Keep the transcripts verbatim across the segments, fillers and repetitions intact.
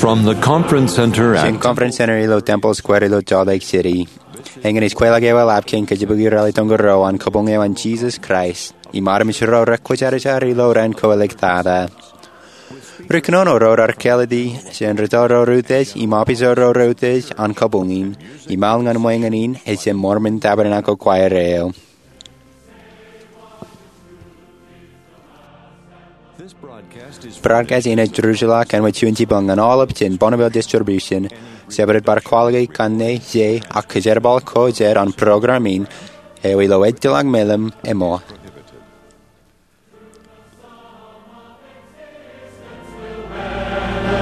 From the Conference Center at Jān Conference Center ilo Temple Square ilo Salt Lake City, eñin ej kweilọk eo eḷap kein kōjepiki rally tonko ro an kabuñ eo an Jesus Christ im armej ro rekwōjarjar ilo raan ko eliktata. Ri kōnono ro raar kāālōt jān rūtto ro reutiej im opiij ro reutiej an kabuñ in, im al ñan ṃweñin in ej jān Mormon Tabernacle Choir eo. Broadcast in ej ruj ḷọk āinwōt juon jipañ ñan aolep jān Bonneville Distribution. Jabdewōt bar kwaḷọk kanne, ej, ak kōjerbal ko jet an program in eo ilo ejjeḷọk meḷeḷe ṃōk.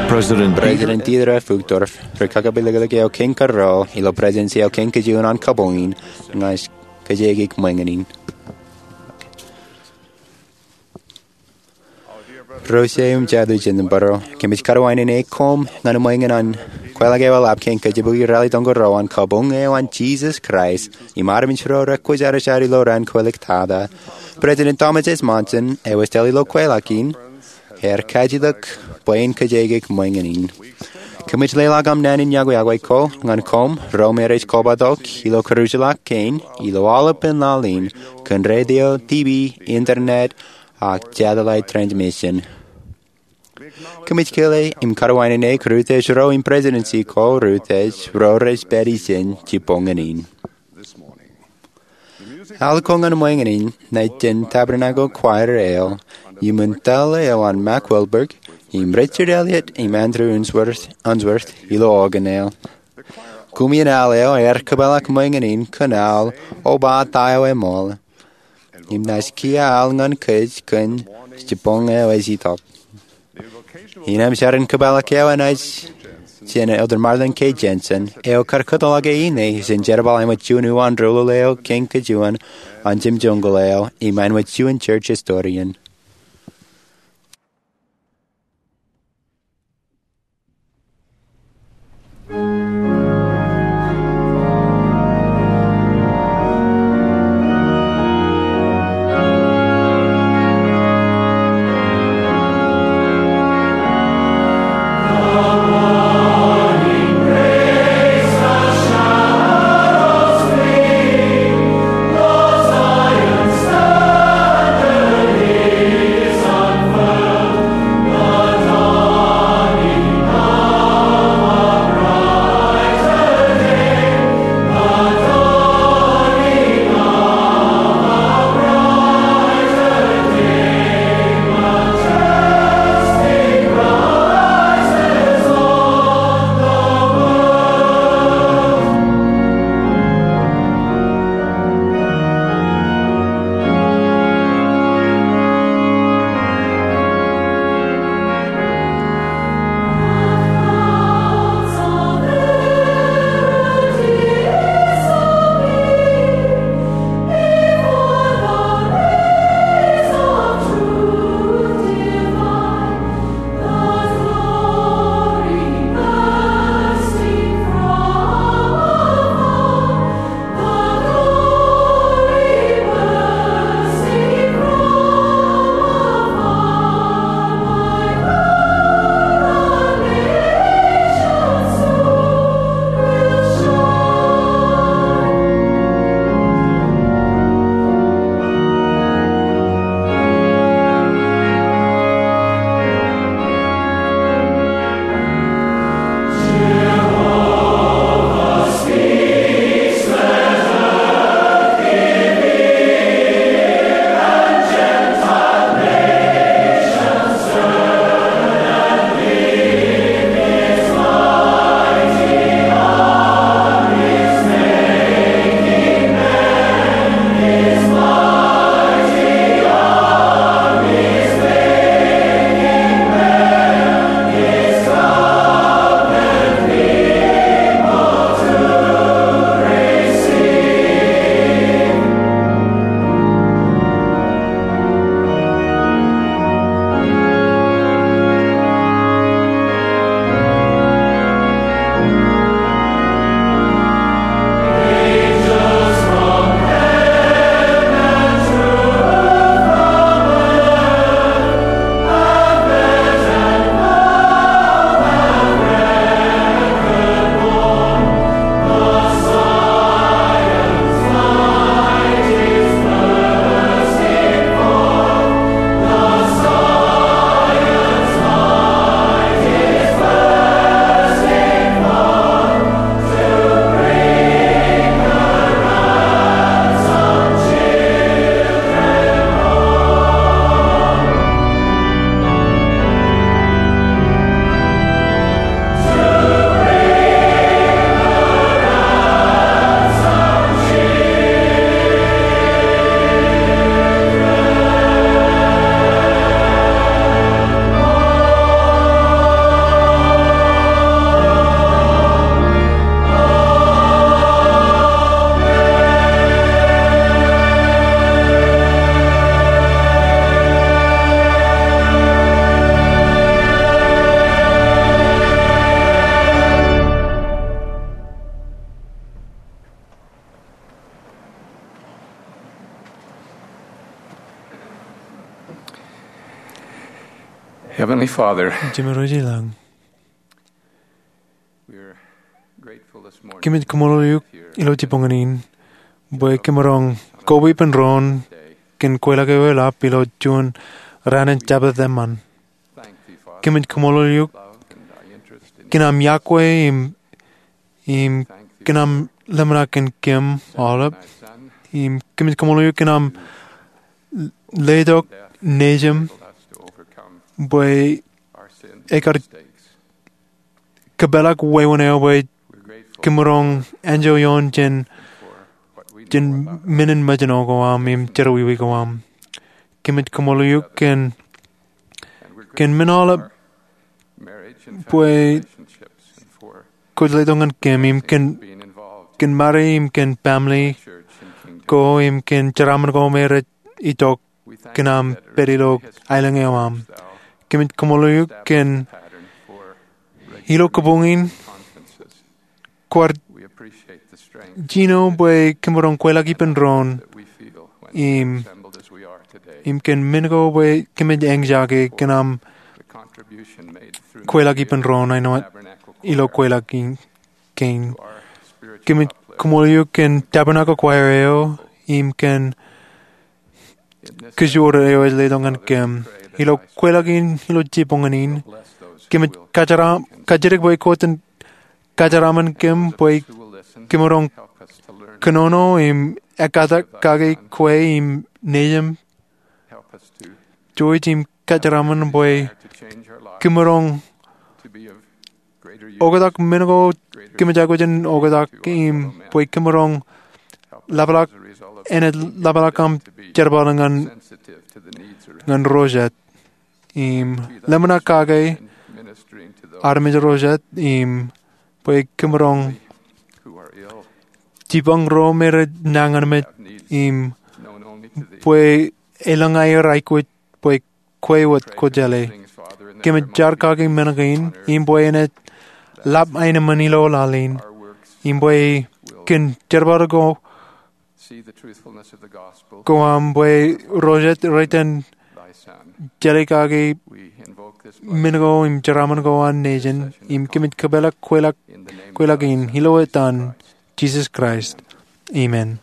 President Dieter F. Uchtdorf, ri kakapeliklik eo kein kōrā ilo Presidency eo kein kajjien an kabuñ in, ña ij kōjkeik ṃweñin in. Ro ije im jatū jān bōro, kōmij karuwainene koṃ ñan ṃweñin an kweilọk eo eḷap kein kōjepiki rally tonko ro an kabuñ eo an Jesus Christ im armej ro rekwōjarjar ilo raan ko eliktata. President Thomas S. Monson, eo ej tōl ilo kweilọk in, ear kajjitōk bwe in kōjkeik ṃweñin in. Kōmij leḷọk am naan in yokwe ko ñan koṃ ro me rej kobatok ilo karuj ḷọk kein ilo aolepān laḷ in kōn radio, TV, internet, ak satellite transmission. Kōmij kile im karuwainene kōn reutiej ro im Presidency ko reutiej ro rej pād ijin jibboñōn in. Al ko ñan ṃweñin in ej jān Tabernacle Choir eo, iṃōn tōl eo an Mack Wilberg im Richard Elliott im Andrew Unsworth, Unsworth ilo organ eo. Koṃ in al eo ear kōpeḷḷọk ṃweñin in kōn al O Ba Ta Eo Eṃool. Im naaj kiiō al ñan kōj kōn Jibboñ eo Ej Itok. Innām jar in kōpeḷḷọk eo enaaj jān Elder Marlin K. Jensen, eo kar kōtḷọk e ine jān jerbal āinwōt juon uwaan doulul eo kein kajjien an jemjeñkul eo im āinwōt juon church historian. Heavenly Father, Jemem ro ilañ, we are grateful this morning kōmij kaṃṃoolol eok ilo jibboñōn in bwe kōmaroñ koba ippān doon kōn kweilọk eo eḷap ilo juon raan in Jabōt eṃṃan. Kōmij kaṃṃoolol eok kōn aṃ iọkwe im im kōn aṃ ḷōmṇak kōn kōm aolep. Im kōmij kaṃṃoolol eok kōn aṃ letok nejūṃ bwe ekar kōpeḷḷọk wāween eo bwe kōmaroñ enjoy ioon jān, jān men in mejān ko aṃ im jerọwiwi ko aṃ. Kōmij kaṃṃoolol eok kōn, kōn men aolep bwe kwōj letok ñan kōm im kōn, kōn Mari im kōn family ko im kōn jeraaṃṃan ko me rej itok kōn aṃ pād ilo aelōñ eo aṃ. Kōmij kaṃṃoolol eok kōn ilo kabuñ in kwaar jino bwe kōmaroñ kweilọk ippān doon im, im kōn men ko bwe kōmij eñjake kōn aṃ kweilọk ippān doon āinwōt ilo kweilọk in kein. Kōmij kaṃṃoolol eok kōn Tabernacle Choir eo im kōn kōjro eo ej letok ñan kōm ilo kweilọk in ilo jibboñōn in. Kōmij kajeraṃ, kajjitōk bwe kwōj kajeraṃṃan kōm bwe kōmaroñ kōnono im ekkā kake kwe im nejūṃ. Jouj im kajeraṃṃan bwe kōmaroñ oktak men ko kōmij aikuj in oktak im bwe kōmaroñ ḷapḷọk, enaaj ḷapḷọk aṃ jerbal ñan, ñan ro jet im ḷōmṇak kake armej ro jet im bwe kōmaroñ jipañ ro me rej nañinmej im bwe elōñ aer aikuj bwe kwe wōt kwō jeḷā. Kōmij jar kake men kein im bwe enaaj ḷap aenōṃṃan ilo laḷ in im bwe kōn jerbal ko, ko aṃ bwe ro jet rej itōn jeḷā kake men ko im jeraaṃṃan ko an nejin im kōmij kōpeḷḷọk kweilọk, kweilọk in ilo etan Jisōs Kraist. Amen.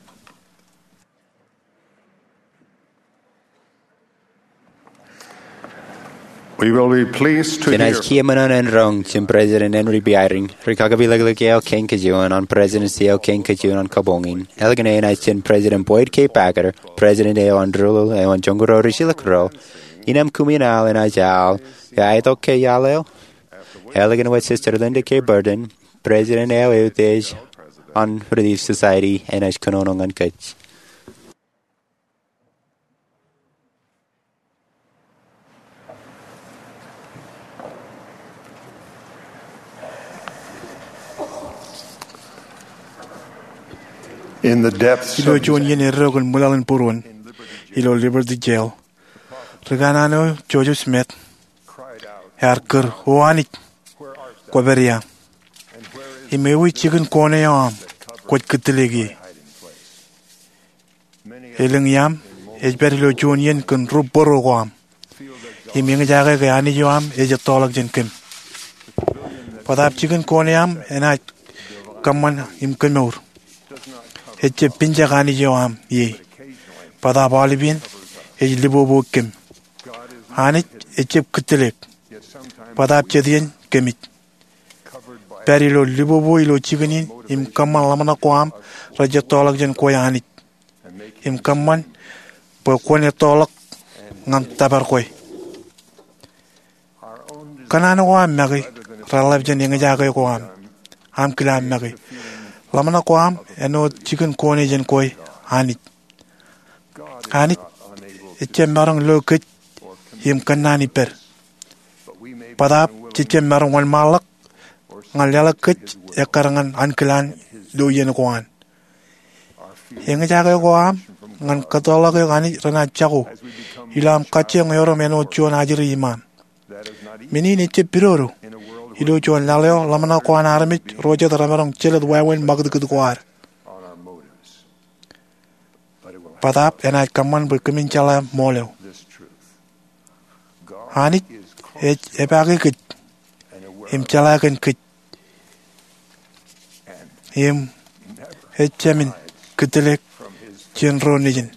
We will be pleased to hear. Jenaaj kiiō men in roñ jān President Henry B. Eyring, rikakapeḷḷọk eo kein kajjien an presidency eo kein kajjien an kabuñ in. Ālikin enaaj jān President Boyd K. Packer, President eo an Rūḷ eo an Joñoul Ruo Ri Jilkinreo, innām kumi in al enaaj al, eo aetok ke iaḷ eo. Ālikin wōt Sister Linda K. Burton, President eo eutiej an Relief Society, enaaj kōnono ñan kōj. In the depths ilo of juon iien eddo kōn ṃwilaḷ in būruon ilo Liberty Jail, ri kanaan eo Joseph Smith ear kūr, "O Anij, kwōpād ia? Im ewi jikin koon eo aṃ kwōj kūtiliik ie?" Elōñ iaam ej pād ilo juon iien kōn ri bōro ko aṃ im eñjake ke Anij eo aṃ ej ettoḷọk jān kōm. Bōtaab jikin koon eo aṃ enaaj kōṃṃan im kemour. Ejjab pinjak Anij eo aṃ ie. Bōtaab aolepān ej libobo kōm. Anij ejjab kūtiliik. Bōtaab jet iien kōmij pād ilo libobo ilo jikin in im kōṃṃan ḷōmṇak ko aṃ rej ettoḷọk jān kwe Anij im kōṃṃan bwe kwōn ettoḷọk ñan tōpar kwe. Kōṇaan ko aṃ make reḷap jān eñjake ko aṃ. Aṃ kile aṃ make. Ḷōmṇak ko aṃ āinwōt jikin koon eo jān kwe Anij. Anij ejjab maroñ lo kōj im kōnnaan ippād. Bōtaab jej jab maroñ wōnṃaanḷọk ñan leḷọk kōj ekkar ñan ankilaan ilo iien ko an. Eñjake ko aṃ ñan kōttoḷọk eok Anij renaaj jako ilo aṃ kajjioñ erom āinwōt juon ajri iṃaaṃ. Men in ejjab pidodo ilo juon laḷ eo ḷōmṇak ko an armej ro jet remaroñ jelōt wāween ṃakūtkūt ko ad. Bōtaab enaaj kōṃṃan bwe kōmin jeḷā ṃool eo. Anij Ej epaake kōj im jeḷā kōn kōj im ejāmin kōttāāl jān ro nejin.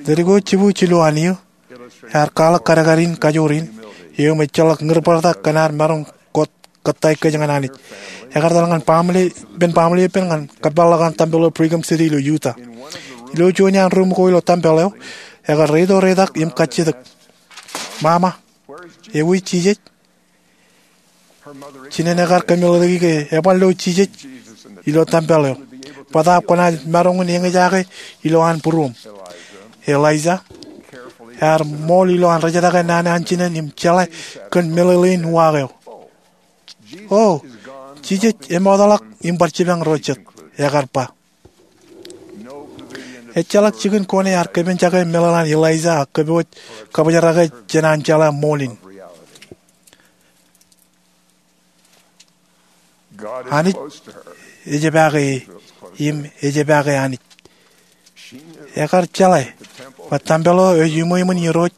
Ledik ko jibwiin jilu an eō ear kwaḷọk kadkad in kajoor in eo im ejjeḷọk ñūrbartak kōn ad maroñ kōttāik kōj ñan Anij. Ekar etal ñan ippān baaṃle ippān ñan kōpeḷḷọk an tempel eo Brigham City ilo Utah. Ilo juon iaan ruum ko ilo tempel eo, ekar reito reitak im kajjitōk, "Mama, ewi Jisōs?" Jinen ekar kōmeḷeḷeiki ke eban lo Jisōs ilo tempel eo bōtaab kwōnaaj maroñ in eñjake ilo an būruōm. Eliza ear ṃool ilo an rejetake naan an jinen im jeḷā kōn meḷeḷein uwaak eo. "O, Jisōs emootḷọk im bar jipañ ro jet," ekar ba. Ejjeḷọk jikin kone ear kōpenjake meḷeḷe an Eliza ak kōpooj kabōjrak e jān an jeḷā ṃool in. Anij ej epaake e im ej epaake Anij. Ekar jeḷā bwe tempel eo ej iṃweiṃwin Irooj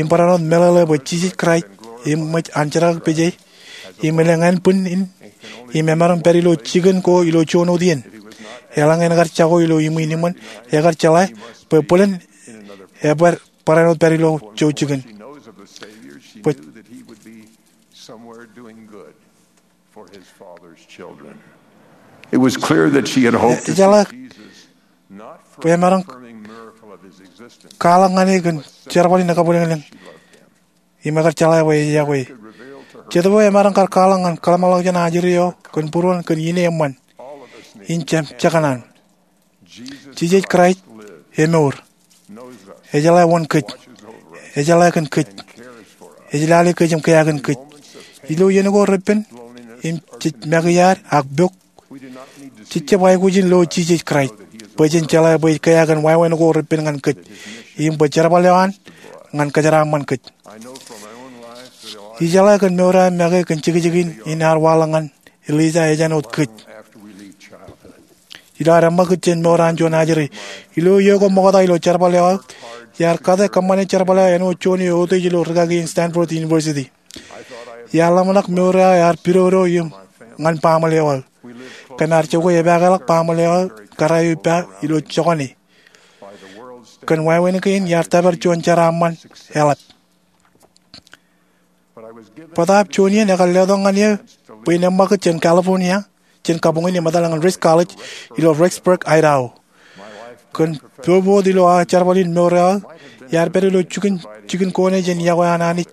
im barāinwōt meḷeḷe bwe Jisōs Kraist eṃōj an jerkakpeje im elōñ ānbwin in im emaroñ pād ilo jikin ko ilo juon wōt iien. Eḷaññe en kar jako ilo iṃwin iṃōn, ekar jeḷā bwe bōlen ebōd barāinwōt pād ilo jouj jikin. Bwe It was clear that she had hoped to see Jesus not for a confirming miracle of his existence, kwaḷọk ñan e kōn jerbal in kabwilōñlōñ im ekar jeḷā bwe ej iọkwe e. Jet bwe emaroñ kar kwaḷọk ñan kōḷmānḷọkjeṇ an ajri eo kōn būruon kōn ine eṃṃan in jekōṇaan. Jisōs Kraist emour. Ejeḷā wōn kōj. Ejeḷā kōn kōj. Ej lale kōj im kea kōn kōj. Ilo iien ko repen im jej make iaad ak pok, jej jab aikuj in lo Jisōs Kraist bwe jen jeḷā bwe ej kea kōn wāween ko repen ñan kōj im bwe jerbal eo an ñan kōjeraaṃṃan kōj. Ijeḷā kōn mour eo aō make kōn jekjekin in ear waḷọk ñan Eliza ej āinwōt kōj. Ilo ad eṃṃakūt jān mour an juon ajri, ilo iiō ko ṃokta ilo jerbal eo aō, iar kate kōṃṃane jerbal eo āinwōt juon eo eutiej ilo rūkaki in Stanford University. Iar ḷōmṇak mour eo aō ear pidodo im ñan baaṃle eo aō. Kōm ar jokwe epaakḷọk baaṃle eo aō kōrā eo ippa ilo jokane. Kōn wāween kein iar tōpar juon jeraaṃṃan eḷap. Bōtaab juon iien ekar letok ñan eō bwe in eṃṃakūt jān California jān kabuñ in im etal ñan Ricks College ilo Rexburg, Idaho. Kōn bōbōt ilo aō jerbal in mour eo aō, iar pād ilo jikin kone jān iọkwe an Anij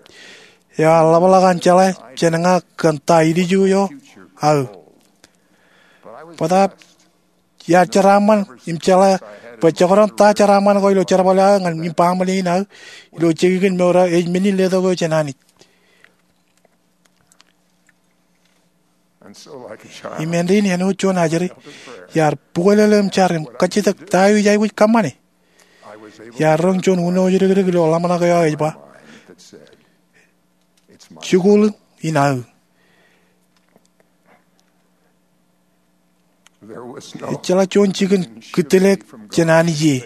eo ear ḷapḷọk an jeḷā jān ña kōn ta ilju eo aō. Bōtaab iar jeraaṃṃan im jeḷā bwe jekdọọn ta jeraaṃṃan ko ilo jerbal eo aō ñan im baaṃle in aō ilo jekjekin mour eo ej men in letok eo jān Anij. Im āindein āinwōt juon ajri, iar bukwelele im jar im kajjitōk, "Ta eo ij aikuj kōṃṃane?" Iar roñ juon uno jidikdik ilo ḷōmṇak eo aō ej ba, "Jikuuḷ in aō." Ejjeḷọk juon jikin kūttelek jān Anij ie.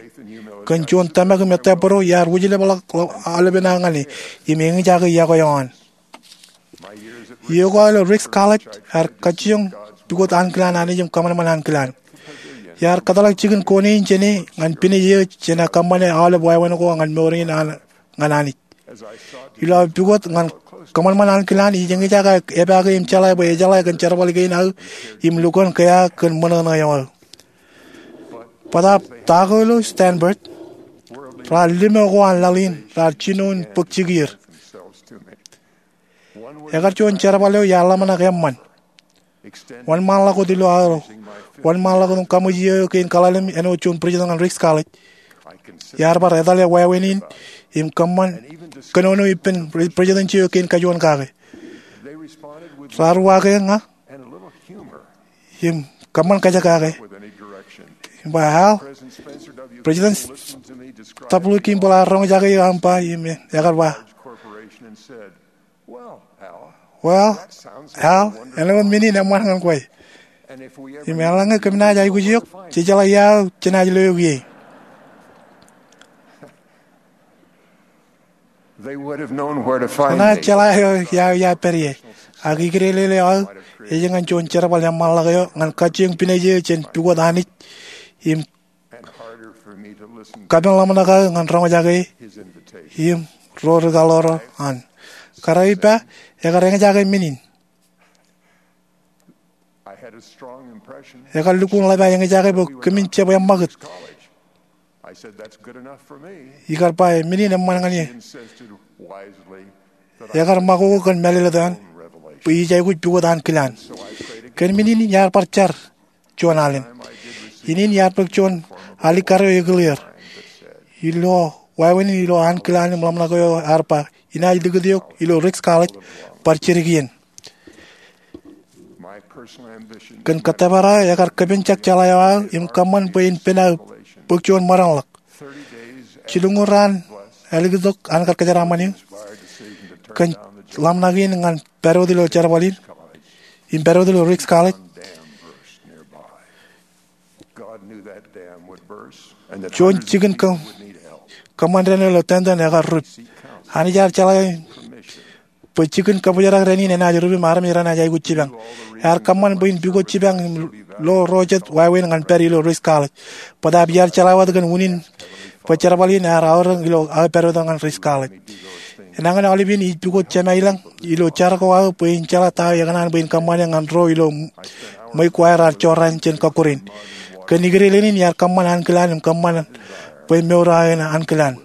Kōn juon tōmak im ettā bōro, iar wūjlepḷọk aolepen aō ñan e im eñjake iọkwe eo an. Iiō ko aō ilo Ricks College ear kajjioñ pukot ankilaan Anij im kōṃanṃan ankilaan. Iar kōtḷọk jikin kone in jān e ñan pinej eō jān aō kōṃṃane aolep wāween ko ñan mour in an ñan Anij. Ilo aō pukot ñan kōṃanṃan ankilaan, ij eñjake epaake im jeḷā bwe ejeḷā kōn jerbal kein aō im lukkuun kea kōn ṃōṇōṇō eo aō. Bōtaab ta ko ilo Stanford, raar limo ko an laḷ in raar jino in bōk jikier. Ekar juon jerbal eo iar ḷōmṇak eṃṃan. Wōnṃaanḷọk wōt ilo aō wōnṃaanḷọk wōt im kaṃōj iiō eo kein kaḷalem āinwōt juon president ñan Ricks College, iar bar etale wāween in im kōṃṃan kōnono ippān presidency eo kein kajuon kake. Raar uwaake ña im kōṃṃan kajekake im ba, "Al, President W. Kimball ear roñjake eō aṃ ba," im ekar ba, "Well, Al, āinwōt men in eṃṃan ñan kwe. Im eḷaññe kōm naaj aikuj eok, jejeḷā ia aō jenaaj lo eok ie." Renaaj jeḷā eo iar pād ie, ak ikidālele eo aō ej ñan juon jerbal eṃṃanḷọk eo ñan kajjioñ pinej eō jān pukot Anij im kapen ḷōmṇak aō ñan roñjake e im ro rikaḷoor an. Kōrā ippa, ekar eñjake men in. Ekar lukkuun ḷap aō eñjake bwe kōmin jab eṃṃakūt. Ikar ba, men in eṃṃan ñan eō. Ekar ṃakoko kōn mālōtlōt eo an bwe ij aikuj pukot ankilaan. Kōn men in iar bar jar juon alen. Innin iar bōk juon alikkar eo ekūlier ilo wāween in ilo ankilaan im ḷōmṇak eo ear ba, inaaj likūt eok ilo Ricks College bar jidik iien. Kōn kōttōpar aō, ekar kōpenjak jeḷā eo aō im kōṃṃan bwe in pen aō bōk juon ṃōdeḷọk. Jilñuul raan ālikintok an kar kōjeraaṃṃan eō kōn ḷōmṇak in ñan pād wōt ilo jerbal in im pād wōt ilo Ricks College, juon jikin kōṃṃan dān ilo tōntan ekar rūp. Anij ear jeḷā bwe jikin kōbōjrak dān in enaaj rūp im armej renaaj aikuj jipañ. Ear kōṃṃan bwe in pukot jipañ im lo ro jet wāween ñan pād ilo Ricks College. Bōtaab iar jeḷā wōt kōn unin bwe jerbal in ear aorōk ilo aō pād wōt ñan Ricks College. Enañin aolep iien ij pukot Jemālañ ilo jar ko aō bwe in jeḷā ta eo ekōṇaan bwe in kōṃṃane ñan ro ilo ṃweiuk ko aer ear jorrāān jān kọkkure in. Kōn ikidālele in iar kōṃṃan ankilaan im kōṃṃan bwe mour aō en ankilaan.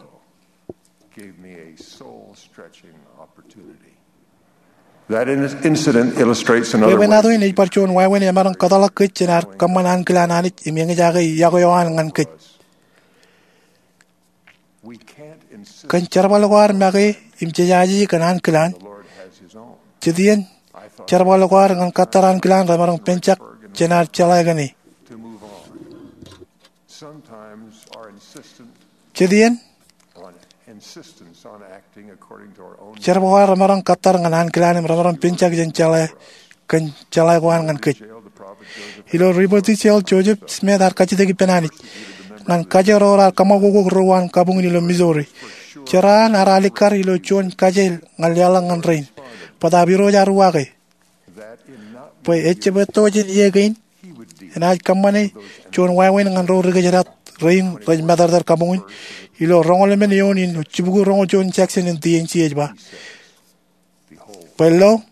Bwebwenato in ej bar juon wāween emaroñ kōtḷọk kōj jān ad kōṃṃan ankilaan Anij im eñjake iọkwe eo an ñan kōj. Kōn jerbal ko ad make im jejaje kōn ankilaan, jet iien jerbal ko ad ñan kōttar ankilaan remaroñ penjak jān ad jeḷā kōn e. Jet iien jerbal ko ad remaroñ kōttar ñan ankilaan im remaroñ penjak jān jeḷā kōn jeḷā ko an ñan kōj. Ilo Liberty Jail, Joseph Smith ear kajjitōk ippān Anij ñan kajoor ro raar kōṃakoko ro uwaan kabuñ in ilo Missouri. Jeraan ear alikkar ilo juon kajeil ñan leḷọk ñan rein. Bōtaab Irooj ear uwaak e bwe ejjab etto jān iiō kein enaaj kōṃṃane juon wāween ñan ro ri kōjdat rein rej matōrtōr kabuñ in ilo roñoul emān eoon in jibukwi roñoul juon section in D N C ej ba, bwe lo,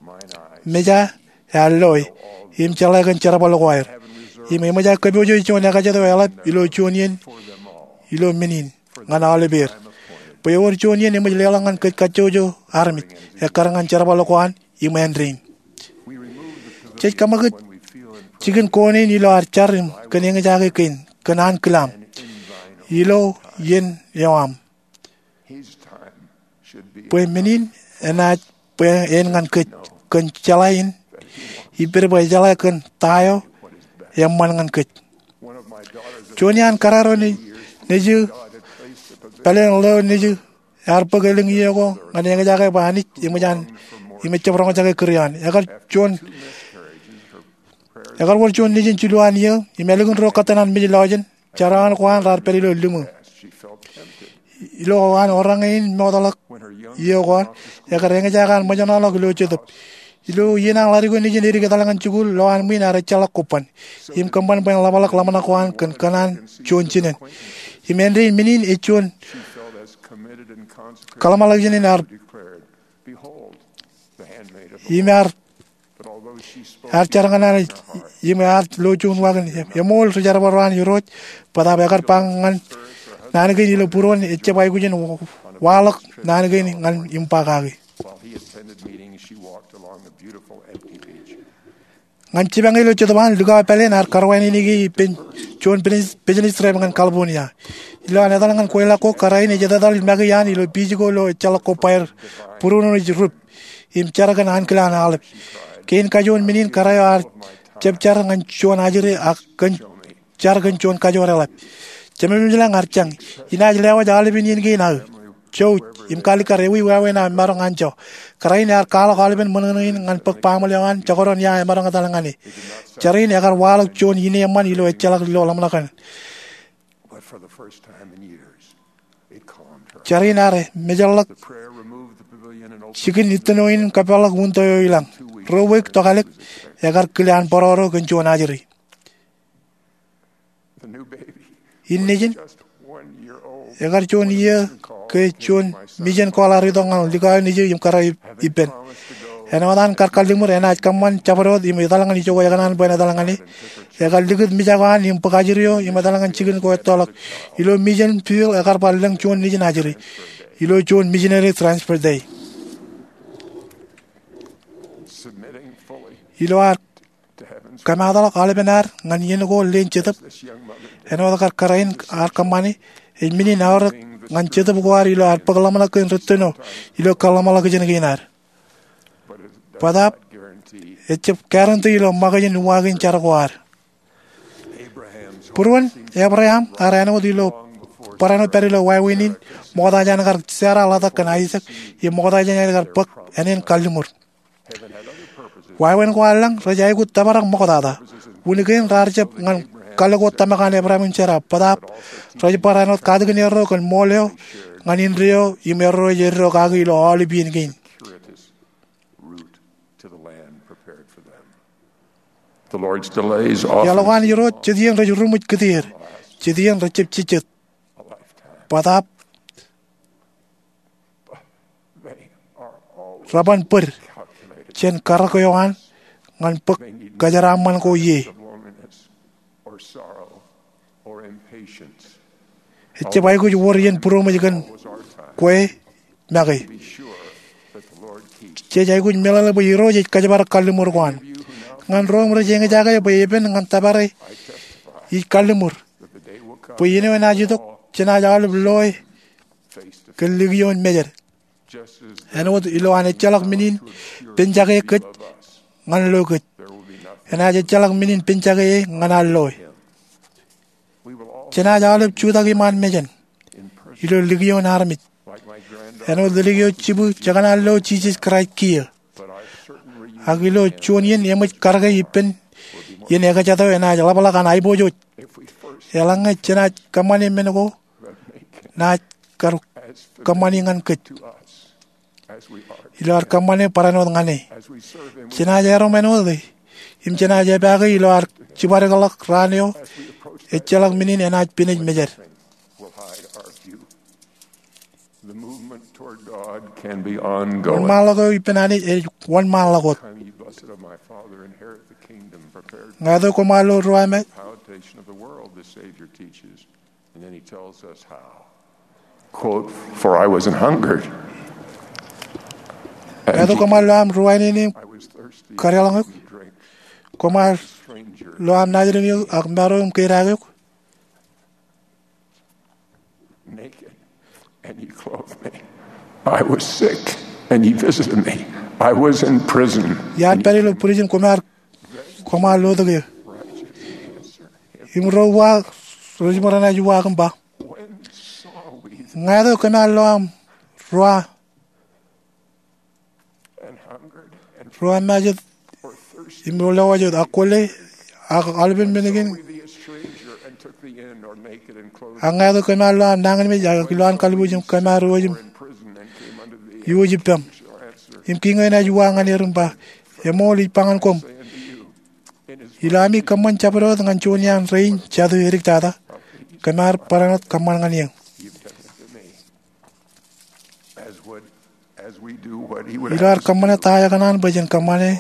meja ear loe im jeḷā kōn jerbal ko aer. Im eṃōj aō kōpoojo juon ekajet eo eḷap ilo juon iien ilo men in ñan aolepeer, bwe ewōr juon iien eṃōj leḷọk ñan kōj kajjojo armej ekkar ñan jerbal ko an im āindein. Jej kōṃakūt jikin koon in ilo ad jar im kōn eñjake kein kōn ankilaam ilo iien eo aṃ. Bwe men in enaaj bwe en ñan kōj kōn jeḷā in ippād bwe ejeḷā kōn ta eo eṃṃan ñan kōj. Juon iaan kōrā ro nejū, pāleen ḷeo nejū, ear bōk elōñ iiō ko ñan eñjake bwe Anij eṃōj an im ejjab roñjake kūr eo an. Ekar juon, ekar wōr juon nejin jilu an iiō im ālikin ruo kōttan an mej lọjān, jeraaṃṃan ko an raar pād ilo liṃū. Ilo an orañ in mootḷọk iiō ko an, ekar eñjake an ṃōjṇọḷọk ilo jetōb. Ilo iien an ḷadik eo nejin edik etal ñan jikuuḷ, lo an ṃwiin ear ejjeḷọk kobban im kōṃṃan bwe en ḷapḷọk ḷōmṇak ko an kōn kōṇaan juon jinen. Im āindein men in ej juon kaḷmānḷọkjeṇ in ear im ear, ear jar ñan Anij im ear lo juon waakōn, eṃool ri jerbal ro an Irooj. Bōtaab ekar ba ñan naan kein ilo būruon, ejjab aikuj in waḷọk naan kein ñan im ba kaki. Ñan jipañ ilo jetōb an, likao pāleen ear karwānānōk e ippān juon business trip ñan California. Ilo an etal ñan kweilọk ko, kōrā in ej etetal make iaan ilo beach ko lo ejjeḷọk kobba er būruon ej rup im jar kōn ankilaan aolep. Kein kajoor men in kōrā eo ear jab jar ñan juon ajri ak kōn jar kōn juon kajoor eḷap. Jemem ilañ ear jañ, inaaj lewōj aolepen iien kein aō, jouj im kalikkar ewi wāween aō maroñ anjọ. Kōrā in ear kwaḷọk aolepen ṃōṇōṇō in ñan bōk baaṃle eo an jekdọọn ia emaroñ etal ñan e. Jar in ekar waḷọk juon ine eṃṃan ilo ejjeḷọk ilo ḷōmṇak in. Jar in ear mejeḷḷọk jikin ittino in im kōpeḷḷọk window eo ilañ. Ruo week tokālik ekar kile an bōroro kōn juon ajri. Innejin, ekar juon iiō ke juon, mijen ko ear itok ñan likao nejū im kōrā ippān. Āinwōt an kar kalliṃur, enaaj kōṃṃan jabdewōt im etal ñan ijoko ekōṇaan bwe en etal ñan e. Ekar likūt mijak eo an im bōk ajri eo im etal ñan jikin ko ettoḷọk. Ilo mijen Phil ekar bar lōñ juon nejin ajri ilo juon missionary transfer day. Ilo ad kōmaatḷọk aolepen ad ñan iien ko leen jetōb, āinwōt kar kōrā in ear kōṃṃane, ej men in aorōk ñan jetōb ko ad ilo ad bōk ḷōmṇak kōn rūtto eo ilo kōḷmānḷọkjeṇ kein ad. Bōtaab ejab guarantee ilo ṃōkaj in uwaak in jar ko ad. Būruon Ebream ear āinwōt ilo barāinwōt pād ilo wāween in, ṃokta jān kar jeera ḷotak kōn Aisak im ṃokta jān kar bōk āne in kalliṃur. Wāween ko an lañ rej aikuj tōprak ṃoktata. Wūn kein raar jab ñan kalōk ko tōmak an Ebream im Sera, bōtaab rej bar āinwōt katakin erro kōn ṃool eo ñan indeeo im erro ej eddo kaki ilo aolep iien kein. Iaḷ ko an Irooj jet iien rej ruṃwij kūtier, jet iien rejjab jejjet. Bōtaab reban bōd jān karōk eo an ñan bōk kōjeraaṃṃan ko ie. Ejab aikuj wōr iien būroṃōj kōn kwe make. Jej aikuj meḷeḷe bwe Irooj ej kōjparok kalliṃur ko an. Ñan ro im rej eñjake bwe epen ñan tōpare, ij kalliṃur bwe iien eo enaaj itok jenaaj aolep loe kōn likioin mejed. Āinwōt ilo an ejjeḷọk men in penjake kōj ñan lo kōj, enaaj ejjeḷọk men in penjake e ñan an loe. Jenaaj aolep jutak iṃaan mejān ilo likioin armej, āinwōt ledik eo jibwi jekōṇaan lo Jisōs Kraist kiiō. Ak ilo juon iien eṃōj karōke ippān iien ekjat eo enaaj ḷapḷọk an aiboojoj. Eḷaññe jenaaj kōṃṃane men ko naaj kar kōṃṃani ñan kōj ilo ad kōṃṃane barāinwōt ñan e. Jenaaj erom āinwōt e im jenaaj epaake ilo ad jibadekḷọk raan eo ejjeḷọk men in enaaj pinej mejed. Wōnṃaanḷọk eo ippān Anij ej wōnṃaanḷọk wōt. Ñāāt eo koṃ ar lo ruwamāe. Ñāāt eo koṃ ar lo aṃ ruwainene im kadeḷọñ eok. Koṃ ar lo aṃ naajdik eok ak maro im kedaak eok. Iar pād ilo prison, koṃ ar, koṃ ar lotōk eō. Im ro uwaak rej ṃōk renaaj uwaak im ba, ñāāt eo kōm ar lo aṃ ruwa, ruwamājet im lewōj wōt ak kwōle ak aolepen men kein. Ak ñāāt eo kōm ar lo aṃ nañinmej ak ilo an kalbuuj im kōm ar iwōj im iwōj ippām. Im kiiñ eo enaaj uwaak ñan er im ba, eṃool, ij ba ñan koṃ, ilo ami kōṃṃan jabdewōt ñan juon iaan rein jatū edik tata, kōm ar barāinwōt kōṃṃan ñan eō. Ilo ad kōṃṃane ta ekōṇaan bwe jen kōṃṃane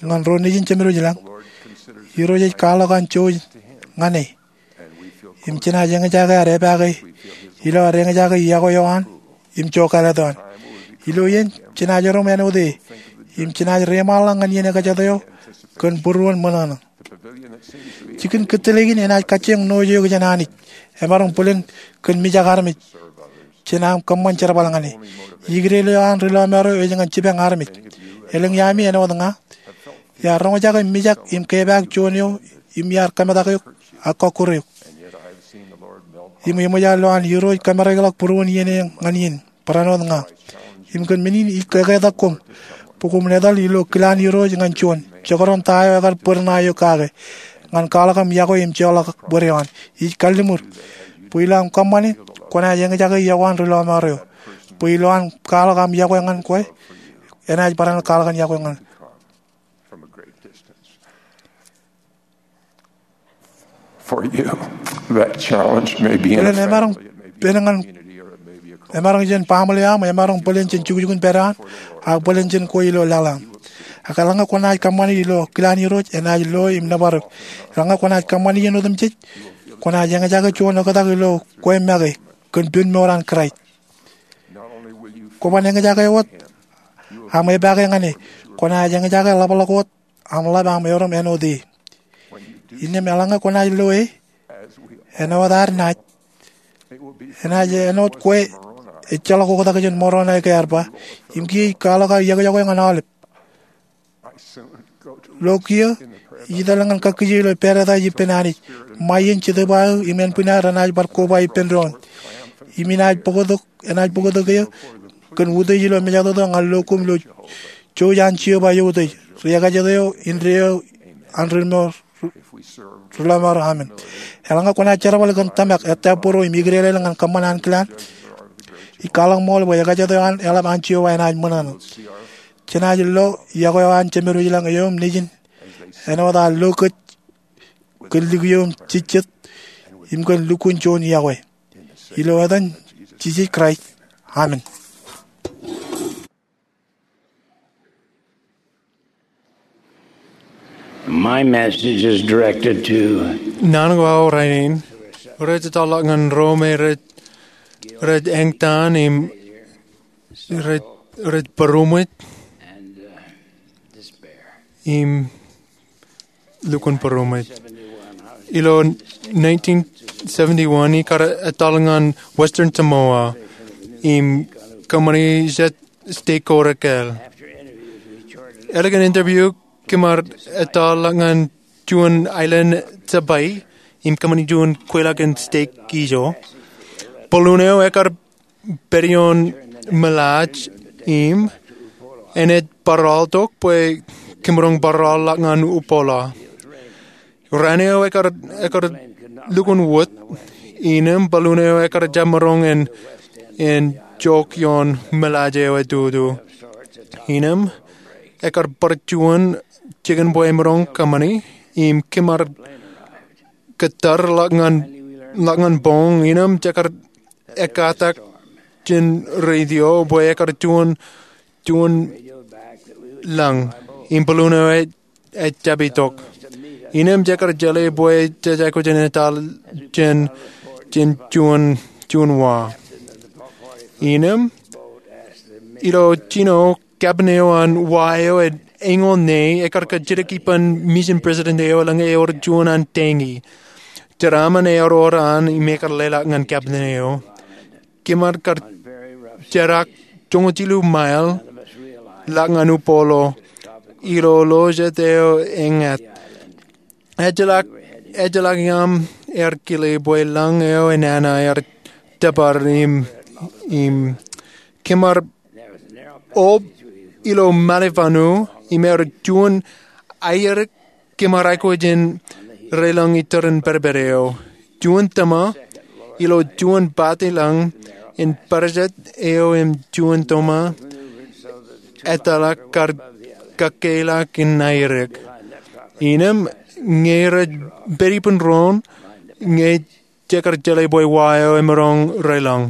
ñan ro nejin jemed wōj ilañ, Irooj ej kwaḷọk an jouj ñan e. Im jenaaj eñjake ad epaake ilo ad eñjake iọkwe eo an im jokālet eo an. Ilo iien jenaaj erom āinwōt e im jenaaj reiṃaanḷọk ñan iien ekjat eo kōn būruon ṃōṇōṇō. Jikin kōttālōk in enaaj kajjioñ nooj eok jān Anij, emaroñ bōlen kōn mijak armej jān aṃ kōṃṃan jerbal ñan e. Ikdeḷ eo an ri lọmọọr eo ej ñan jipañ armej. Elōñ iaami āinwōt ña iar roñjake mijak im kepaak juon eo im iar kōmetak eok ak kọkkure eok. Im eṃōj aō lo an Irooj kōmereḷọk būruon iien eo ñan in barāinwōt ña. Im kōn men in ij eketak koṃ bwe koṃwin etal ilo kilaan Irooj ñan juon, jekdọọn ta eo ekar bōd ṇae eok kake, ñan kwaḷọk aṃ iọkwe im joḷọk bōd eo an. Ij kalliṃur bwe ilo aṃ kōṃṃane kwōnaaj eñjake yokwe an ri lọmọọr eo. Bwe ilo an kwaḷọk aṃ yokwe ñan kwe, enaaj barāinwōt kwaḷọk an yokwe ñan For you, that challenge may be in a family, it may be in a community, or it may be across. Emaroñ jān baaṃle eo aṃ, emaroñ bōlen jān jukjukun pād eo an, ak bōlen jān kwe ilo laḷ eo aṃ. Ak eḷaññe kwōnaaj kōṃṃani ilo kilaan Irooj, enaaj lo im nōbar eok. Eḷaññe kwōnaaj kōṃṃani iien otemjej, kwōnaaj eñjake juon oktak ilo kwe make kōn pen mour an Kraist. Kwōban eñjake wōt aṃ epaake ñan e, kwōnaaj eñjake ḷapḷọk wōt aṃ ḷap aṃ erom āinwōt e. Innām eḷaññe kwōnaaj lo e, āinwōt ad naaj, enaaj āinwōt kwe ejjeḷọk oktak jān Moroni ke ear ba, im kiiō ij kwaḷọk aō yokwe ñan aolep. Lo kiiō, ij etal ñan kakkije ilo pād etaaj ippān Anij. Ṃae iien Jetōb aō im ānbwinnaer enaaj bar koba ippān doon. Im inaaj bōktok, enaaj bōktok eō kōn utiej ilo mejatoto ñan lo koṃ ilo jouj an Jeova eutiej, ri ekajet eo, indeeo an ri mour, ri lọmọọr. Amen. Eḷaññe kwōnaaj jerbal kōn tōmak, ettā būruō im ikdeḷeḷe ñan kōṃṃan ankilaan, ij kwaḷọk ṃool bwe ekajet eo an eḷap an Jeova enaaj ṃōṇōṇō. Jenaaj lo yokwe eo an Jemedwōj lañ eō im Nejin āinwōt an lo kōj kōn likio im jejjet im kōn lukkuun juon yokwe. Ilo etan Jisōs Kraist, amen. My message is directed to naan ko aō rainin, rej ettoḷọk ñan ro me rej, rej eñtaan im rej, rej būroṃōj im lukkuun būroṃōj. Ilo nineteen seventy-one, ikar etal ñan Western Samoa im kōṃṃani jet stek ko rekāāl. Ālikin interview, kōm ar etal ñan juon aelōñ jabōt im kōṃṃani juon kweilọk in stek ijo. Balloon eo ekar pād ioon milaaj im enaaj barāinwōt bwe kōmaroñ barāinwōt ḷọk ñan Upolu. Raan eo ekar, ekar lukkuun wōt, innām balloon eo ekar jab maroñ in, in jok ioon milaaj eo etutu. Innām ekar bar juon jikin bwe emaroñ kōṃṃani, im kōm ar kōttar ḷọk ñan, ḷọk ñan boñ, innām jekar ekkatak jān radio bwe ekar juon, juon lañ, im balloon eo ej, ej jab itok. Innām jekar jeḷā bwe jej aikuj in etal jān, jān juon, juon wa. Innām ilo jino captain eo an wa eo ej eñoul ṇe, ekar kajjitōk ippān mission president eo eḷaññe ewōr juon an teiñi. Jeraaṃṃan eor ro an im ekar leḷọk ñan captain eo. Kōm ar kar jerak joñoul jilu mile ḷọk ñan Upolu ilo lo jet eo eñāt. Ejjeḷọk, ejjeḷọk iaam ear kile bwe lañ eo enana ear tōpar im, im kōm ar ob ilo ṃaḷe vanu im ear juon aeadik kōm ar aikuj in reilañ iturin pedped eo. Juon tōma ilo juon pati lañ in pād jet eo im juon tōma etal kar kakeilọk in aeadik. Innām ñe rej pād ippān doon, ñe jekar jeḷā bwe wa eo emaroñ reilañ.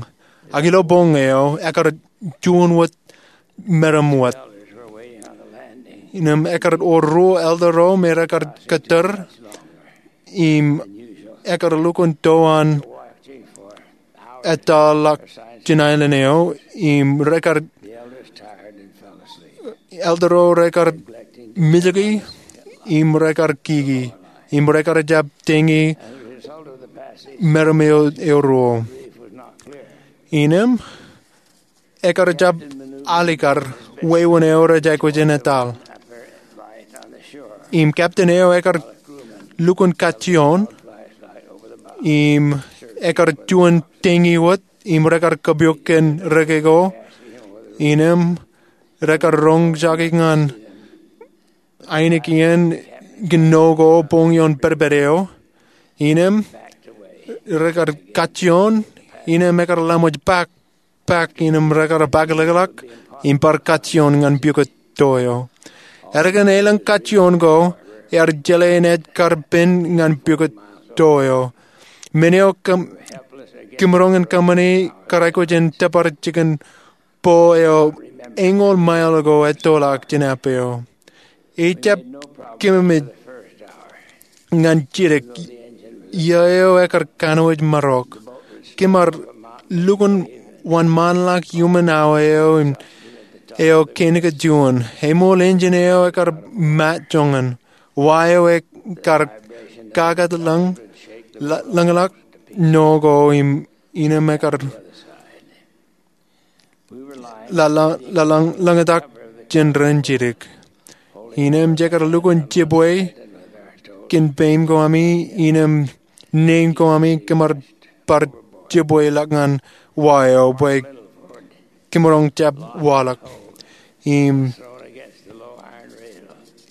Ak ilo boñ eo, ekar juon wōt meram wōt. Innām ekar wōr ruo elder ro me rekar kōttar im ekar lukkuun to an etal ḷọk jān aelōñ eo im rekar elder ro rekar mijaki im rekar kiki im rekar jab teiñi meram eo, eo ruo. Innām ekar jab alikkar wāween eo rej aikuj in etal. Im captain eo ekar lukkuun kajjioñ im ekar juon teiñi wōt im rekar kōpooj kōn reke ko. Innām rekar roñjake ñan ainikien kōn ṇo ko boñ ioon pedped eo. Innām rekar kajjioñ innem ekar laṃōj pak, pak innem rekar pakinḷọkḷọk im bar kajjioñ ñan pukot to eo. Ālikin elōñ kajjioñ ko, ear jeḷā ñan ej kar pen ñan pukot to eo. Men eo kōm, kōmro ñan kōṃṃani kar aikuj in tōpar jikin po eo eñoul mail ko ettoḷọk jān app eo. Ejjab kōmij ñan jidik iiō eo ekar kanooj marok. Kōm ar lukkuun wōnṃaanḷọk iuṃwin awa eo, eo kein ke juon. Eṃool engine eo ekar mat joñan. Wa eo ekar kakōtlōñ, ḷōñḷọk no ko im innem ekar ḷōñḷọk jān ren jidik. Innem jekar lukkuun jibwe kōn peim ko ami innem nein ko ami, kōm ar bar jibweḷọk ñan wa eo bwe kōmro jab waḷọk. Im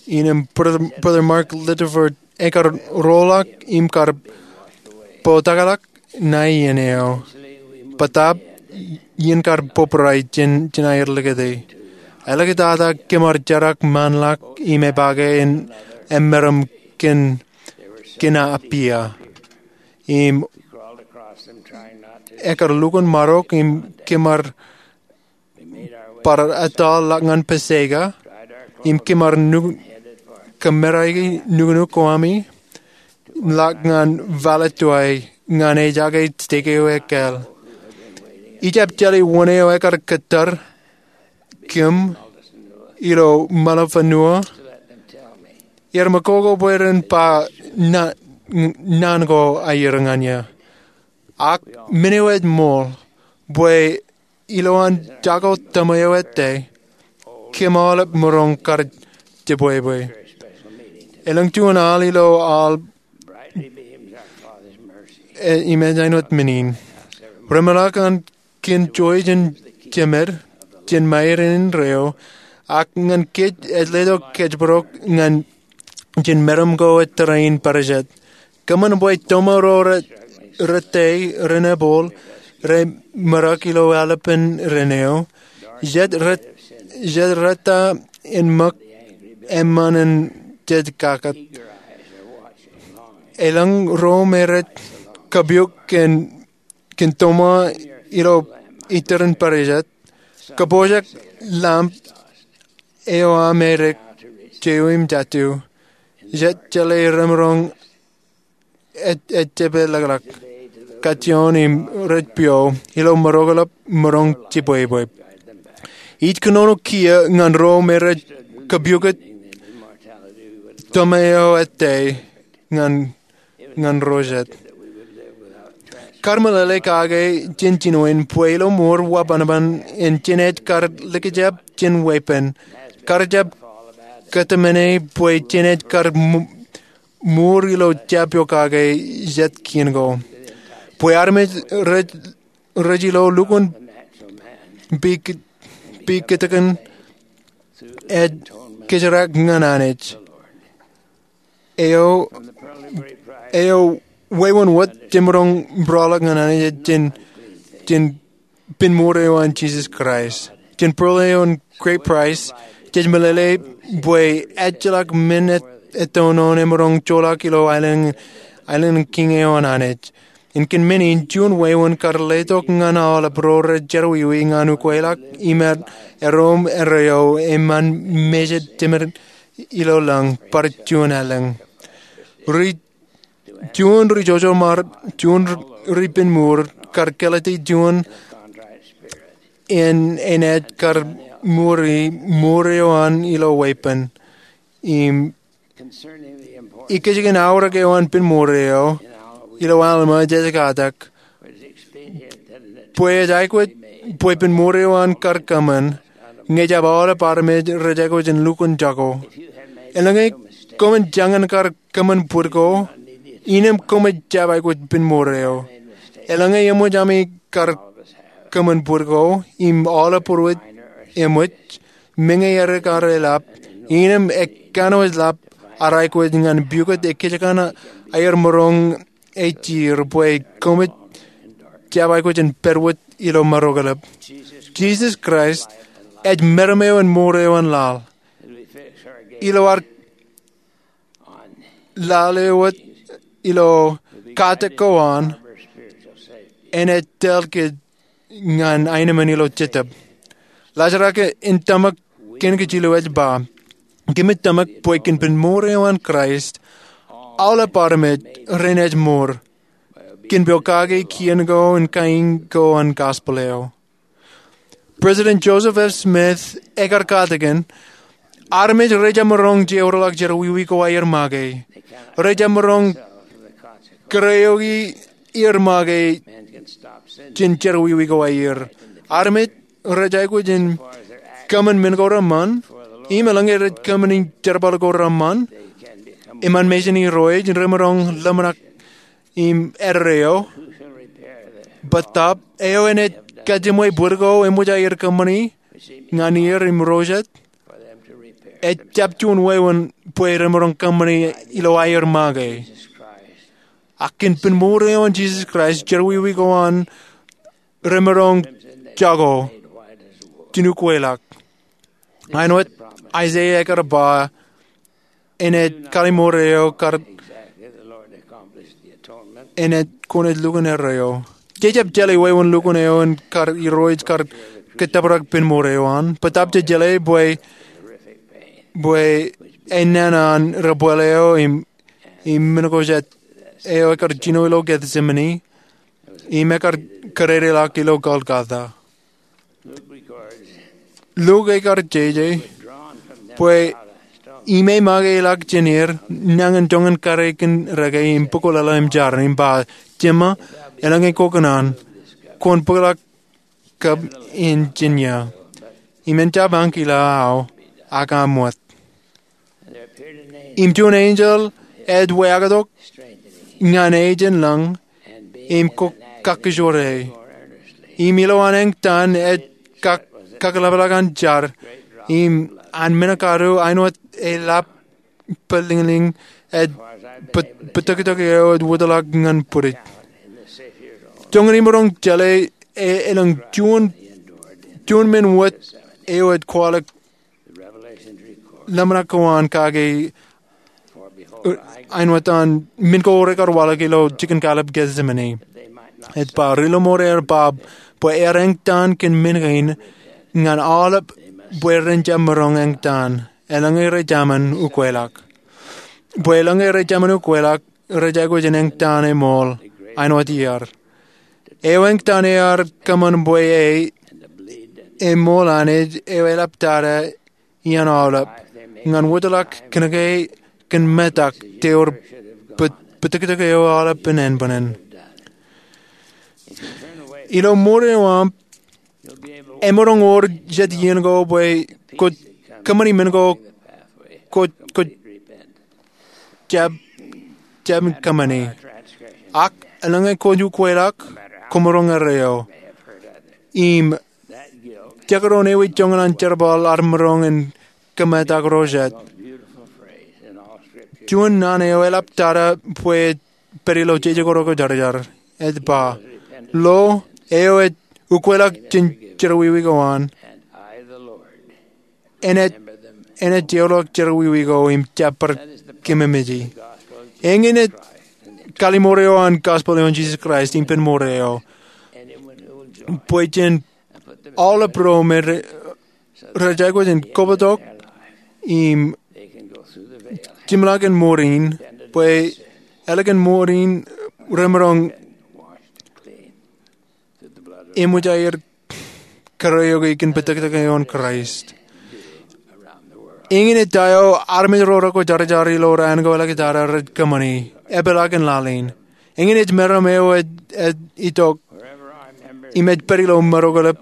innem Brother Mark Littlefield ekar roḷọk im kar bōktakḷọk ṇae iien eo. Bōtaab iien kar bōbrae jān aer likūti. Eḷak tata kōm ar jerak ṃaanḷọk im epaake en emeram kōn, kōn apia. Im ekar lukkuun marok im kōm ar bar etal ḷọk ñan Paseka, im kōm ar kōmmereiki nuknuk ko ami, ḷọk ñan Valetwai ñan ejake stek eo ekkāāl. Ijjab jeḷā wōn eo ekar kōttar kōm ilo Malifanua. Iar ṃōk ko bwe ren ba naan ko aer ñan eō. Ak men eo ej ṃool bwe ilowaan jako tōṃa eo ettā, kōm aolep maroñ kar jibwebwe. Elōñ juon al ilo al im ej āinwōt men in. Reṃōḷọk an kōn jowi jān jemed, jān Ṃajeḷ in indeeo, ak ñan kōj ej letok kōjparok ñan jān meram ko ettā rein parijet. Kōṃṃan bwe tōṃa ro rettā ren ebōl re ṃōrak ilo ālipen ren eo. Jet rettā en ṃōk eṃṃan in jej kakōt. Elōñ ro me rej kapiok kōn tōṃa ilo ettā ren parijet. Kōpooj ḷamp eo aṃ edik jeiū im jatū. Jet jeḷā remaroñ ejjeḷọk kajjioñ im rej pio ilo maroñ, ḷap maroñ jibwebwe. Ij kōnono kiiō ñan ro me rej kapioktok tōṃa eo ettā ñan ro jet. Kar meḷeḷe kake jān jinoin bwe ilo mour wōnṃaanṃaan in jen ej kar likjab jān weeppān, kar jab kōtmāne bwe jen ej kar mour ilo jab eo kake jet kien ko. Bwe armej rej ilo lukkuun pikitikōn ej kōjrak ñan Anij. Eo wāween wōt jemaroñ būroḷọk ñan Anij ej jān pen mour eo an Jisōs Kraist. Jān pearl eo an Great Price, jej meḷeḷe bwe ejjeḷọk men ettoon eo emaroñ joḷọk ilo aelōñ in kiiñ eo an Anij. Im kōn men in, juon wāween kar letok ñan aolep ro rej jerọwiwi ñan ukweḷọk iṃaan erom erreo eṃṃan mejed jemed ilo lañ bar juon aelōñ. Juon ri jojoṃar, juon ri pen mour kar kōlōti juon en enaaj kar mour, mour eo an ilo weeppān. Im ikijjien aorōk eo an pen mour eo ilo Alma, jej katak bwe ej aikuj bwe pen mour eo an kar kōṃṃan ñe jab aolep armej rej aikuj in lukkuun jako. Eḷaññe koṃwin jañin kar kōṃṃan bwid ko, innem koṃij jab aikuj pen mour eo. Eḷaññe eṃōj ami kar kōṃṃan bwid ko im aolep būruōj eṃōj, meñe edik aer eḷap, innem ekkanooj ḷap ar aikuj ñan pukot ekkejkan aer maroñ ej jeir bwe koṃij jab aikuj in pād wōt ilo maroñḷap. Jisōs Kraist ej meram eo in mour eo an laḷ. Ilo ad lale wōt ilo katak ko an, enaaj tōl kōj ñan aenōṃṃan ilo jetōb. Ḷōsrak in tōmak kein kōj ilo ej ba, kōmij tōmak bwe kōn pen mour eo an Kraist, aolep armej renaaj mour kōn pokake kien ko im kain ko an gospel eo. President Joseph F. Smith ekar katakin, armej rejjab maroñ jeorḷọk jerọwiwi ko aer make. Rejjab maroñ kōrā eok er make jān jerọwiwi ko aer. Armej rej aikuj in kōṃṃan men ko reṃṃan, im eḷaññe rej kōṃṃani jerbal ko reṃṃan, eṃṃan mejān Irooj, remaroñ ḷōmṇak im eddo eo. Bōtaab, eo enaaj kajiṃwe bōd ko eṃōj aer kōṃṃani ñan er im ro jet, ejjab juon wāween bwe remaroñ kōṃṃani ilo aer make. Ak kōn pen mour eo an Jisōs Kraist, jerọwiwi ko an remaroñ jako jān ukeḷọk. Āinwōt Aiseia ekar ba, enaaj kalimour eo kar, enaaj, kwōnaaj lukkuun eddo eo. Jejjab jeḷā wāween lukkuun eo in kar Irooj kar kōttōprak pen mour eo an. Bōtaab jej jeḷā bwe, bwe enana an debwāāl eo im, im men ko jet eo ekar jino ilo Gethsemane, im ekar kōdādeḷọk ilo Golgotha. Luk ekar jeje bwe im ej makeḷọk jān er nañin joñan kōrā kōn reke im bukwōlōlō im jar im ba, Jema, eḷaññe ko kōṇaan, kwōn bōkḷọk kab in jān ia. Im en jab ankilōk aō, ak aṃ wōt. Im juon enjeḷ ej weaaktok ñan e jān lañ im kakkijorrāe. Im ilowaan eñtaan ej kak, kakḷapḷọk an jar im an men kadu āinwōt e lap pālōñlōñ ej bōtōktōk eo ej wōtlọk ñan bwidej. Joñan imaroñ jeḷā e, elōñ juon, juon men wōt eo ej kwaḷọk ḷōmṇak ko an kake āinwōt an men ko rekar waḷọk ilo jikin kallib Gethsemane. Ej ba, ri-lọmọọr er ba bwe ear eñtaan kōn men kein ñan aolep bwe ren jab maroñ eñtaan eḷaññe rej jaṃōn ukeḷọk. Bwe eḷaññe rej jaṃōn ukeḷọk, rej aikuj in eñtaan eṃool āinwōt iaar. Eo eñtaan ear kōṃṃan bwe e, eṃool an ej eo eḷap tata iaan aolep ñan wōtlọk kōnke kōn metak te wōr bōtōktōk eo aolepen ānbwinnin. Ilo mour eo aṃ, emaroñ wōr jet iien ko bwe kwōj kōṃṃani men ko kwōj, kwōj jab, jab kōṃṃani. Ak eḷaññe kwōj ukeḷọk, kwōmaroñ eddo eo. Im jekdọọn ewi joñan an jerbal ad maroñ in kōmetak ro jet. Juon naan eo eḷap tata bwe ej pād ilo jeje ko rekwojarjar. Ej ba, lo, eo ej ukeḷọk jān jerọwiwi ko an, enaaj, enaaj jeorḷọk jerọwiwi ko im jab bar kōmemeje. Eñin ej kalimour eo an gospel eo an Jisōs Kraist im pen mour eo. Bwe jān aolep ro me re, rej aikuj in kobtok im jimḷọk in mour in, bwe ālikin mour in remaroñ eṃōj aer kōrā eoke kōn bōtōktōk eo an Kraist. Eñin ej ta eo armej ro rekwojarjar ilo raan ko elōñ tata rej kōṃṃani, epeḷaakin laḷ in. Eñin ej meram eo ej, ej itok im ej pād ilo maroñḷap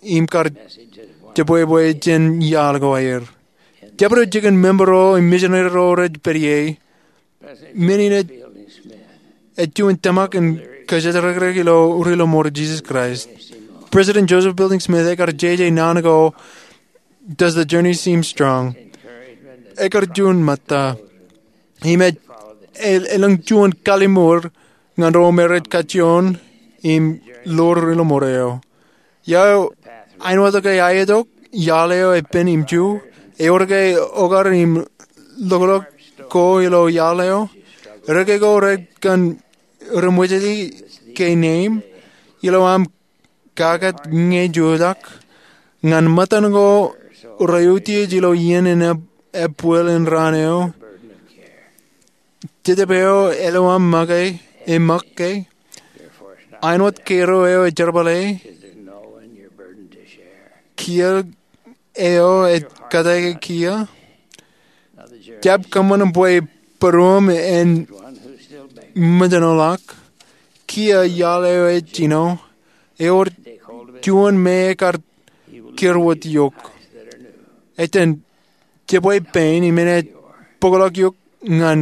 im kar jebwebwe jān iaḷ ko aer. Jabdewōt jikin member ro im misineri ro rej pād ie, men in ej, ej juon tōmak in kōjatdikdik ilo ri-lọmọọr Jisōs Kraist. President Joseph Fielding Smith ekar jeje naan ko Does the Journey Seem Strong? Ekar juon ṃōtta. Im ej, e, elōñ juon kalimour ñan ro me rej kajjioñ im ḷoor ilo ṃoor eo. Ia eo āinwōt ke aetok iaḷ eo epen im ju, ewōr ke okar im loklok ko ilo iaḷ eo? Reke ko rekar ṃwijeli ke neeim ilo aṃ kaket ñe jutak, ñan ṃōttan ko reutiej ilo iien in eb-, ebwil in raan eo. Jetōb eo ilo aṃ make, e make, āinwōt kōjro eo e jerbale, kiiō eo e kōttāik kiiō. Jab kōṃṃan bwe būruōṃ en ṃōjṇọ ḷọk. Kiiō iaḷ eo e jino, ewōr juon me ekar kūr wōt eok. Etan, jebwe pein im enaaj bōkḷọk eok ñan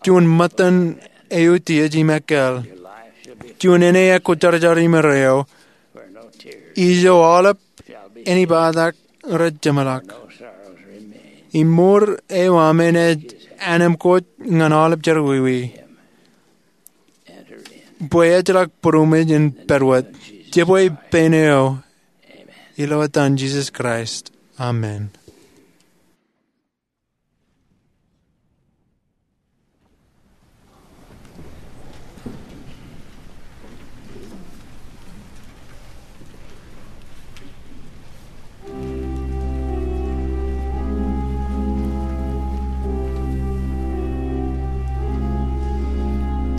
juon ṃōttan eutiej im ekkal. Juon ene ekwojarjar im erreo. Ijo aolep ānebatak rej jeṃḷọk. Im ṃour eo aṃ enaaj anemkwōj ñan aolep jerọwiwi. Bwe ejjeḷọk būroṃōj in pād wōt. Jebwe pein eo. Ilo etan Jisōs Kraist. Amen.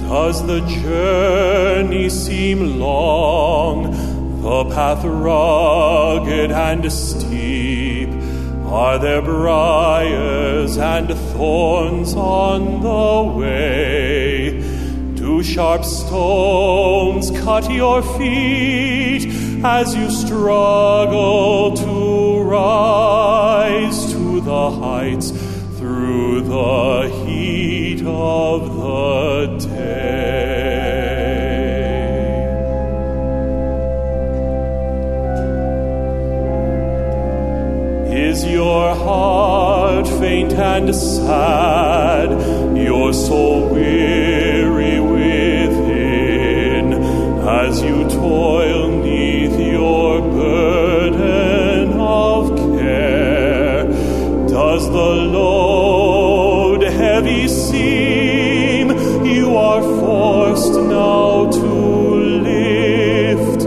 Does the journey seem long, the path rugged and steep? Are there briars and thorns on the way? Do sharp stones cut your feet as you struggle to rise to the heights through the heat of the day? Is your heart faint and sad, your soul weary within, as you toil 'neath your burden of care? Does the load heavy seem you are forced now to lift?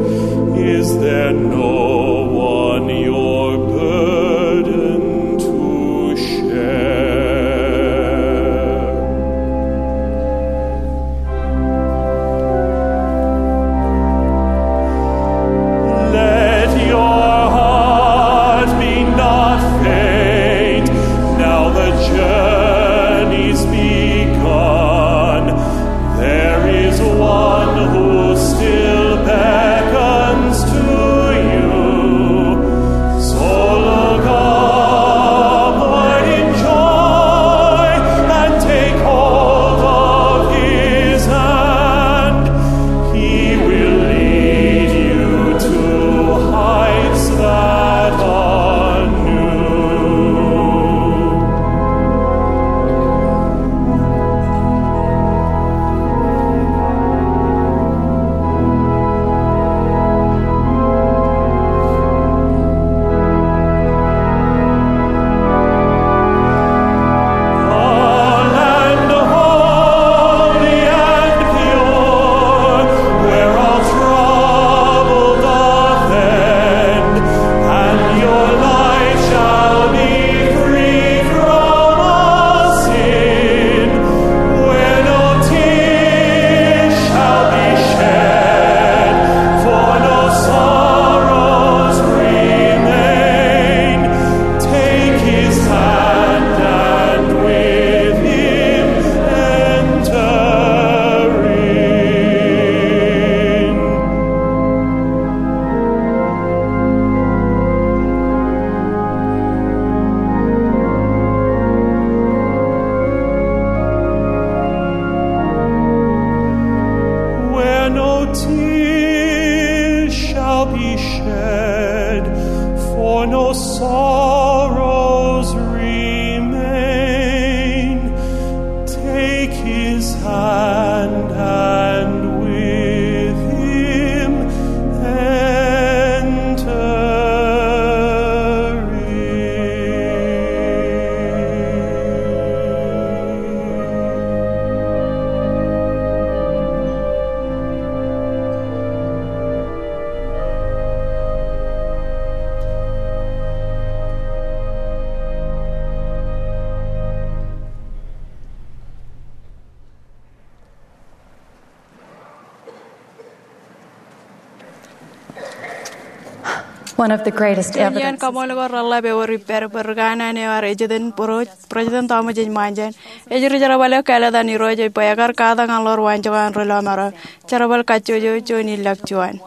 Is there no one your burden to share? Let your heart be not faint. Now the journey's begun. There is one who still beckons to you. So look upward in joy and take hold of his hand. He will lead you to heights that are new. A land holy and pure, where all trouble doth end, and your life shall be free from all sin, where no tears shall be shed, for no sorrows remain. Take his hand and with him enter in. Where no tears shall be shed, for no sorrows remain. Take his hand and with One of the greatest evidence. Iien kaṃṃoolol ko reḷap ewōr ippād bwe ri kanaan eo ear ejitōn President Thomas H. Monson ej ri jerbal eo kāālōt an Irooj bwe ekar katak ñan ḷoor waanjoñak an ri lọmọọr eo jerbal kajjojo juon in ḷọk juon.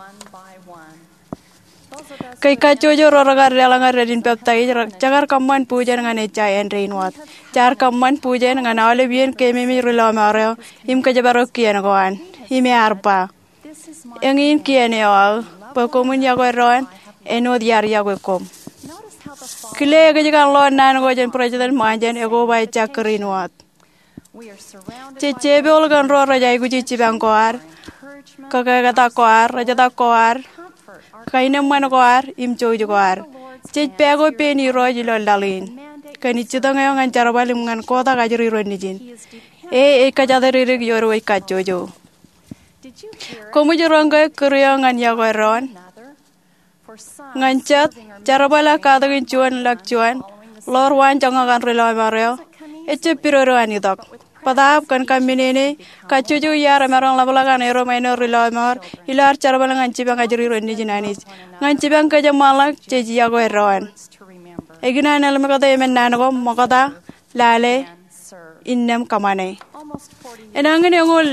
Kōj kajjojo ro rekar deḷọñ aer dān in peptaij, jekar kōṃṃan bujen ñan ejja āindein wōt. Jaar kōṃṃan bujen ñan aolep iien keememej ri lọmọọr eo im kōjparok kien ko an. Im ear ba, eñin kien eo aō, bwe koṃwin yokwe doon āinwōt iar yokwe koṃ. Kile ekōjkan ḷoor naan ko jān President Monson ekoba ejja kūr in wōt. Jej jepool kōn ro rej aikuji jipañ ko ad, kōketak ko ad, rejetak ko ad, kaenōṃṃan ko ad im jouj ko ad. Jej pād ko pein Irooj ilo laḷ in kōn ijjitōñ eo ñan jerbal im ñan kotak ajri ro nejin. E ej kōjatdikdik ioon wōj kajjojo. Koṃij roñ ke kūr eo ñan yokwe doon? Ñan jet, jerbal ak katakin juon ḷọk juon ḷoor waanjoñak an ri lọmọọr eo ejjab pidodo an itok. Bōtaab kōn kaminene, kajjojo iar emaroñ ḷapḷọk an erom āinwōt ri lọmọọr ilo ad jerbal ñan jipañ ajri ro nejin Anij. Ñan jipañ kōjeṃṃanḷọk jej yokwe doon. Ikōṇaan ḷōmṇak eo emān naan ko, ṃokta, lale, innām kōṃṃane. Enañin eñoul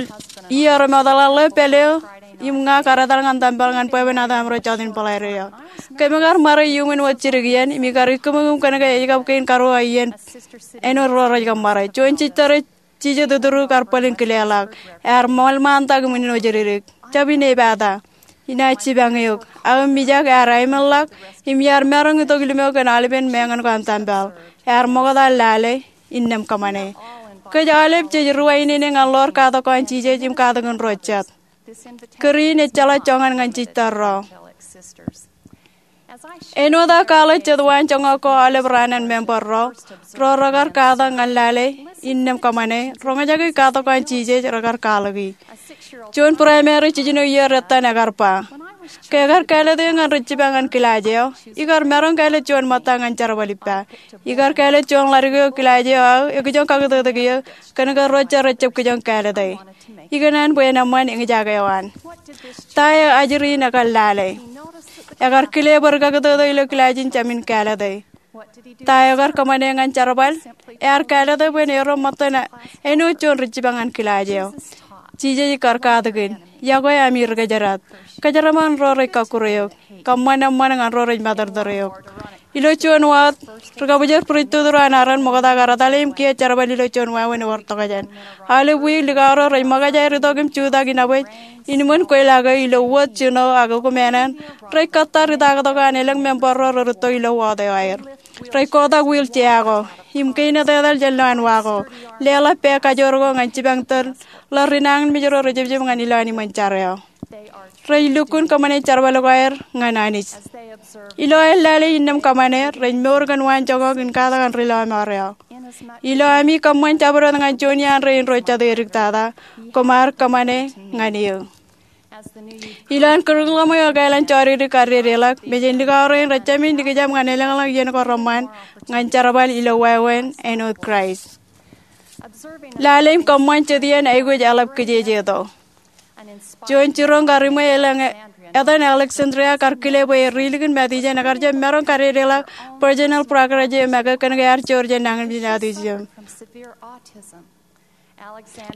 iiō remootḷọk ḷeo pād eo im ña kar etal ñan tempel ñan bwebwenato aṃro jọteen bōḷaide eo. Kōm kar ṃare iuṃwin wōt jidik iien im ikar ikkūṃikūṃ kōnke ej kab kein karuo iien āinwōt ro rej kab ṃare. Juon jisōrro jijet ituru kar bōlen kileḷọk. Ear ṃool ṃaantak im ijin ojedidik. Jab in epata. Inaaj jipañ eok. Aō mijak ear aimenḷọk im iar maroñ itok lime eo kōn aolepen meñe ko an tempel. Ear ṃokta, lale, innām kōṃṃane. Kōj aolep jej ruwainene ñan ḷoor katak ko an Jisōs im katakin ro jet. Kūr in ejjeḷọk joñan ñan jistōrro. Āinwōt aō kwaḷọk jet waanjoñak ko aolep raan an member ro, ro rekar katak ñan lale, innām kōṃṃane, roñjake katak ko an Jisōs rekar kwaḷọki. Juon primary jijino iiō dettan ekar ba, ke ekar kāālōt eō ñan ri jipañ an kilaaj eo, ikar maroñ kāālōt juon ṃōtta ñan jerbal ippa. Ikar kāālōt juon ḷadik eo kilaaj eo aō ekijoñ kakūtōtōk eō, kōnke ro jet rejjab kijoñ kāālōte. Ikōṇaan bwe en eṃṃan eñjake eo an. Ta eo ajri in ekar lale? Ekar kile bwe ri kakūtōtō ilo kilaaj in jāmin kāālōte. Ta eo ekar kōṃṃane ñan jerbal? Ear kāālōte bwe en erom ṃōttan āinwōt juon ri jipañ an kilaaj eo. Jisōs ej kar katakin, yokwe ami ri kōjdat. Kōjeraṃṃan ro rej kọkkure eok. Kōṃṃan eṃṃan ñan ro rej matōrtōr eok. Ilo juon wōt, ri kabōjor priesthood ro an Aaron ṃokta kar etale im kiiō jerbal ilo juon wāween ewōr tokjān. Aolep wiik likao ro rej ṃōkaj aer itok im jutak inabōj in iṃōn kweilọk eo ilo wōt jino ak ekumānān rej kōttar itaaktok an elōñ member ro rerūtto ilo wōt eo aer. Rej kotak wheelchair ko im kein etetal jān lowaan wa ko, leḷọk pā kajoor ko ñan jipañ tōl ḷọk ri nañinmej ro rejepjep ñan ilowaan iṃōn jar eo. Rej lukkuun kōṃṃane jerbal ko aer ñan Anij. Ilo aer lale innām kōṃṃane, rej mour kōn waanjoñak in katak an ri lọmọọr eo. Ilo ami kōṃṃan jabdewōt ñan juon iaan rein ro jet eo ediktata, koṃ ar kōṃṃane ñan eō. Ilo an kūrūkḷọk eo ekāāl an jodikdik kar dedeḷọk, mejān likao rein rej jāmin likjab ñan elōñḷọk iien ko reṃṃan ñan jerbal ilo wāween āinwōt Kraist. Lale im kōṃṃan jet iien aikuj eḷap kijejeto. Juon jiroñ kar iṃwe elōñ etan Alexandria kar kile bwe e ri likin Matijeṇ ekar jab maroñ kadedeḷọk Virginal Progress eo make kōnke ear joor jān nañinmej in authism.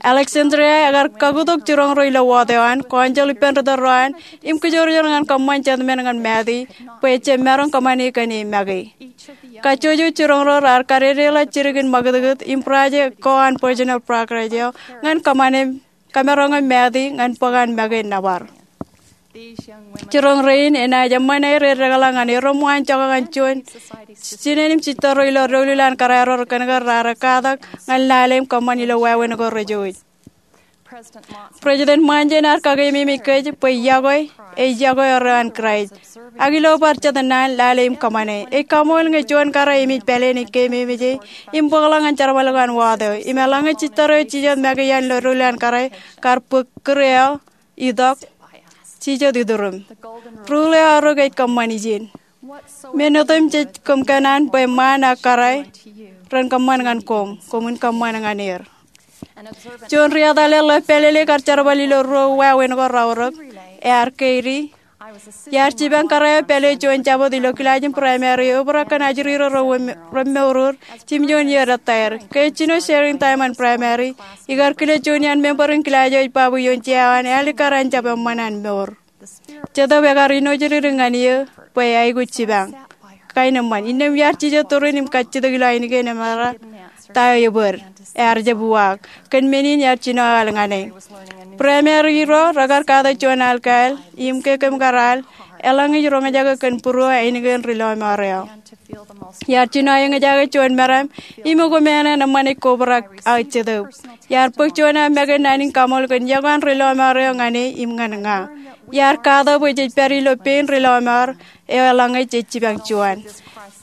Alexandria ekar kakutok jiroñ ro ilo wōt eo an, kọnjel ippān ri tōl ro an, im kōjorjor ñan kōṃṃan jet men ñan Mati bwe ejjab maroñ kōṃṃane kōn e make. Kajjojo jiroñ ro raar kadedeḷọk jidik in ṃakūtkūt im project ko an Virginal Progress eo ñan kōṃṃane kōmaroñ im Mati ñan bōk an make nōbar. Jiroñ rein enaaj eṃṃan aer eddekḷọk ñan erom waanjoñak an juon jinen im jistōrro ilo doulul an kōrā ro kōnke raar katak ñan lale im kōṃṃan ilo wāween ko rejouj. President Monson ear kakeememej kōj bwe yokwe ej yokwe eo an Kraist. Ak ilo bar jet naan, lale im kōṃṃane. Ej kaṃool ñe juon kōrā emej pāleen ej keememej e im bōkḷọk ñan jerbal ko an wōt eo. Im eḷaññe jistōrro eo jijet make iaan ilo doulul an kōrā kar bōk kūr eo itok, jijet ituruṃ. Rule eo arro ke ej kōṃṃan ijin. Men otemjej koṃ kōṇaan bwe ṃaan ak kōrā ren kōṃṃan ñan koṃ, koṃwin kōṃṃan ñan er. Juon ri etale ḷeo pālele kar jerbal ilo ruo wāween ko raorōk, ear keidi, Iar jipañ kōrā eo pālle juon jabōt ilo kilaaj in Primary eo, ebōrā kōn ajri ro remour, remour jimjuon iiō rej etaer. Ke ej jino sharing time an Primary, ikar kile juon iaan member in kilaaj eo ej ba bwe ioon jea eo an ear likkar an jab eṃṃan an mour. Jetōb ekar āinwōt ri ñan eō bwe aikuj jipañ. Kain eṃṃan. Innām iar jijet turin im kajjitōk ilo ainikien eṃōj ta eo ebōd. Ear jab uwaak. Kōn men in iar jino aō al ñan e. Primary ro rekar katak juon al kāāl, im ke kōm kar al, eḷaññe ij roñjake kōn būruō ainikien ri lọmọọr eo. Iar jino aō eñjake juon meram, im ekomāān eṃṃan ej kobrak aō jetōb. Iar bōk juon aō make naan in kaṃool kōn yokwe an ri lọmọọr eo ñan e im ñan ña. Iar katak bwe jej pād ilo pein ri lọmọọr eo eḷaññe jej jipañ juon.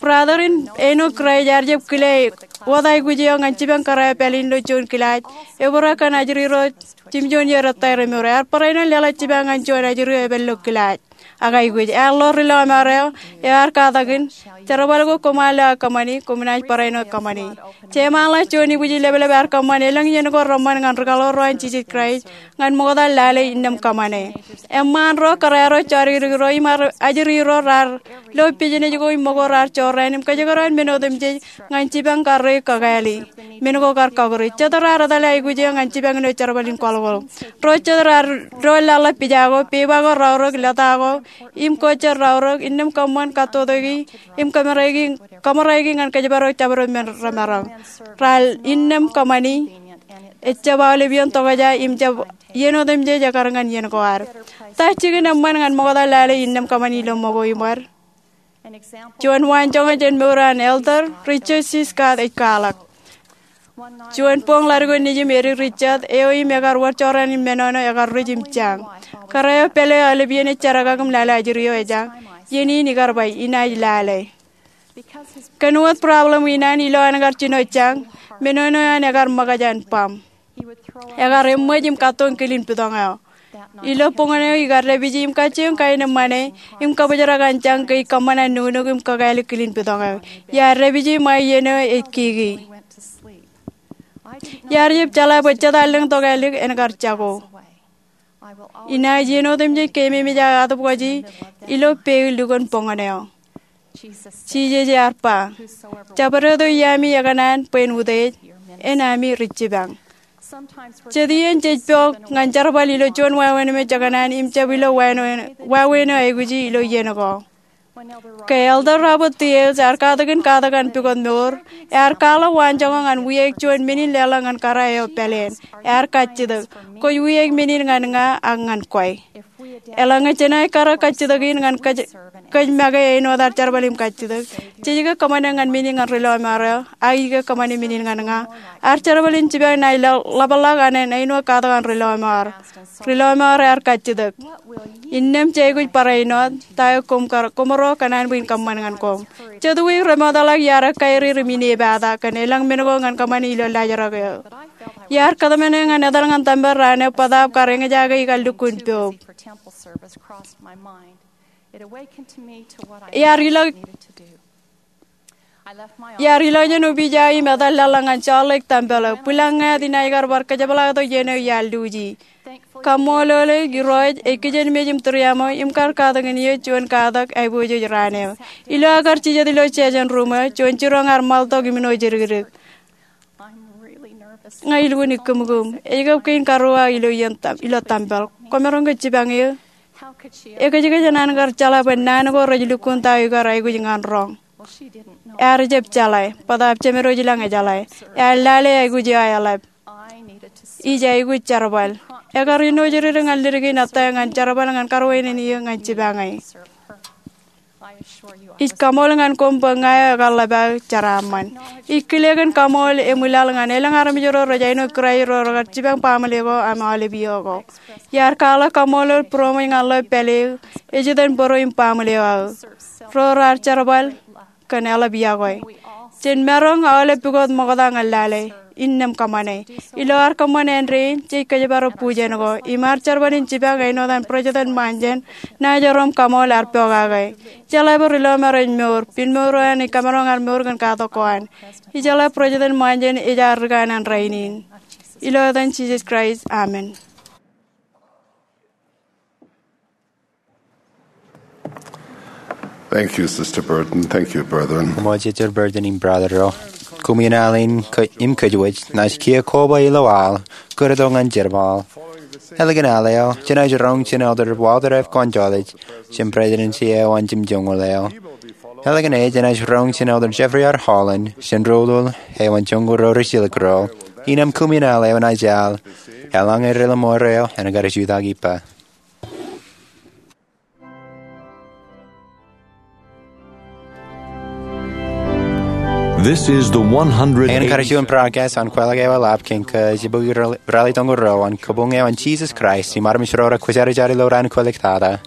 Brother in āinwōt Kraist ear jab kile wōt aikuj eo ñan jipañ kōrā eo pālle in ilo juon kilaaj, ebōrā kōn ajri ro jimjuon iiō rej etaer remour. Ear barāinwōt leḷọk jipañ ñan juon ajri eo epād ilo kilaaj. Ak aikuj, ear ḷoor ri lọmọọr eo, ear katakin, jerbal ko koṃ al ilo aō kōṃṃani, koṃ naaj barāinwōt kōṃṃani. Jeṃaanḷọk juon ibwijin lepḷep ear kōṃṃan elōñ iien ko reṃṃan ñan ri kaḷoor ro an Jisōs Kraist ñan ṃokta lale Innām Kōṃṃane. Eṃṃaan ro, kōrā ro, jodikdik ro, im ajri ro raar lo business ko im ṃōko raar jorrāān im kōjekdọọn men otemjej ñan jipañ kar ri kakāāli. Men ko kar kakūri. Jet raar etale aikuj eo ñan jipañ ilo jerbal in kwaḷọkwaḷọk. Ro jet raar doon laḷḷap pija ko, peba ko raorōk, lōta ko, im ko jet raorōk, innām kōṃṃan kattotoiki im kōṃōraiki, kōṃōraiki ñan kōjparok jabdewōt men remaroñ. Raar innām kōṃṃani, ejjab aolep iien tokjā im jab iien otemjej ekar ñan iien ko ad. Ta jikin eṃṃan ñan ṃokta lale Innām Kōṃṃani ilo ṃōko im wōd? Juon waanjoñak jān mour an Elder Richard C. Scott ej kwaḷọk. Juon boñ ḷadik ko nejim edik Richard eo im ekar wōr jorrāān in menono ekar ruj im jañ. Kōrā eo pālle eo aolep iien ej jerkakik im lale ajri eo ejjañ, iien in ikar ba inaaj lale. Kōn wōt problem in an ilo an kar jino jañ, menono eo an ekar ṃōkaj an baṃ. Ekar eṃōj im kattoon kilin pitōñ eo. Ilo boñōn eo ikar dāpiji im kajjioñ kain eṃṃan e, im kōbōjrak an jañ ke ij kōṃṃan an nuknuk im kakāālik kilin pitōñ eo. Iar dāpiji ṃae iien eo ej kiki. Iar jab jeḷā bwe jet allōñ tokālik en kar jako. Inaaj iien otemjej keememej aō atōpkwaji ilo peil lukkuun boñōn eo. Jisōs ear ba, jabdewōt eo iaami ekōṇaan bwe en utiej, en ami ri jipañ. Jet iien jej pok ñan jerbal ilo juon wāween emej ekōṇaan im jab ilo wāween eo aikuji ilo iien ko. Ke Elder Robert T. Hales ear katakin katak an pukot mour, ear kwaḷọk waanjoñak ñan wiaik juon men in leḷọk ñan kōrā eo pāleen. Ear kajjitōk, kwōj wiaik men in ñan ña ak ñan kwe. Eḷaññe jenaaj kar kajjitōk in ñan kōj, kōj make āinwōt ad jerbal im kajjitōk, jej ke kōṃṃane ñan men in ñan ri lọmọọr eo, ak ij ke kōṃṃane men in ñan ña. Ad jerbal in jipañ naaj ḷapḷọk an āinwōt katak an ri lọmọọr. Ri lọmọọr ear kajjitōk. Innām jej aikuj barāinwōt, ta eo koṃ kar, koṃro kōṇaan bwe in kōṃṃan ñan koṃ. Jet wiik remootḷọk iar ekkā ri ri minipata kōn elōñ men ko ñan kōṃṃane ilo laajrak eo. Iar kōtmāne ñan etal ñan tempel raan eo bōtaab kar eñjake ikar lukkuun poub. Iar ilọk, iar ilọk jān opij eo im etal laḷḷọk ñan Salt Lake Tempel eo. Bwilōñ ñāāt inaaj kar bar kōjepḷaaktok iien eo iar luuji. Kaṃṃoolol e, Irooj ej kijenmej im tūriaṃo im kar katakin eō juon katak aiboojoj raan eo. Ilo aō kar jijet ilo session room eo, juon jiroñ ear ṃaltok im ilo jidikdik. Ña ilukkuun ikkūmkūm. Ej kab kein karuo aō ilo iien tem, ilo tempel. Kwōmaroñ ke jipañ eō? Ekōjkōj eṇ an kar jeḷā bwe naan ko rej lukkuun ta eo ikar aikuj ñan roñ. Ear jab jeḷā, bōtaab Jemedwōj ilañ ejeḷā. Ear lale aikuj eo aeḷap. Ij aikuj jerbal. Ekar āinwōt ri ri ñan ledik in ettā ñan jerbal ñan karuwaineneik ñan jipañ e. Ij kaṃool ñan koṃ bwe ña eo ekar ḷap aō jeraaṃṃan. Ij kile kōn kaṃool im ṃwilaḷ ñan elōñ armej ro rej āinwōt Kraist ro rekar jipañ baaṃle ko im aolep iiō ko. Iar kwaḷọk kaṃoolol būroṃōj ñan ḷeo pālle eo, ej itōn bōro im baaṃle eo aō. Ro raar jerbal kōn eḷap yokwe. Jen maroñ aolep pukot ṃokta ñan lale. Innām kōṃṃane. Ilo ad kōṃṃan āindein, jej kōjparok bujen ko, im ad jerbal in jipañ āinwōt an President Monson, naaj erom kaṃool, ear pokake. Ijeḷā bwe ri lọmọọr ej mour, piṃ mour eo an ej kamaroñ ad mour kōn katak ko an. Ijeḷā President Monson ej ad ri kanaan rainin. Ilo etan Jisōs Kraist, amen. Thank you, Sister Burton. Thank you, brethren. Koṃṃool Sister Burton im brother ro. Koṃwin al in ke-, im kōjwōj, naaj kiiō koba ilo al, kūrto ñan jerbal. Ālikin al eo, jenaaj roñ jān Elder Walter F. Gonzalez, jān Presidensi eo an jimjuonñoul eo. Ālikin e, jenaaj roñ jān Elder Jeffrey R. Holland, jān Rūtōl eo an Joñoul Ro Rijjilōk Ro. Innām koṃwin al eo naaj al, eḷaññe Ri Ḷōṃoor eo en kar jutak ippa. This is the one hundred. Eñin kar juon broadcast an kwaḷọk eo eḷap kōn ke jibukwi ralitōñoul ruo an Kabuñ eo an Jesus Christ im armej ro rekwōjarjar ilo raan kwōlōktata.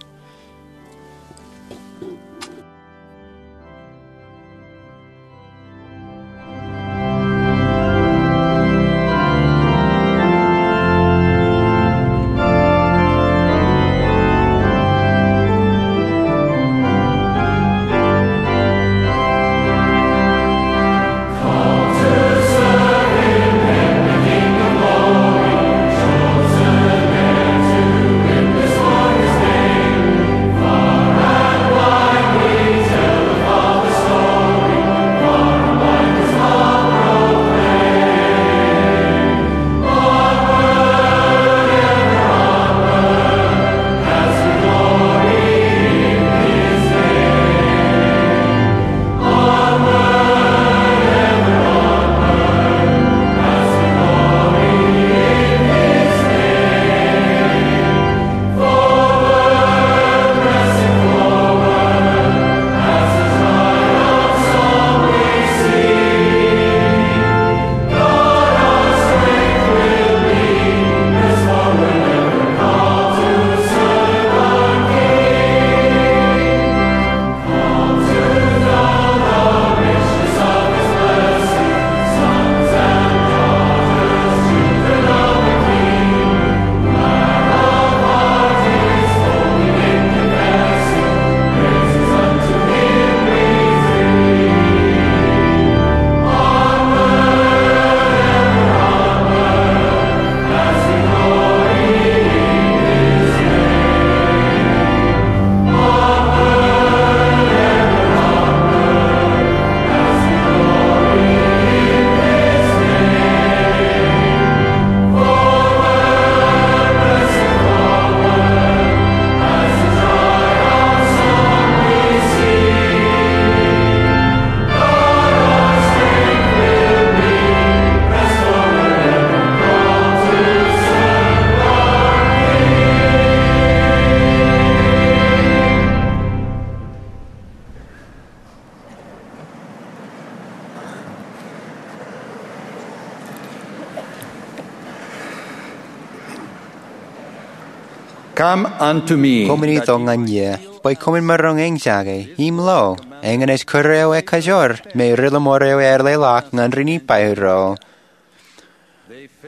Come unto me. Koṃwin itok ñan ie, bwe koṃwin maroñ eñjake im lo, eñin ej kūr eo ekajoor me Ri Ḷōṃoor eo ear leḷọk ñan ri Nifai ro.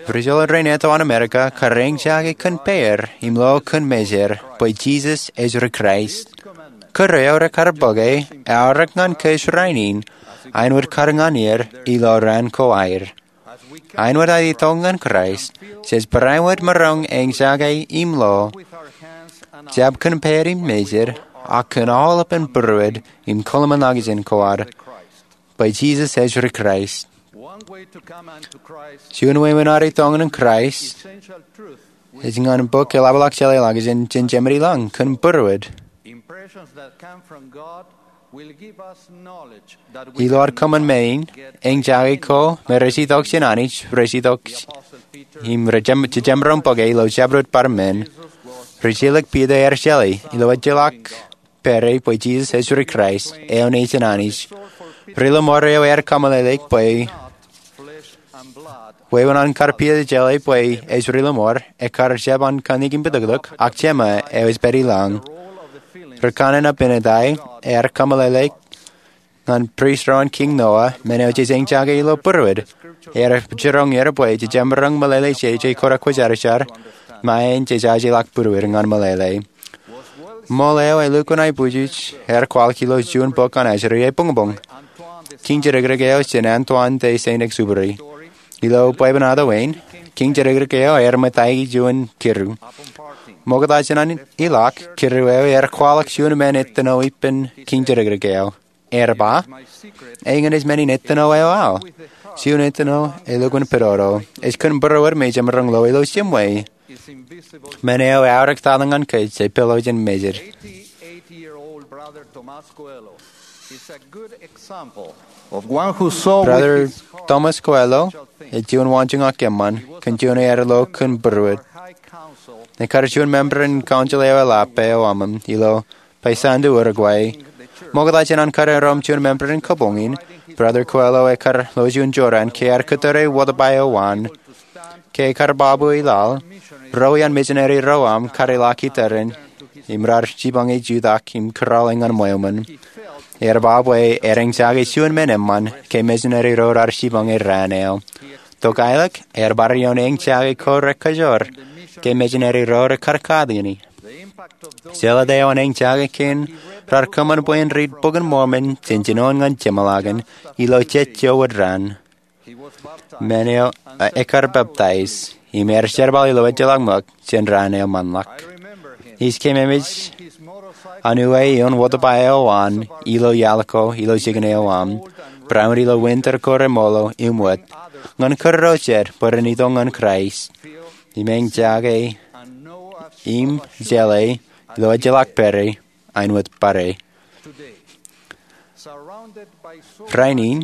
Ri jeḷā rein eto an Amerika kar eñjake kōn peier im lo kōn mejed bwe Jisōs ej ri Kraist. Kūr eo rekar bōke eaorōk ñan kōj rainin, āinwōt kar ñan er ilo raan ko aer. Āinwōt aō itok ñan Kraist, jej barāinwōt maroñ eñjake im lo, jab kōn peied im mejed, ak kōn aolepān būruod im kōḷmānḷọkjeṇ ko ad, bwe Jisōs ej ri Kraist. Juon wāween ad itok ñan Kraist ej ñan bok eḷapḷọk jeḷāḷọkjeṇ jān jemān i lañ kōn būruod. Ilo ad kōṃṃan men in, eñjake ko me rej itok jān Anij rej itok im rej jab, jejab maroñ bōke ilo jabdewōt bar men. Rijjilōk Piter ear jeḷā ilo ejjeḷọk pād ie bwe Jisōs ej ri Kraist, eo Nejin Anij. Ri Ḷōṃoor eo ear kōmeḷeḷeik bwe wāween an kar Piter jeḷā bwe ej Ri Ḷōṃoor, ekar jab an kanniōk im pitoktok, ak Jema eo ej pād i lañ. Rūkanaan Abinadi ear kōmeḷeḷeik ñan prist ro an Kiiñ Noa, men eo jej eñjake ilo būruod. Ear jiroñ er bwe jejab maroñ meḷeḷe jeje ko rekwōjarjar, ṃae jejajeḷọk būruod ñan meḷeḷe. Ṃool eo elukkuun aiboojoj ear kwaḷọk ilo juon bok an Aseri ebuñbuñ. Kiiñ Jidikdik eo jān Antoine de Saint-Exupéry. Ilo bwebwenato in, Kiiñ Jidikdik eo ear ṃōttaik juon kidu. Ṃokta jān an ilọk, kūr eo ear kwaḷọk juon men ettino ippān kiiñ tōrekrek eo. Ear ba, Eñin ej men in ettino eo aō. Juon ettino elukkuun pedodo. Ej kōn būruod me jemaroñ lo ilo jiṃwe. Men eo eaorōk tata ñan kōj, ej pālo jān mejed. Brother Thomas Coelho ej juon waanjoñak eṃṃan kōn juon ear lo kōn būruod. Ekar juon member in council eo eḷap eo aṃ ilo Paysandú, Uruguay. Ṃokta jān an kar erom juon member in kabuñ in, Brother Coelho ekar lo juon jorrāān ke ear kōtōre wōtba eo waan. Ke ekar babu ilaḷ, ruo iaan misineri ro aṃ kar ilọk ippān im raar jipañ e jutak im kūrale ñan ṃweo ṃōn. Ear ba bwe ear eñjake juon men eṃṃan ke misineri ro raar jipañ e raan eo. Tok aelōñ, ear bar ioon eñjake ko rekajoor ke misineri ro rekar katakin e. Jeḷā ta eo an eñjake kein raar kōṃṃan bwe en riit Bok in Mormon jān jinoin ñan jeṃḷọkin ilo jet jowōd raan. Men eo ekar peptaij im ear jerbal ilo ejjeḷọk ṃōk jān raan eo ṃanḷọk. Ij keememej an uwe ioon wōtba eo waan ilo iaḷ ko ilo jikin eo aṃ, barāinwōt ilo winter ko remoḷo im wōt, ñan kūr ro jet bwe ren itok ñan Kraist im eñjake im jeḷā ilo ejjeḷọk pere āinwōt barāinwōt. Rainin,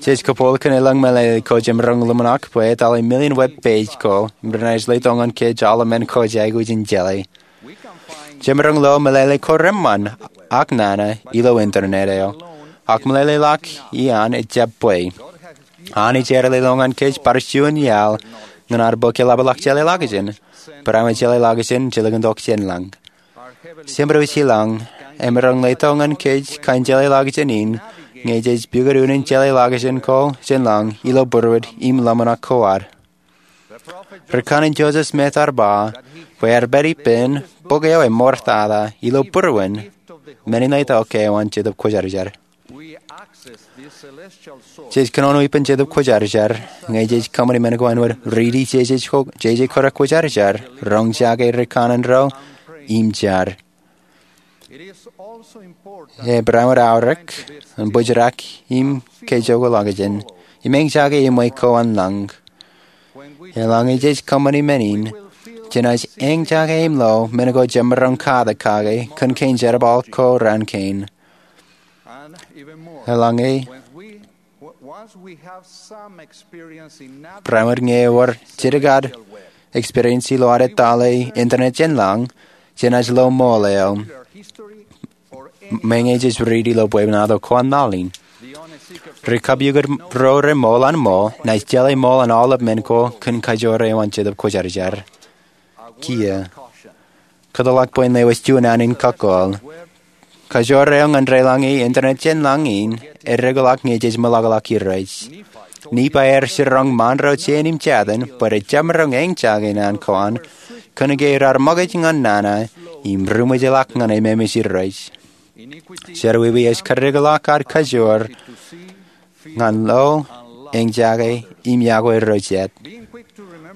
jej kōpool kōn elōñ meḷeḷe ko jemaroñ ḷōmṇak bwe etale million web page ko im renaaj letok ñan kōj aolep men ko jej aikuj in jeḷā. Jemaroñ lo meḷeḷe ko reṃṃan ak nana ilo internet eo, ak meḷeḷe ḷọk iaan ejjab bwe Anij ear leḷọk ñan kōj bar juon iaḷ ñan ad bōk eḷapḷọk jeḷāḷọkjeṇ, barāinwōt jeḷāḷọkjeṇ jilkintok jān lañ. Jemedwōj ilañ emaroñ letok ñan kōj kōn jeḷāḷọkjeṇ in ñe jej pukot unin jeḷāḷọkjeṇ ko jān lañ ilo būruod im ḷōmṇak ko ad. Ri-kanaan Joseph Smith ear ba bwe ear pād ippān bok eo emootata ilo būruon men in letok ke eo an Jetōb Kwōjarjar. Jej kōnono ippān Jetōb Kwōjarjar ñe jej kōṃṃani men ko āinwōt riiti jeje ko, jeje ko rekwōjarjar, roñjake ri-kanaan ro, im jar. Ebarāinwōt aorōk ñan bōjrak im kejokoḷọkjeṇ im eñjake iṃwe ko an lañ. Eḷaññe jej kōṃṃani men in, jenaaj eñjake im lo men ko jemaroñ katak kake kōn kein jerbal ko raan kein. Eḷaññe, barāinwōt ñe ewōr jidik ad experience ilo ad etale internet jān lañ, jenaaj lo ṃool eo meñe jej riiti ilo bwebwenato ko an laḷ in. Ri kapukot ro reṃool an ṃool naaj jeḷā ṃool an aolep men ko kōn kajoor eo an Jetōb Kwōjarjar. Kiiō, kōtḷọk bwe en lewōj juon ānin kakōḷ. Kajoor eo ñan deḷọñe internet jān lañ in edekḷọk ñe jej meḷọkḷọk Irooj. Nifai ear jiroñ ṃaanro jein im jatin bwe rej jemaroñ eñjake naan ko an kōnke raar ṃōkaj ñan nana im ri-ṃōjḷọk ñan ememej Irooj. Jerọwiwi ej kadekḷọk ad kajoor ñan lo, eñjake, im yokwe ro jet.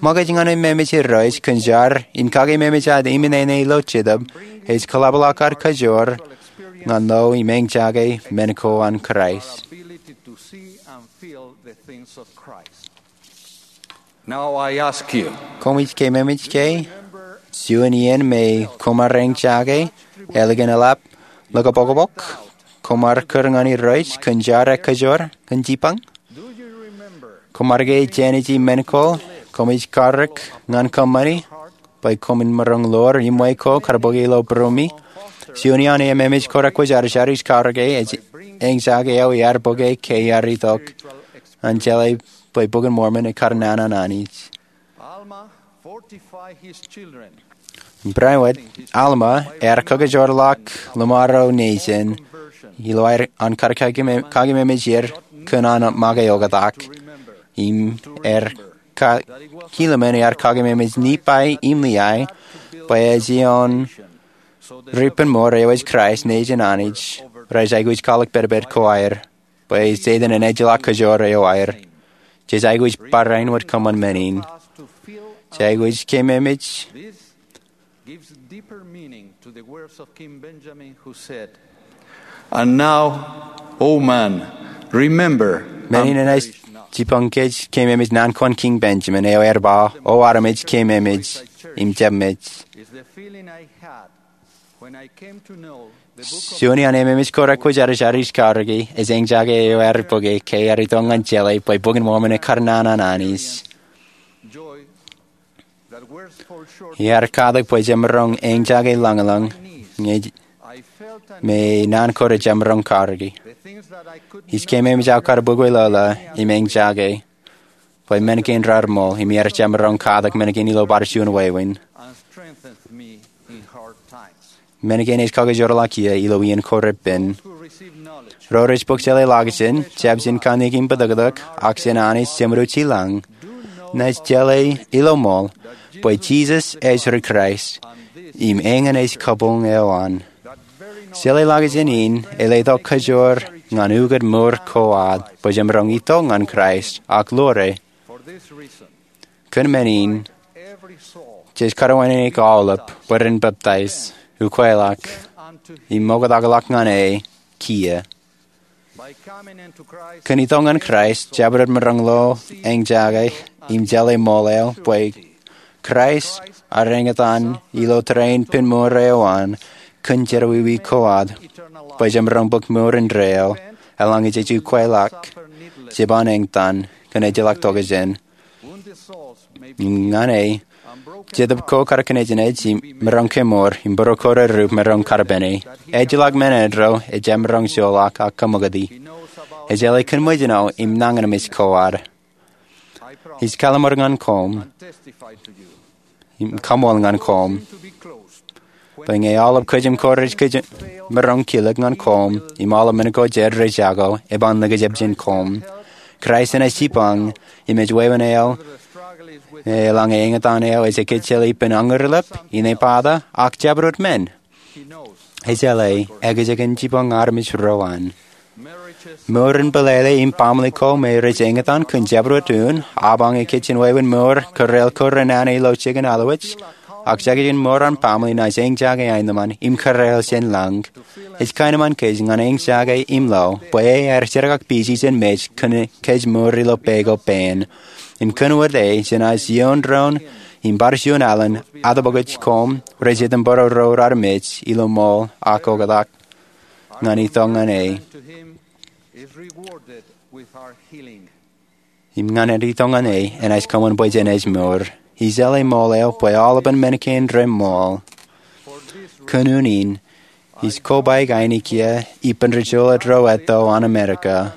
Ṃōkaj ñan ememej Irooj kōn jar im kakememej ad iminene ilo Jetōb ej kōḷapḷọk ad kajoor ñan lo im eñjake men ko an Kraist. Koṃij keememej ke juon iien me koṃ ar eñjake ālikin eḷap ḷōkapokpok koṃ ar kūr ñan Irooj kōn jar ekajoor kōn jipañ? Koṃ ar ke jāniji men ko koṃij karōk ñan kōṃṃani bwe koṃwin maroñ ḷoor iṃwe ko kar bōke ilo būruemi? Juon iaan ememej ko rekwōjarjar ij karōke ej eñjake eo iar bōke ke iar itok an jeḷā bwe Bok in Mormon ekar naan an Anij. Barāinwōt, Alma ear kakajoorḷọk ḷōṃaro nejin ilo aer an kar kakememej er kōn an make oktak. Im ear ka-, kilemen ear kakememej Nifai im Liai bwe ej ioon ri-penmour eo ej Kraist nejin Anij rej aikuj kwaḷọk pedped ko aer bwe Setan en ejjeḷọk kajoor eo aer. Jej aikuj barāinwōt kōṃṃan men in. Jej aikuj keememej. This gives deeper meaning to the words of King Benjamin, who said, "And now, O man, remember, men in enaaj jipañ kōj keememej naan ko an King Benjamin, eo ear ba, O armej, keememej im jabmej." Is the feeling I had when I came to know the book of Juon iaan ememej ko rekwōjarjar ij karōki ej eñjake eo ear bōke ke ear itok ñan jeḷā bwe Bok in Mormon ekar nana an Anij. Joy that words fall short. Iar katak bwe jemaroñ eñjake lañlōñ ñe me naan ko rejemaroñ karōki. Ij keememej aō kar bukwi lōḷā im eñjake bwe men kein raar ṃool im iar jemaroñ katak men kein ilo bar juon wāween. And strengthens me in hard times. Men kein ej kakajoorḷọk kiiō ilo iien ko repen. Ro rej bōk jeḷā ḷọkjeṇ, jab jān kanniōk im bōtōktōk, ak jān Anij Jemedwōj i lañ, naaj jeḷā ilo ṃool bwe Jisōs ej ri Kraist im eñin ej kabuñ eo an. Jeḷā ḷọkjeṇ in ej letok kajoor ñan ukōt mour ko ad bwe jemaroñ itok ñan Kraist ak ḷoore. Kōn men in, jej karuwainene aolep bwe ren peptaij, ukweḷọk, im oktakḷọk ñan e kiiō. Kōn itok ñan Kraist, jabdewōt maroñ lo, eñjake, im jeḷā ṃool eo bwe Kraist ear eñtaan ilo tōre in ippān mour eo an kōn jerọwiwi ko ad bwe jemaroñ bōk mour indeeo eḷaññe jej ukweḷọk jeban eñtaan kōn ejjeḷọk tokjān. Ñan e, Jetōb ko kar kōnejnej im maroñ kemour, im būruo ko rerup maroñ karpene. Ejjeḷọk men eddo ejjab maroñ joḷọk ak kaṃakūt e. Ej jeḷā kōn ṃōjin eo im nañinmej ko ad. Ij kalimur ñan koṃ im kaṃool ñan koṃ bwe ñe aolep kōjām ko rej kōjām maroñ kilōk ñan koṃ im aolep men ko jed rej jako, eban likjab jān koṃ. Kraist enaaj jipañ im ej wāween eo eḷaññe eñtaan eo ej ekkejel ippān añurlep, inepata, ak jabdewōt men. Ej jeḷā ekjeken jipañ armej ro an. Mour in pālele im baaṃle ko me rej eñtaan kōn jabdewōt un, apañ ikijjien wāween mour kōrā ko renana ilo jikin allowaj, ak jekjek in mour an baaṃle naaj eñjake aenōṃṃan im kōrā jān lañ. Ej kaenōṃṃan kōj ñan eñjake im lo bwe e ear jerkakpeje jān mej kōn kōj mour ilo pā ko pāān. Im kōn wōt e, jenaaj iioon doon im bar juon alen atōpwōkōj koṃ rej item bōro ro raar mej ilo ṃool ak oktak ñan itok ñan e. Im ñan itok ñan e enaaj kōṃṃan bwe jen ej mour. Ij jeḷā ṃool eo bwe aolepen men kein reṃool. Kōn unin, ij kobaik ainikien ippān ri juḷet ro etto an Amerika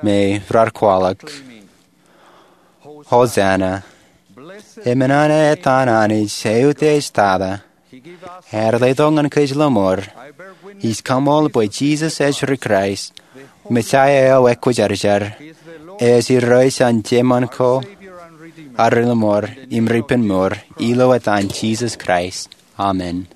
me raar kwaḷọk, Hosanna. Emān an etan Anij eutiejtata. Ear letok ñan kōj ḷōṃur. Ij kaṃool bwe Jisōs ej ri Kraist, Mesaia eo ekwōjarjar. Ej Irooj an jeiṃṃan ko ak ri ḷōṃur im ri ippān mour, ilo etan Jisōs Kraist. Amen.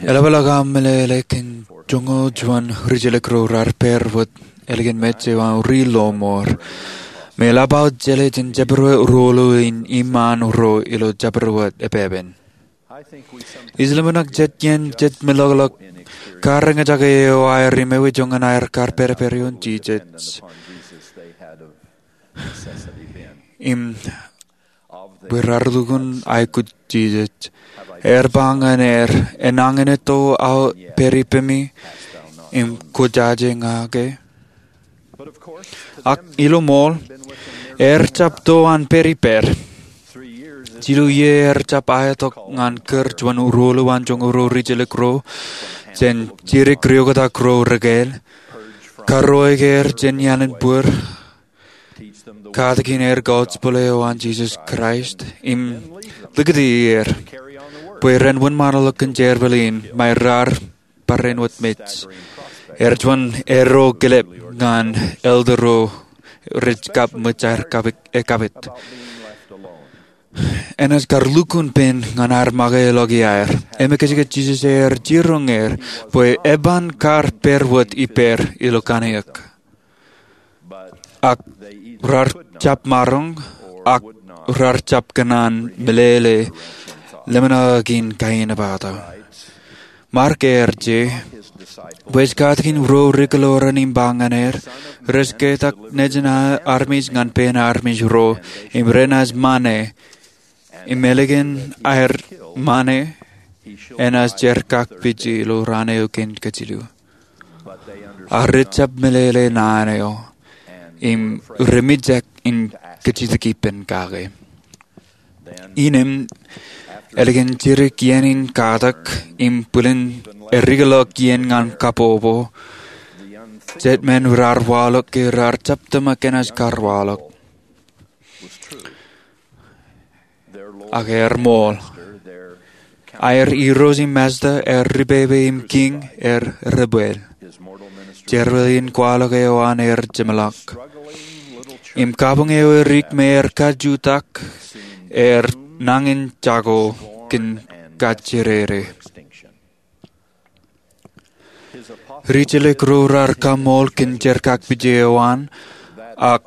Eḷapḷọk aṃ meḷeḷe kōn joñoul juon rijjelōk ro raar pād wōt ālikin mej eo an ri ḷōṃur. Im eḷap aō jeḷā jān jabdewōt ruo ḷọk in iṃaan ro ilo jabdewōt epepen. Ij ḷōmṇak jet iien jej meḷọkḷọk kareñjake eo aer imewe joñan aer kar pād ippān ioon Jisōs. Im bwe raar lukkuun aikuj Jisōs. Ear ba ñan er, enañin etto aō pād ippemi im kwōjaje ña ke? Ak ilo ṃool, er jab to an pād ippād. Jilu iiō er jab aetok ñan kōr juon ruo ḷọk an joñoul ro rijjelōk ro jān jidik ri oktak ro rekāāl, karuo er jān ialin bōd, katakin er gospel eo an Jisōs Kraist, im likūti er bwe ren wōnṃaanḷọk kōn jerbal in, ṃae raar barāinwōt mej. Er juon eddo kilep ñan elder ro rej kab ṃōj aer kapit, e, kapit. Enaaj kar lukkuun pen ñan ad make ḷọk iaer. Im ekwe kajjitōk Jisōs ear jiroñ er bwe eban kar pād wōt ippāer ilo kanniōk. Ak raar jab maroñ, ak raar jab kōṇaan meḷeḷe lemṇak in kain epata. Mark ear je, bwe ej katakin ro ri-kōḷoran im ba ñan er, rej ketak nejin armej ñan pein armej ro, im renaaj ṃane, im ālikin aer ṃane, enaaj jerkakpeje ilo raan eo kein kajilu. Ak rej jab meḷeḷe naan eo, im remijak in kajjitōk ippān kake. Innām, ālikin jidik iien in katak im bwilin erikḷọk iien ñan kabbokbok, jet men raar waḷọk ke raar jab tōmak enaaj kar waḷọk. Ak ear ṃool. Aer Irooj im Masta, aer Ripepe im Kiiñ, aer rebwel. Jerbal in kwaḷọk eo an ear jeṃḷọk. Im kabuñ eo edik me ear kajutak, ear nañin jako kōn kajjidikdik. Ri-jilōk ro raar kaṃool kōn jerkakpeje eo an, ak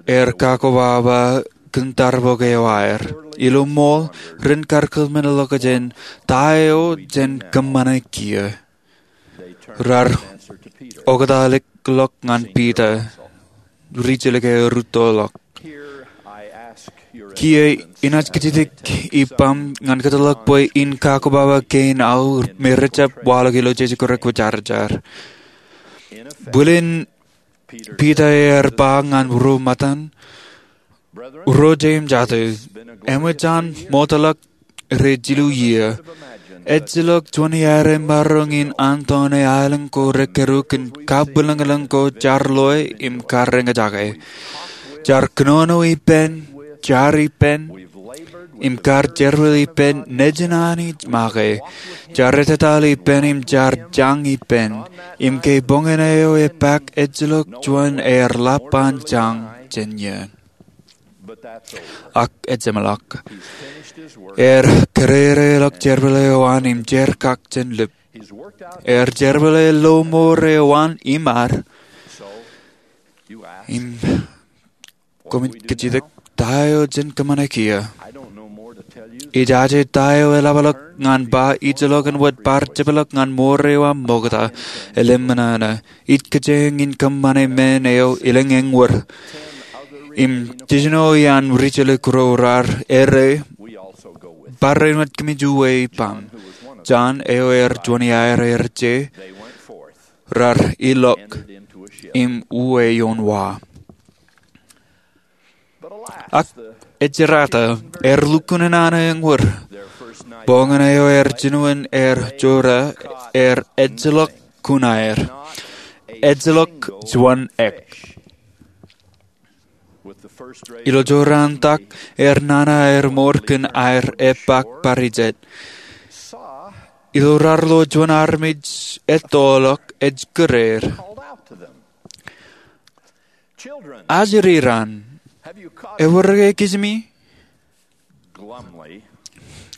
ear kakkobaba kōn tarbok eo aer. Ilo ṃool, ren kar kōṃṃanḷọkjeṇ ta eo jen kōṃṃane kiiō. Raar oktak ḷọk ñan Piter, ri-jilōk eo rūttoḷọk. Kiiō, inaaj kajjitōk ippaṃ ñan kōtḷọk bwe in kakkobaba kein aō me rej jab waḷọk ilo jeje ko rekwōjarjar. Bwilin Piter ear ba ñan ro ṃōttan, Ro jeiū im jatū, eṃōj an ṃoktōḷọk rej jilu iiō. Ejjeḷọk juon iaer emaroñ in antoone aelōñ ko rekōrū kōn kabwilōñlōñ ko jaar loe im kar eñjake. Jaar kōnono ippān, jaar ippān, im kar jerbal ippān nejin Anij make. Jaar ettetaḷ ippān im jaar jañ ippān. Im ke boñōn eo epaak ejjeḷọk juon ear ḷap an jañ jān iiō. Ak ejjeṃḷọk. Ear kōrōrōḷọk jerbal eo an im jerkakjeṇ lip. Ear jerbale lọmọọr eo an im ad. Im koṃij kajjitōk ta eo jen kōṃṃane kiiō. Ij aje ta eo eḷapḷọk ñan ba ijellọkin wōt bar jepḷọk ñan mour eo aṃ ṃokta. Elōñ ṃōṇōṇō. Ij kōjeañ in kōṃṃane men eo elōñ eñwōr. Im jiljino iaan ri-jilōk ro raar errā, barāinwōt kōmij uwe ippaṃ. Jon eo ear juon iaer ear je, raar ilọk im uwe ioon wa. Ak ejjerata, ear lukkuun nana eñwōr. Boñōn eo ear jinoin ear jora, ear ejjeḷọk kuṇaer. Ejjeḷọk juon ek. Ilo jorrāān tak, ear nana aer mour kōn aer epaak bar ijet. Ilo raar lo juon armej ettoḷọk ej kōrā er. Ajri raṇ, ewōr ke kijimi?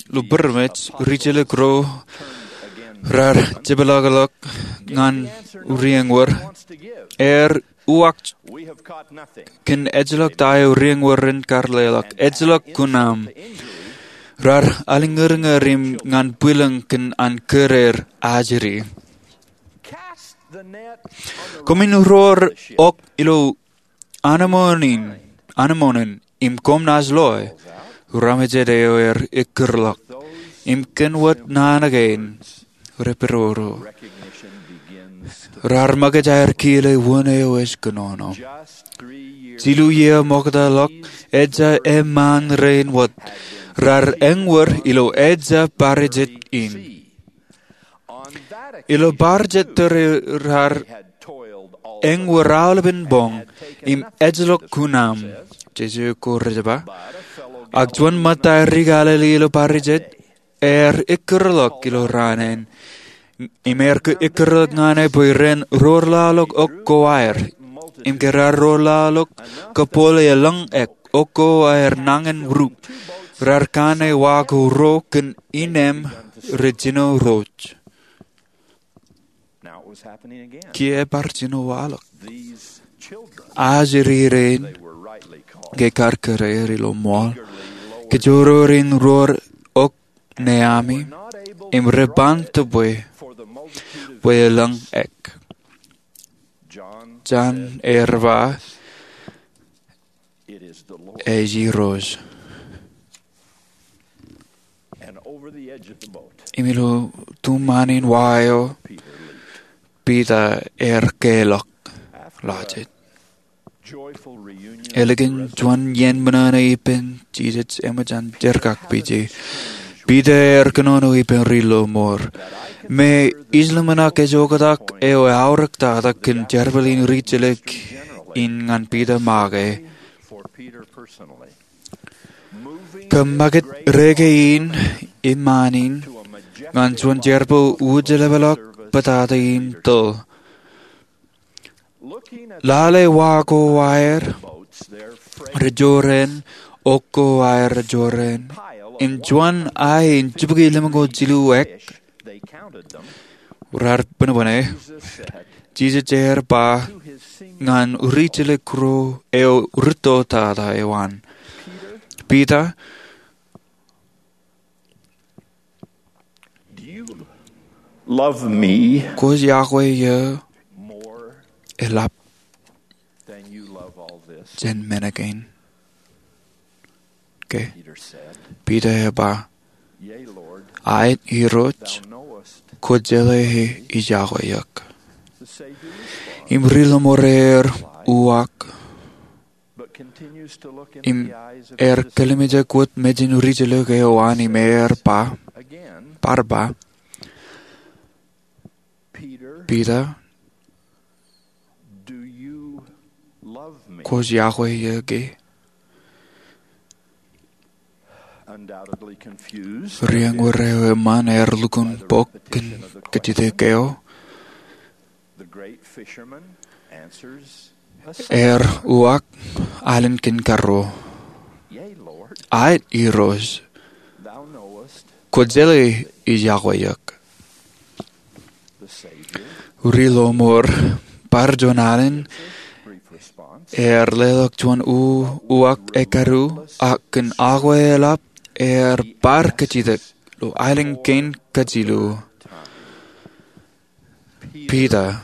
Ilo bōd eo ej ri-jilōk ro raar jepḷọkḷọk ñan ri eñwōr. Ear uwaak kōn ejjeḷọk ta eo ri eñwōr ren kar leḷọk. Ejjeḷọk kuṇaaṃ. Raar aliñūrñūr im ñan bwilōñ kōn an kōrā er ajri. Koṃwin roor ok ilo anemon in, anemon in, im koṃ naaj loe. Ramejet eo ear ekkūrḷọk. Im kōn wōt naan kein, reperoro. Raar ṃōkaj aer kile wōn eo ej kōnono. Jilu iiō ṃoktōḷọk, ejja eṃṃaan rein wōt. Raar eñwōr ilo ejja bar ijet in. Ilo bar jet tōre raar eñwōr aolepen boñ im ejjeḷọk kuṇaaṃ, Jisōs eo ko rej ba. Ak juon ṃōtta ri-Galili ilo bar ijet, ear ekkūrḷọk ilo raan in, im ear ekkūrḷọk ñan e bwe ren roorḷọk ok ko aer. im ke raar ro laḷọk kōpool e elōñ ek, okko aer nañinmej rup. Raar kanne wa ko ruo kōn innem rej jino rooj. Kiiō ebar jino waḷọk. Ajri rein, ke kar kōrā er ilo ṃool, kōjro rein ruo ok ṇe ami, im rej ban tōpwe bwe elōñ ek. Jon ear ba, Ej Irooj. Im ilo tuṃaan in wa eo, Piter ear keḷọk lọjet. Ālikin juon iien ṃōṇōṇō ippān Jisōs eṃōj an jerkakpeje, Piter ear kōnono ippān ri lọmọọr. Im ij ḷōmṇak ej oktak eo eaorōk tata kōn jerbal in rijjelōk in ñan Piter make. Kōmmakūt reke in iṃaan in ñan juon jerbal wūjeḷāḷọk bōtata in tōl. Lale wa ko aer rej jorrāān, okko aer rej jorrāān, im juon ae in jibukwi lemñoul jilu ek raar bōnbōne, Jisōs ear ba ñan rijjelōk ruo eo rūtto tata eo an, Piter, kwōj iakwe eō eḷap jān men kein ke? Piter ear ba, Aet Irooj, kwōjeḷā ij iakwe eok. Im ri lọmọọr ear uwaak im ear kōḷmānjeḷọk wōt mejān rijjelōk eo an im ear ba, bar ba, Piter, kwōj iakwe eō ke? Ri-eñwōr eo eṃṃan ear lukkuun bōk kōn kōjjitōk eo. Ear uwaak alen kein karuo, Aet Irooj, kwōjeḷā ij iakwe eok. Ri lọmọọr bar juon alen ear leḷọk juon uwaak ekkadu, ak kōn akwe eḷap ear bar kajjitōk ilo aelōñ kein kajilu, Piter,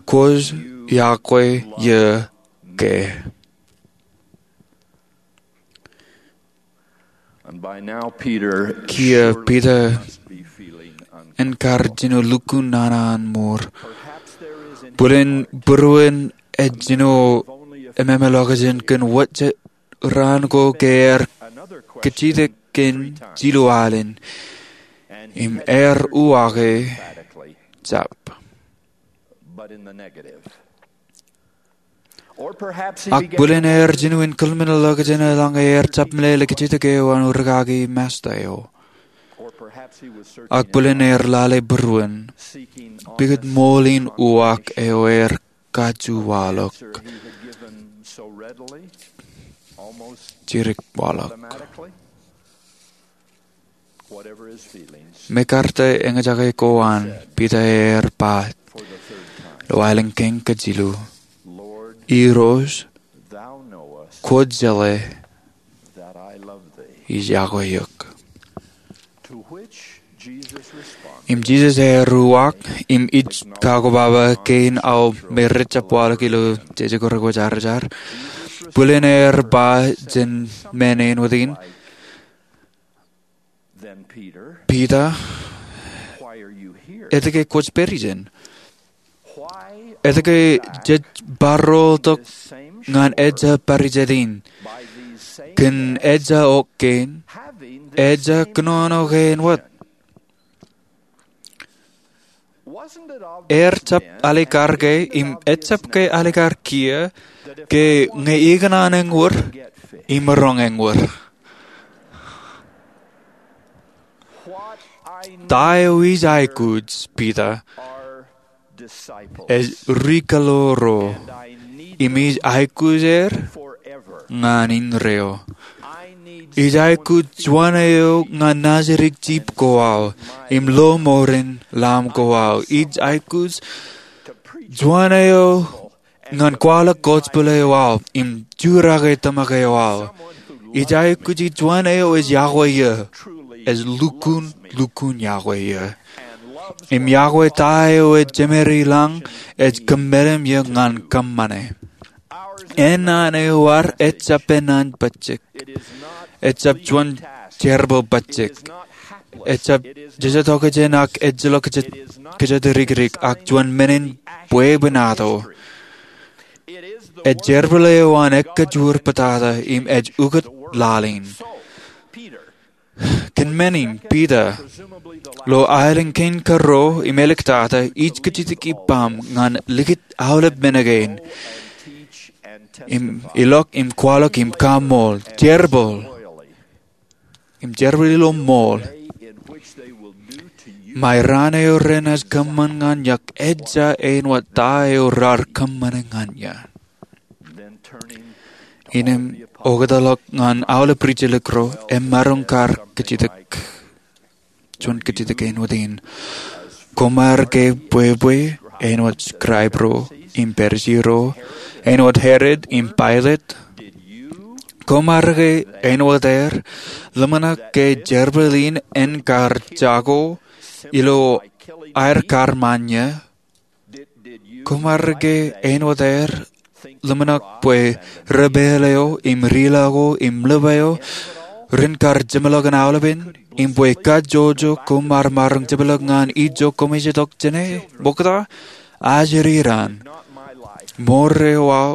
kwōj iakwe eō ke? Kiiō Piter en kar jino lukkuun nana an mour. Bōlen būruon ej jino ememālọkjeṇ kōn wōt jet raan ko ke ear kajjitōk kōn jilu alen, im ear uwaake jab. Ak bōlen ear jino in kōḷmānḷọkjeṇ eḷaññe ear jab meḷeḷe kajjitōk eo an rūkaki Masta eo. Ak bōlen ear lale būruon pukot ṃool in uwaak eo ear kajju waḷọk, jidik waḷọk. Mekarta eñjake ko an, Piter ear ba ilo aelōñ kein kajilu, Irooj, kwōjeḷā ij iakwe eok. Im Jisōs ear uwaak, im ij kakwō baba kein aō me rej jab waḷọk ilo jeje ko rekwōjarjar. Bōlen ear ba jān men āinwōt in, Piter, etke kwōj pād ijin? Etke jej barroḷọk ñan ejja bar ijin in, kōn ejja ok kein, ejja kōnono kein wōt? Ear jab alikar ke, im ejjab ke alikar kiiō, ke ñe ikōṇaan eñwōr, imaroñ eñwōr? Ta eo ij aikuj, Piter, ej ri kaḷoor ro, im ij aikuj er ñan indeeo. Ij aikuj juon eo ñan naajdik jip ko aō im lo mour in Lamb ko aō. Ij aikuj juon eo ñan kwaḷọk gospel eo aō im jurake tōmak eo aō. Ij aikuj juon eo ej yokwe eō, ej lukkuun, lukkuun yokwe eō, im yokwe ta eo ej jemād ilañ, ej kōmmeḷeḷe eō ñan kōṃṃane. Ennaan eo ad ejjab ennaan pojak. Ejjab juon jerbal pojak. Ejjab jejjet okjān ak ejjeḷọk kōjatdikdik, ak juon men in bwebwenato. Ej jerbal eo an ekkajoor pātata im ej ukōt laḷ in. Kōn men in, Piter, ilo aelōñ kein kōrā im āliktata, ij kajjitōk ippaṃ ñan likūt aolep men kein, im ilọk im kwaḷọk im kaṃṃoolol, jerbal, im jerbal ilo ṃool, ṃae raan eo renaaj kōṃṃan ñan eok ejja āinwōt ta eo raar kōṃṃane ñan eō. Innām oktak ḷọk ñan aolep rijjelōk ro, emaroñ kar kajjitōk, juon kajjitōk āinwōt in. Koṃ ar ke bwebwe āinwōt scribe ro im Pharisi ro, āinwōt Herod im Pilate? Koṃ ar ke āinwōt er, ḷōmṇak ke jerbal in en kar jako ilo aer kar ṃan eō? Koṃ ar ke āinwōt er, ḷōmṇak bwe ri-pāl eo im ri-laḷ ko im ḷap eo ren kar jeṃḷọkin aolepen, im bwe kajjojo koṃ ar maroñ jepḷọk ñan ijo koṃij itok jāne ṃokta? Ajri raan, mour eo aō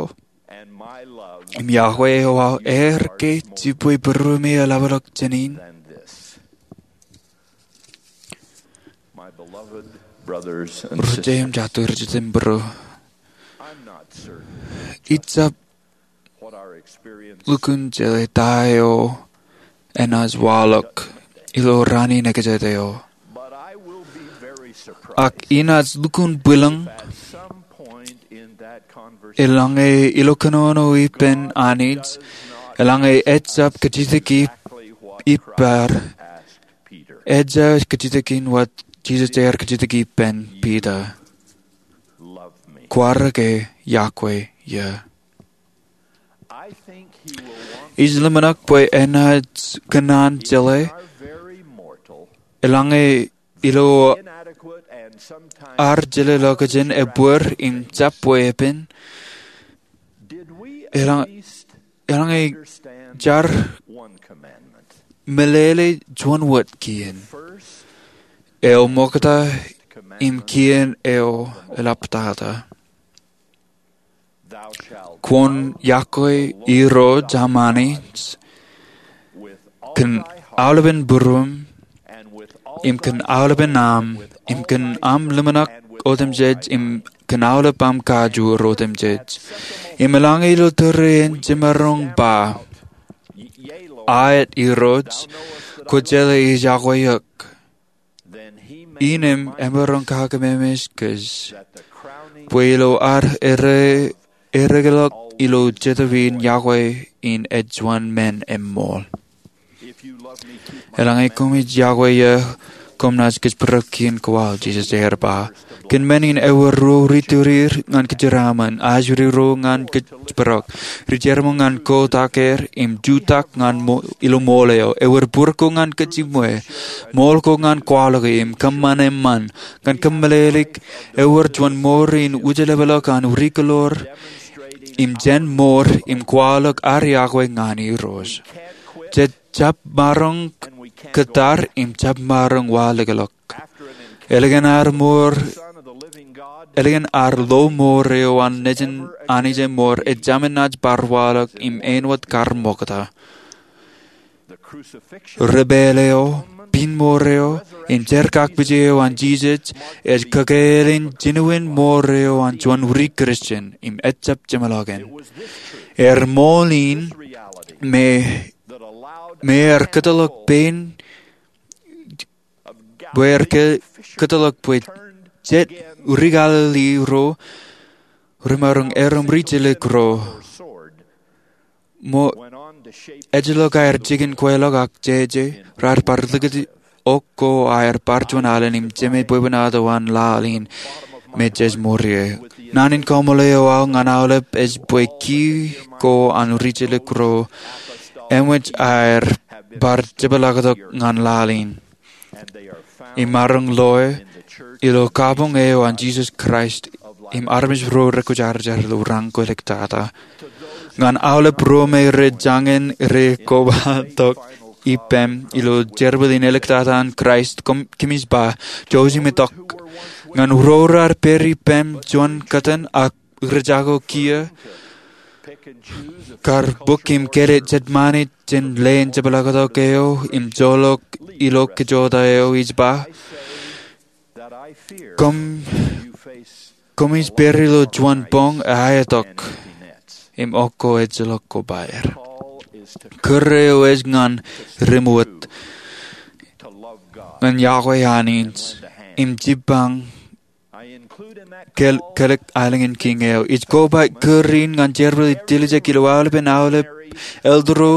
im yokwe eo aō er ke jibwe būruemi eḷapḷọk jān in? Ri-jemām, jatū ri-jitōnbōro, ijjab lukkuun jeḷā ta eo enaaj waḷọk ilo raan in ekjāte eo. Ak inaaj lukkuun bwilōñ eḷaññe ilo kōnono ippān Anij, eḷaññe ejjab kajjitōk ippaṃ, ejja kajjitōk in wōt Jisōs ear kajjitōk ippān Piter: Kwaar ke yokwe eō? Ij ḷōmṇak bwe enaaj kōṇaan jeḷā, eḷaññe ilo ad jeḷā ḷọk jān ebbeer im jab weeppān, eḷaññe jaar meḷeḷe juon wōt kien eo ṃokta im kien eo eḷaptata: Kwōn yokwe Irooj aṃ Anij kōn aolepen būruōṃ, im kōn aolepen aṃ, im kōn aṃ ḷōmṇak otemjej, im kōn aolep aṃ kajoor otemjej. Im eḷaññe ilo tōre en jemaroñ ba, Aet, Irooj, kwō jeḷā ij yokwe eok, innām emaroñ kakememej kōj bwe ilo ad erekeḷọk ilo jetōb in, yokwe in ej juon men eṃṃool. Eḷaññe koṃij yokwe eō, koṃ naaj kōjparok kien ko aō, Jisōs ear ba. Kōn men in, ewōr ro ri-turier ñan kōjeraaṃṃan, ajri ro ñan kōjparok, ri-jerbal ñan kotak er im jutak ñan ilo ṃool eo. Ewōr būrko ñan kōjiṃwe, ṃool ko ñan kwaḷọke im kōṃṃan eṃṃan ñan kōmmeḷeḷeik. Ewōr juon mour in wūjeḷapḷọk an ri-kaḷoor im jān mour im kwaḷọk ad yokwe ñan Irooj. Jej jab maroñ kōttar im jab maroñ waḷọkḷọk. Ālikin ad mour, ālikin ad lo mour eo an Nejin Anij e mour, ej jāmin naaj bar waḷọk im āinwōt kar ṃokta. Ri-pāl eo, piin mour eo, im jerkakpije eo an Jisōs ej kakāāl in jiniwin mour eo an juon ri-Kristian im ejjab jeṃḷọkin. Ear ṃool in me, me ear kōtḷọk pein, bwe ear kōtḷọk bwe Jet ri Galili ro remaroñ erom ri jeḷā ro, mo ejjeḷọk aer jikin kweilọk ak jeje, raar bar likūt ok ko aer bar juon alen im jemān bwebwenato an laḷ in me jej mour ie. Naan in kaṃṃoolol eo aō ñan aolep ej bwe ki ko an ri jeḷā ro eṃōj aer bar jepḷaaktok ñan laḷ in im maroñ loe ilo kabuñ eo an Jisōs Kraist im armej ro rekwōjarjar ilo raṇ ko āliktata. Ñan aolep ro me rej jañin rekobatok ippem ilo jerbal in āliktata an Kraist, kōmij ba, jouj im itok. Ñan ro raar pād ippem juon kōttan ak rej jako kiiō kar bōk im kele jet ṃanit jān leen jepḷaaktok eo im joḷọk ilo kōjota eo, ij ba, kōmij pād ilo juon boñ eaetok im ok ko ejjeḷọk kobaer. Kōrā eo ej ñan ri ṃweiuk ñan yokwe Anij im jibbañ kōl aelōñ in Kiiñ eo. Ij koba kōrā in ñan jerbal in tiljek ilo aolepen aolep elder ro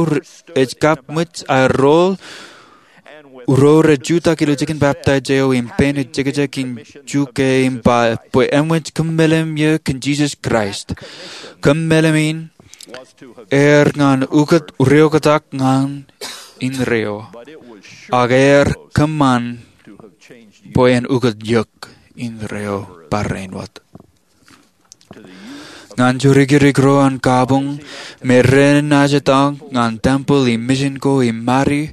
rej kab ṃōj aer rool, ro rej jutak ilo jikin baptaij eo im pein ejekjek in juke im ba bwe eṃōj kōmmeḷeḷe eō kōn Jisōs Kraist. Kōmmeḷeḷe in er ñan ukōt reoktak ñan indeeo, ak er kōṃṃan bwe en ukōt eok indeeo barāinwōt. Ñan jorikirik ro an kabuñ me renaaj etal ñan tempel im misin ko im mari,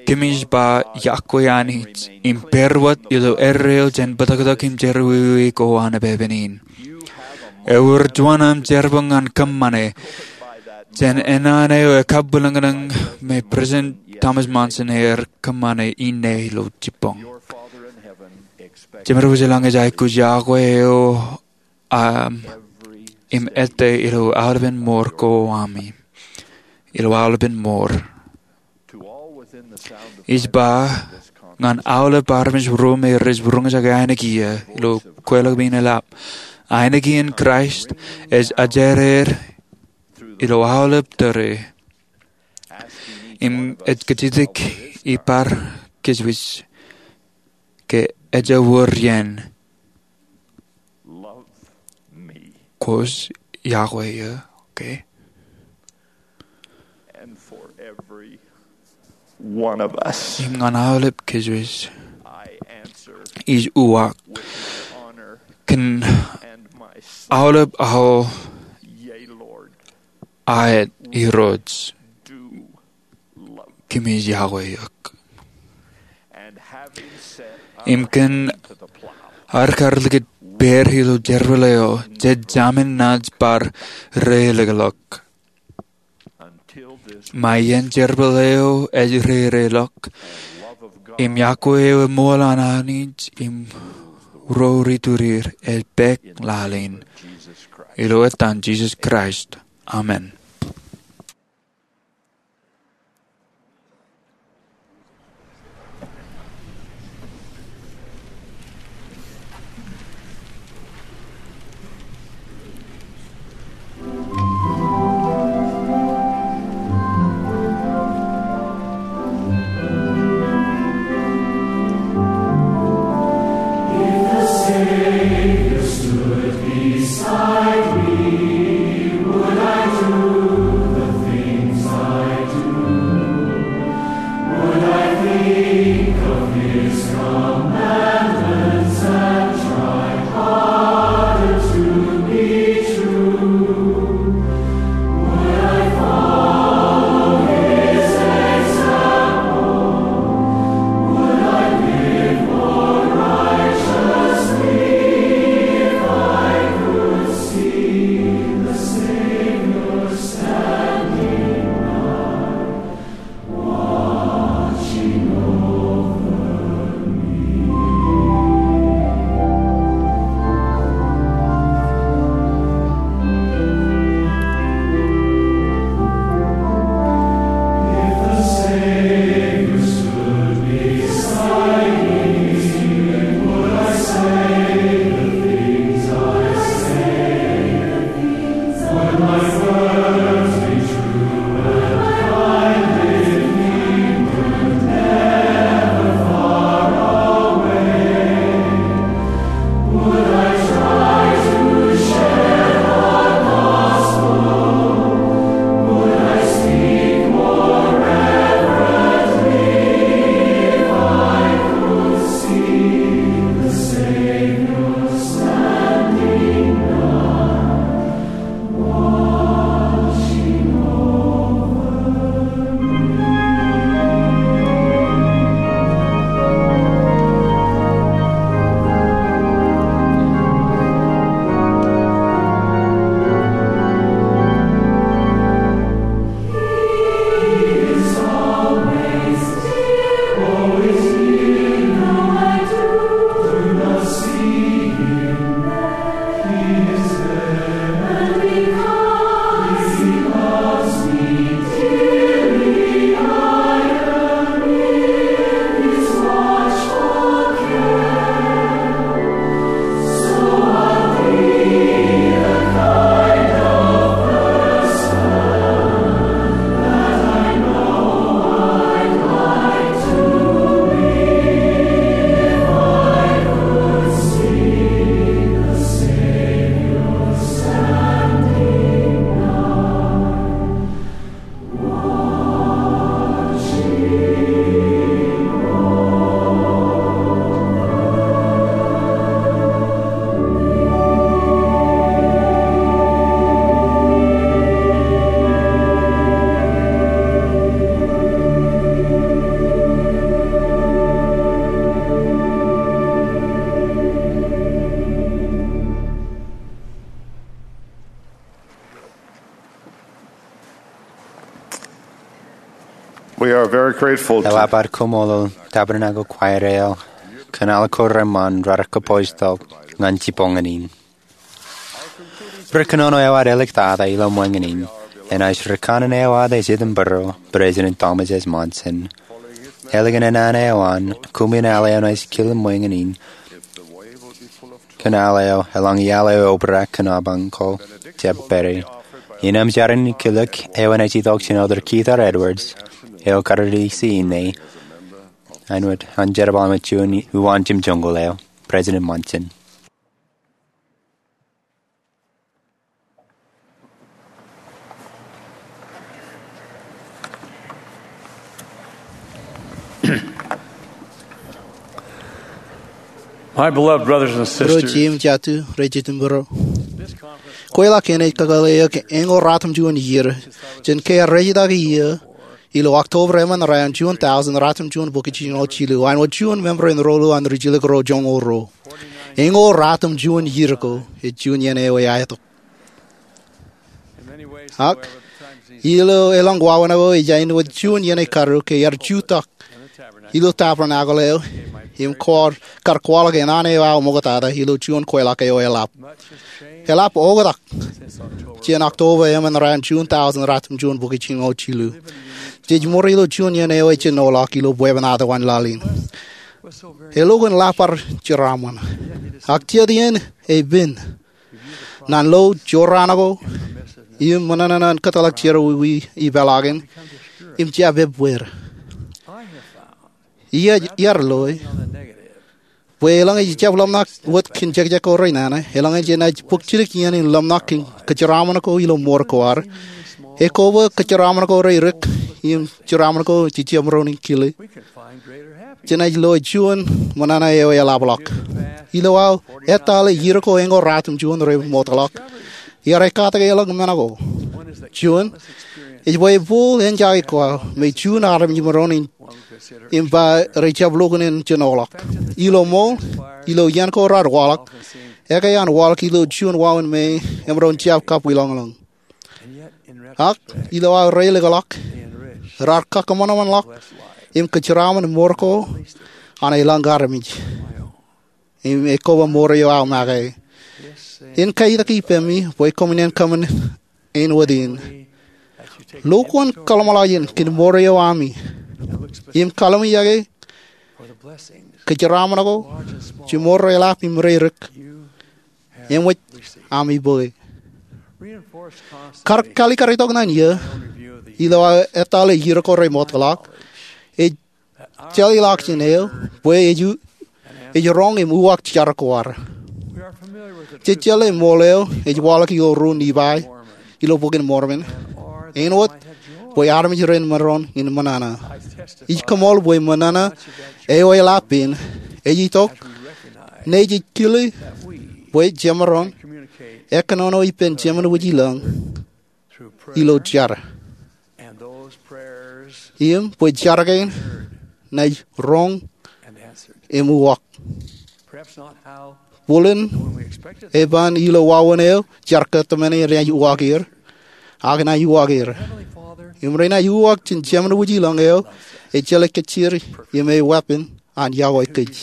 kōmij ba yokwe Anij im pād wōt ilo erreo jān bōtōktōk im jerọwiwi ko an epepen in. Ewōr juon aṃ jerbal ñan kōṃṃane jān āne eo ekabwilōñlōñ me President Thomas Monson ear kōṃṃane inne ilo jibboñ. Jemedwōj ilañ ej aikuj yokwe eo aṃ im ettā ilo aolepen mour ko ami ilo aolepen mour. Ij ba ñan aolep armej ro me rej roñjake ainikien iiō ilo kweilọk in eḷap, ainikien Kraist ej ajeraer ilo aolep tōre im ej kajjitōk ippād kōjwōj ke ejawōr iien. Kwōj yokwe eō, okay? Im ñan aolep kōjwōj ij uwaak kōn aolep aō aet, Irooj, kōmij yokwe eok. Im kōn ad kar likūt pād ilo jerbal eo, jej jāmin naaj bar reilọk. Ṃae iien jerbal eo ej reilọk im yokwe eo eṃool an Anij im ro iturin ej pād laḷ in. Ilo etan Jisōs Kraist, amen. Ewōr bar koṃṃool tabōnako kwaer eo kōn aolep ko reṃṃan raar kōpooj tok ñan jibboñōn in. Ri kōnono eo ad āliktata ilo ṃweiñin in enaaj ri kanaan eo ad ej itok bwe President Thomas S. Monson. Ālikin naan eo an, koṃwin al eo enaaj kile ṃweiñin in kōn al eo eḷaññe al eo eobrak kōn apañ ko jab pād ie. Innām jar in kilōk eo enaaj itok jān Elder Keith R. Edwards eo kar riiti inne, āinwōt an jerbal eo ej juon uwaan jimjuoñkōl eo, President Monson. My beloved brothers and Ro sisters, jeiū im jatū rej jitōnbōro, kweilọk in ej kakōḷḷe eok eñoul ratimjuon iiō jān ke ear rejitak iiō ilo October emān raan juon tọusōn ratimjuon bukwi jiljino jilu, āinwōt juon member in ro ḷọk an ri jilkinro joñoul ruo. Eñoul ratimjuon iiō ko ej juon iien eo eaetok. Ak ilo elōñ wāween ko ej āinwōt juon iien ekaruo ke ear jutak ilo tabernacle eo im kar kwaḷọk naan eo aō ṃoktata ilo juon kweilọk eo eḷap. Eḷap oktak jān October emān raan juon tọusōn ratimjuon bukwi jiljino jilu. Jej ṃōrā ilo juon iien eo ejenoḷọk ilo bwebwenato an laḷ in. Elukkuun ḷap bar jeraaṃṃan, ak jet iien epen naan lo jorrāān ko im ṃōṇōṇō an kōtḷọk jerọwiwi ipeḷaakin im jab ebbeer. Iar loe bwe eḷaññe ejjab ḷōmṇak wōt kōn jekjek ko renana, eḷaññe jenaaj bōk jidik iien in ḷōmṇak kōn kōjeraaṃṃan ko ilo mour ko ad, ekoba kōjeraaṃṃan ko rerik im jeraaṃṃan ko jej jab maroñ in kile, jenaaj loe juon ṃōṇōṇō eo eḷapḷọk. Ilo aō etale iiō ko eñoul ratimjuon remootḷọk, iar ekkatak elōñ men ko. Juon, ej bwe ebooḷ enjake ko aō me juon armej maroñ in im ba rej jab lukkuun in jenoḷọk. Ilo ṃool, ilo iien ko raar waḷọk, ekkā an waḷọk ilo juon wāween me emaroñ jab kabwilōñlōñ. Ak ilo aō reilikḷọk, raar kakkōṃanṃanḷọk im kōjeraaṃṃan mour ko an elōñ armej im ekoba mour eo aō make. In kaitōk ipemi bwe koṃwin enkōmin āinwōt in. Lukkuun kōḷmānḷọkjeṇ kōn mour eo ami im kalliṃakiki kōjeraaṃṃan ko je mour reḷap im rerik eṃōj ami bōke. Kar kaalikkar tok naan iiō ilo aō etale iiō ko remootḷọk ej jeḷāḷọkjeṇ eo bwe ej roñ im uwaak jar ko ad. Jej jeḷā ṃool eo ej waḷọk ilo ruo Nifai ilo Bok in Mormon, āinwōt bwe armej ren maroñ in ṃōṇōṇō. Ij koṃṃool bwe ṃōṇōṇō eo eḷap in ej itok ṇe jej kile bwe jemaroñ ekkōnono ippān Jemān wōjilōñ ilo jar, im bwe jar kein enaaj roñ im uwaak. Bōlen eban ilo wāween eo jar ko tōmāne renaaj uwaak er, ak enaaj uwaak er. Im renaaj uwaak jān Jemān wōjilōñ eo ej jeḷā kōjjeer im eweeppān an yokwe kōj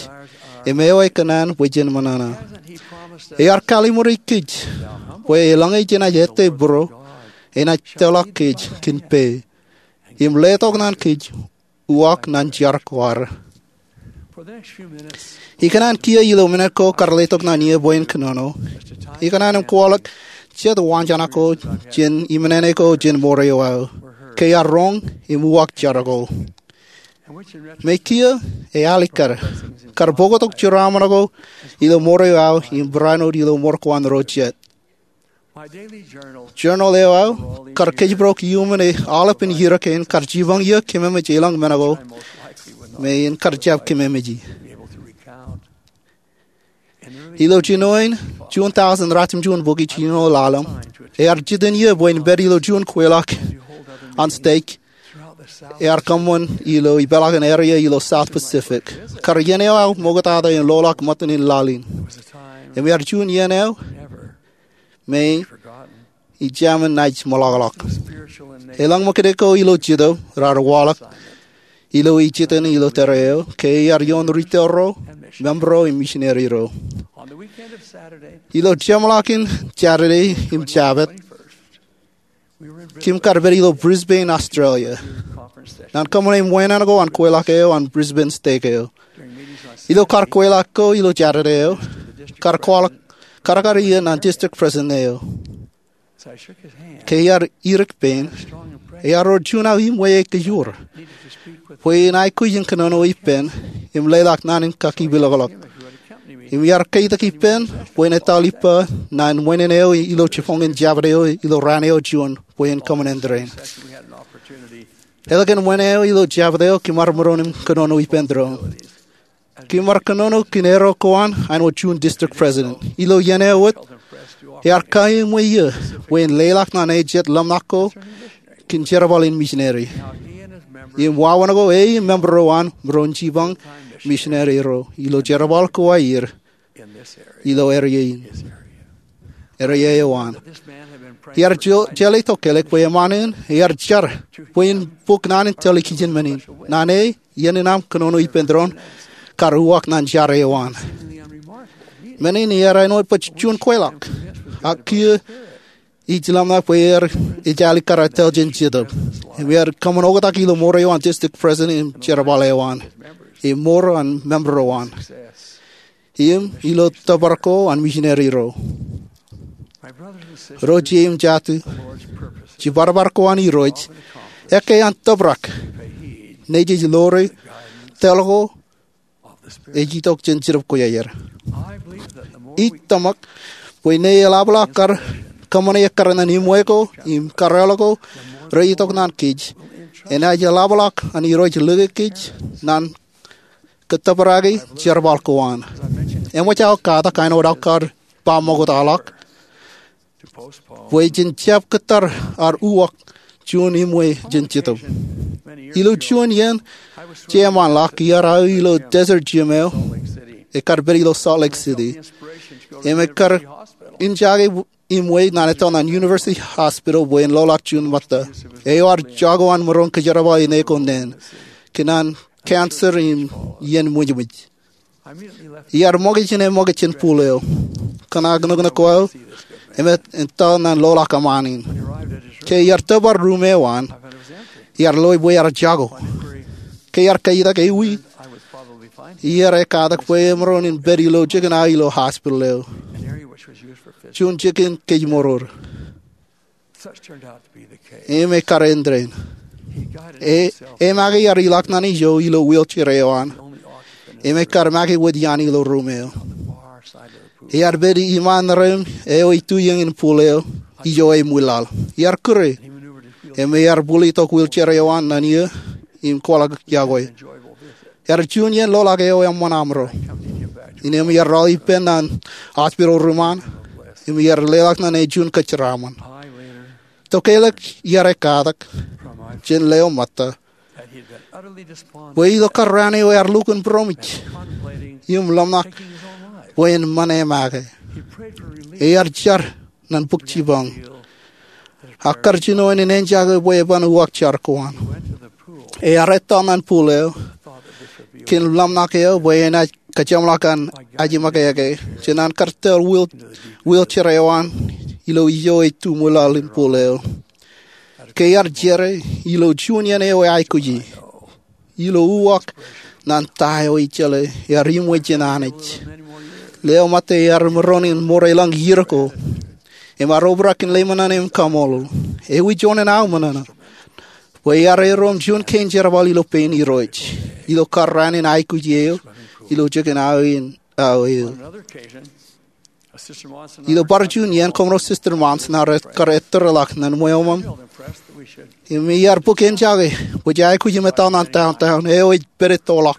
im ewi kōṇaan bwe jen ṃōṇōṇō. Ear kalliṃur kōj bwe eḷaññe jenaaj ettā būruō, enaaj tōlḷọk kōj kōn pā im letok naan kōj uwaak naan jar ko ad. Ikōṇaan kiiō ilo minit ko kar letok naan iiō bwe en kōnono, ikōṇaan im kwaḷọk jet waanjoñak ko jān imeneene ko jān mour eo aō ke ear roñ im uwaak jar ko. Mekiiō ealikkar kar bōktok jeraaṃṃan ko ilo mour eo aō im barāinwōt ilo mour ko an ro jet. Journal eo aō kar kōjparok iuṃwin aolepān iiō kein kar jibboñ iiō kememej elōñ men ko me en kar jab kememeji. Ilo jinoin juon tọọsōn ratimjuon bukwi jiljino ḷalem, ear jitōn iiō bwe en pād ilo juon kweilọk an stek ear kōṃṃan ilo ipeḷaakin area ilo South Pacific, kar iien eo aō ṃoktata en loḷọk ṃōttan in laḷ in. Im ear juon iien eo me ij jab naaj ṃōḷọkḷọk. Elōñ ṃōkaj ko ilo jitōb raar waḷọk ilo ijiten ilo tōre eo ke iar ioon rūtto ro, member ro im misineri ro. Ilo jeṃḷọkin Jatade im Jabōt, kōm kar pād ilo Brisbane, Australia, ñan kōṃṃane ṃweeṇeṇ ko an kweilọk eo an Brisbane Stake eo. Ilo kar kweilọk ko ilo Jatade eo, kar kwaḷọk kadkad iien an district president eo. Ke iar irik pein, ear wōr juon aō iṃwe eo kōjro bwe en aikuj in kōnono ippān im leḷọk naan in kakipḷọk. Im iar ketak ippān bwe en etal ippa ñan ṃweeṇeṇ eo ilo jiboñin Jabōt eo ilo raan eo juon bwe en kōṃṃan āindein. Ālikin ṃweeṇeṇ eo ilo Jabōt eo kōm ar maroñ in kōnono ippān doon. Kōm ar kōnono kōn erro ko an āinwōt juon district president. Ilo iien eo wōt, ear kaiṃwe eō bwe en leḷọk ñan ej jet ḷōmṇak ko kōn jerbal in misineri im wāween ko e im member ro an maroñ jipañ misineri ro ilo jerbal ko aer ilo area in, area eo an. Iar jeḷā tokālik bwe eṃṃan eō ear jar bwe en bōk naan in tōl kijin men in. Ñan e, iien in aṃ kōnono ippān doon kar uwaak ñan jar eo an. Men in ear āinwōt baj juon kweilọk, ak kiiō ij ḷōmṇak bwe ear ejālik kar etal jān Jetōb im ear kōṃṃan oktak ilo ṃour eo an district president im jerbal eo an im ṃour an member ro an im ilo tōpar ko an misineri ro. Ro ije im jatū, jiparpar ko an Irooj ekkā an tōprak nejej ḷoore tōl ko ej itok jān Jetōb Kwōjarjar. Ij tōmak bwe ñe eḷapḷọk kar kōṃṃane ekkar ñan iṃwe ko im kōrā ko reitok ñan kōj, enaaj eḷapḷọk an Irooj lōke kōj ñan kōttōpar eo an jerbal ko an. Eṃōj aō katak āinwōt aō kar ba ṃoktaḷọk bwe jen jab kōttar ad uwaak juon iṃwe jān Jetōb. Ilo juon iien jeṃaanḷọk iar aō ilo Desert Gym eo ekar pād ilo Salt Lake City im ekar injake iṃwe ñan etal ñan University Hospital bwe en ḷoḷọk juon ṃōtta eo ad jako an maroñ kōjerbale ṇe ko neen kōn an cancer im iien ṃwijṃwij. Iar ṃōkaj jān eṃōkaj jān pool eo, kōṇaan nuknuk ko aō, im etal ñan ḷoḷọk eṃṃaan in. Ke iar tōpar ruum eo an, iar loe bwe ear jako. Ke iar kaitak ewi, iar ekatak bwe emaroñ in pād ilo jikin aō ilo hospital eo, juon jikin kōjmour. Im ekar āindein. E, e make iar ilọk ñan ijo ilo wheelchair eo an im ekar make wōt iaan ilo ruum eo. Ear pād iṃaan ṇerein eo ej tu iien in pool eo ijo eṃwilaḷ. Iar kūr e im ear bōk itok wheelchair eo an ñan eō im kwaḷọk yokwe. Ear juon iien ḷoḷọk eo eṃṃan amro. Innām iar ralitōk ippān ñan hospital ruum an im iar leḷọk ñan e juon kōjeraṃṃan. Tokālik iar ekatak jān leo ṃōtta bwe ilo kar raan eo ear lukkuun būroṃōj im ḷōmṇak bwe en ṃan e make. Ear jar ñan bōk jipañ ak kar jino en enjake bwe eban uwaak jar ko an. Ear etal ñan pool eo kōn ḷōmṇak eo bwe enaaj kōjeṃḷọk an ajimọkake jān an kar tōl wheel, wheelchair eo an ilo ijo ej tu ṃwilaḷ in pool eo. Ke ear jere ilo juon iien eo eaikuji ilo uwaak ñan ta eo ejjeḷā, ear iṃwe jān Anij. Leo ṃōtta ear maroñ in ṃour elōñ iiō ko im ear obrak in ḷōmṇak im kaṃṃoolol. Ewi juon in aō ṃōṇōṇō bwe ear erom juon kein jerbal ilo pein Irooj ilo kar raan in aikuji eo ilo jikin aō in aō eo. Ilo bar juon iien koṃro Sister Monson ear kar ettōrḷọk ñan ṃweo ṃōṃ im iar bōk enjake bwe jej aikuj im etal ñan downtown eo ej pād ettoḷọk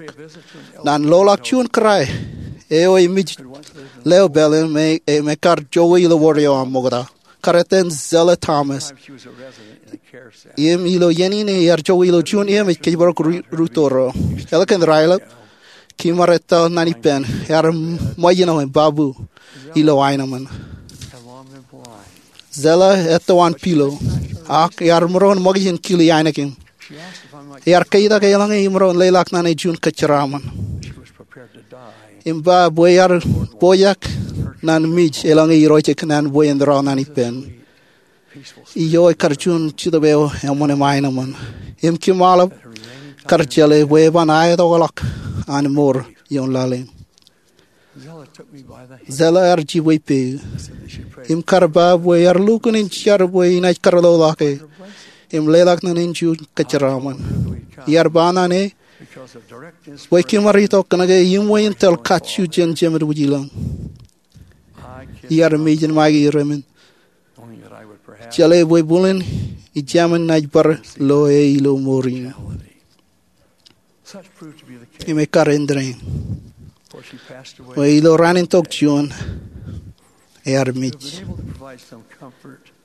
ñan ḷoḷọk juon kōrā eo ej mej leo pālle im ekar jokwe ilo wōr eo an ṃokta. Kar etan Zella Thomas. Im ilo iien in ear jokwe ilo juon eṃōj kōjparok rūtto ro. Ālikin raelep, kōm ar etal ñan ippān, ear ṃōjṇọ im babu ilo aenōṃṃan. Zella etto an pilo ak ear maroñ ṃōkaj in kili ainikien. Ear ketak eḷaññe imaroñ leḷọk ñan e juon kōjeraṃṃan. Im ba bwe ear pojak ñan mej eḷaññe irooj ekōṇaan bwe en rọọl ñan ippān. Ijo ekar juon Jetōb eo eṃṃan im aenōṃṃan. Im kōm aolep kar jeḷā bwe eban aetokḷọk an mour ioon laḷ in. Zella ear jibwe ippāer im kar ba bwe ear lukkuun in jar bwe inaaj kar loḷọk e im leḷọk ñan e juon kōjeraṃṃan. Ear ba ñan e bwe kōm ar itok kōnke eṃṃan in tōl kajju jān jemān wūjilōñ. Ear mej in make rein, jeḷā bwe bōlen ij jab naaj bar lo e ilo mour in. Im ekkar āindein, bwe ilo raan in tok juon ear mej.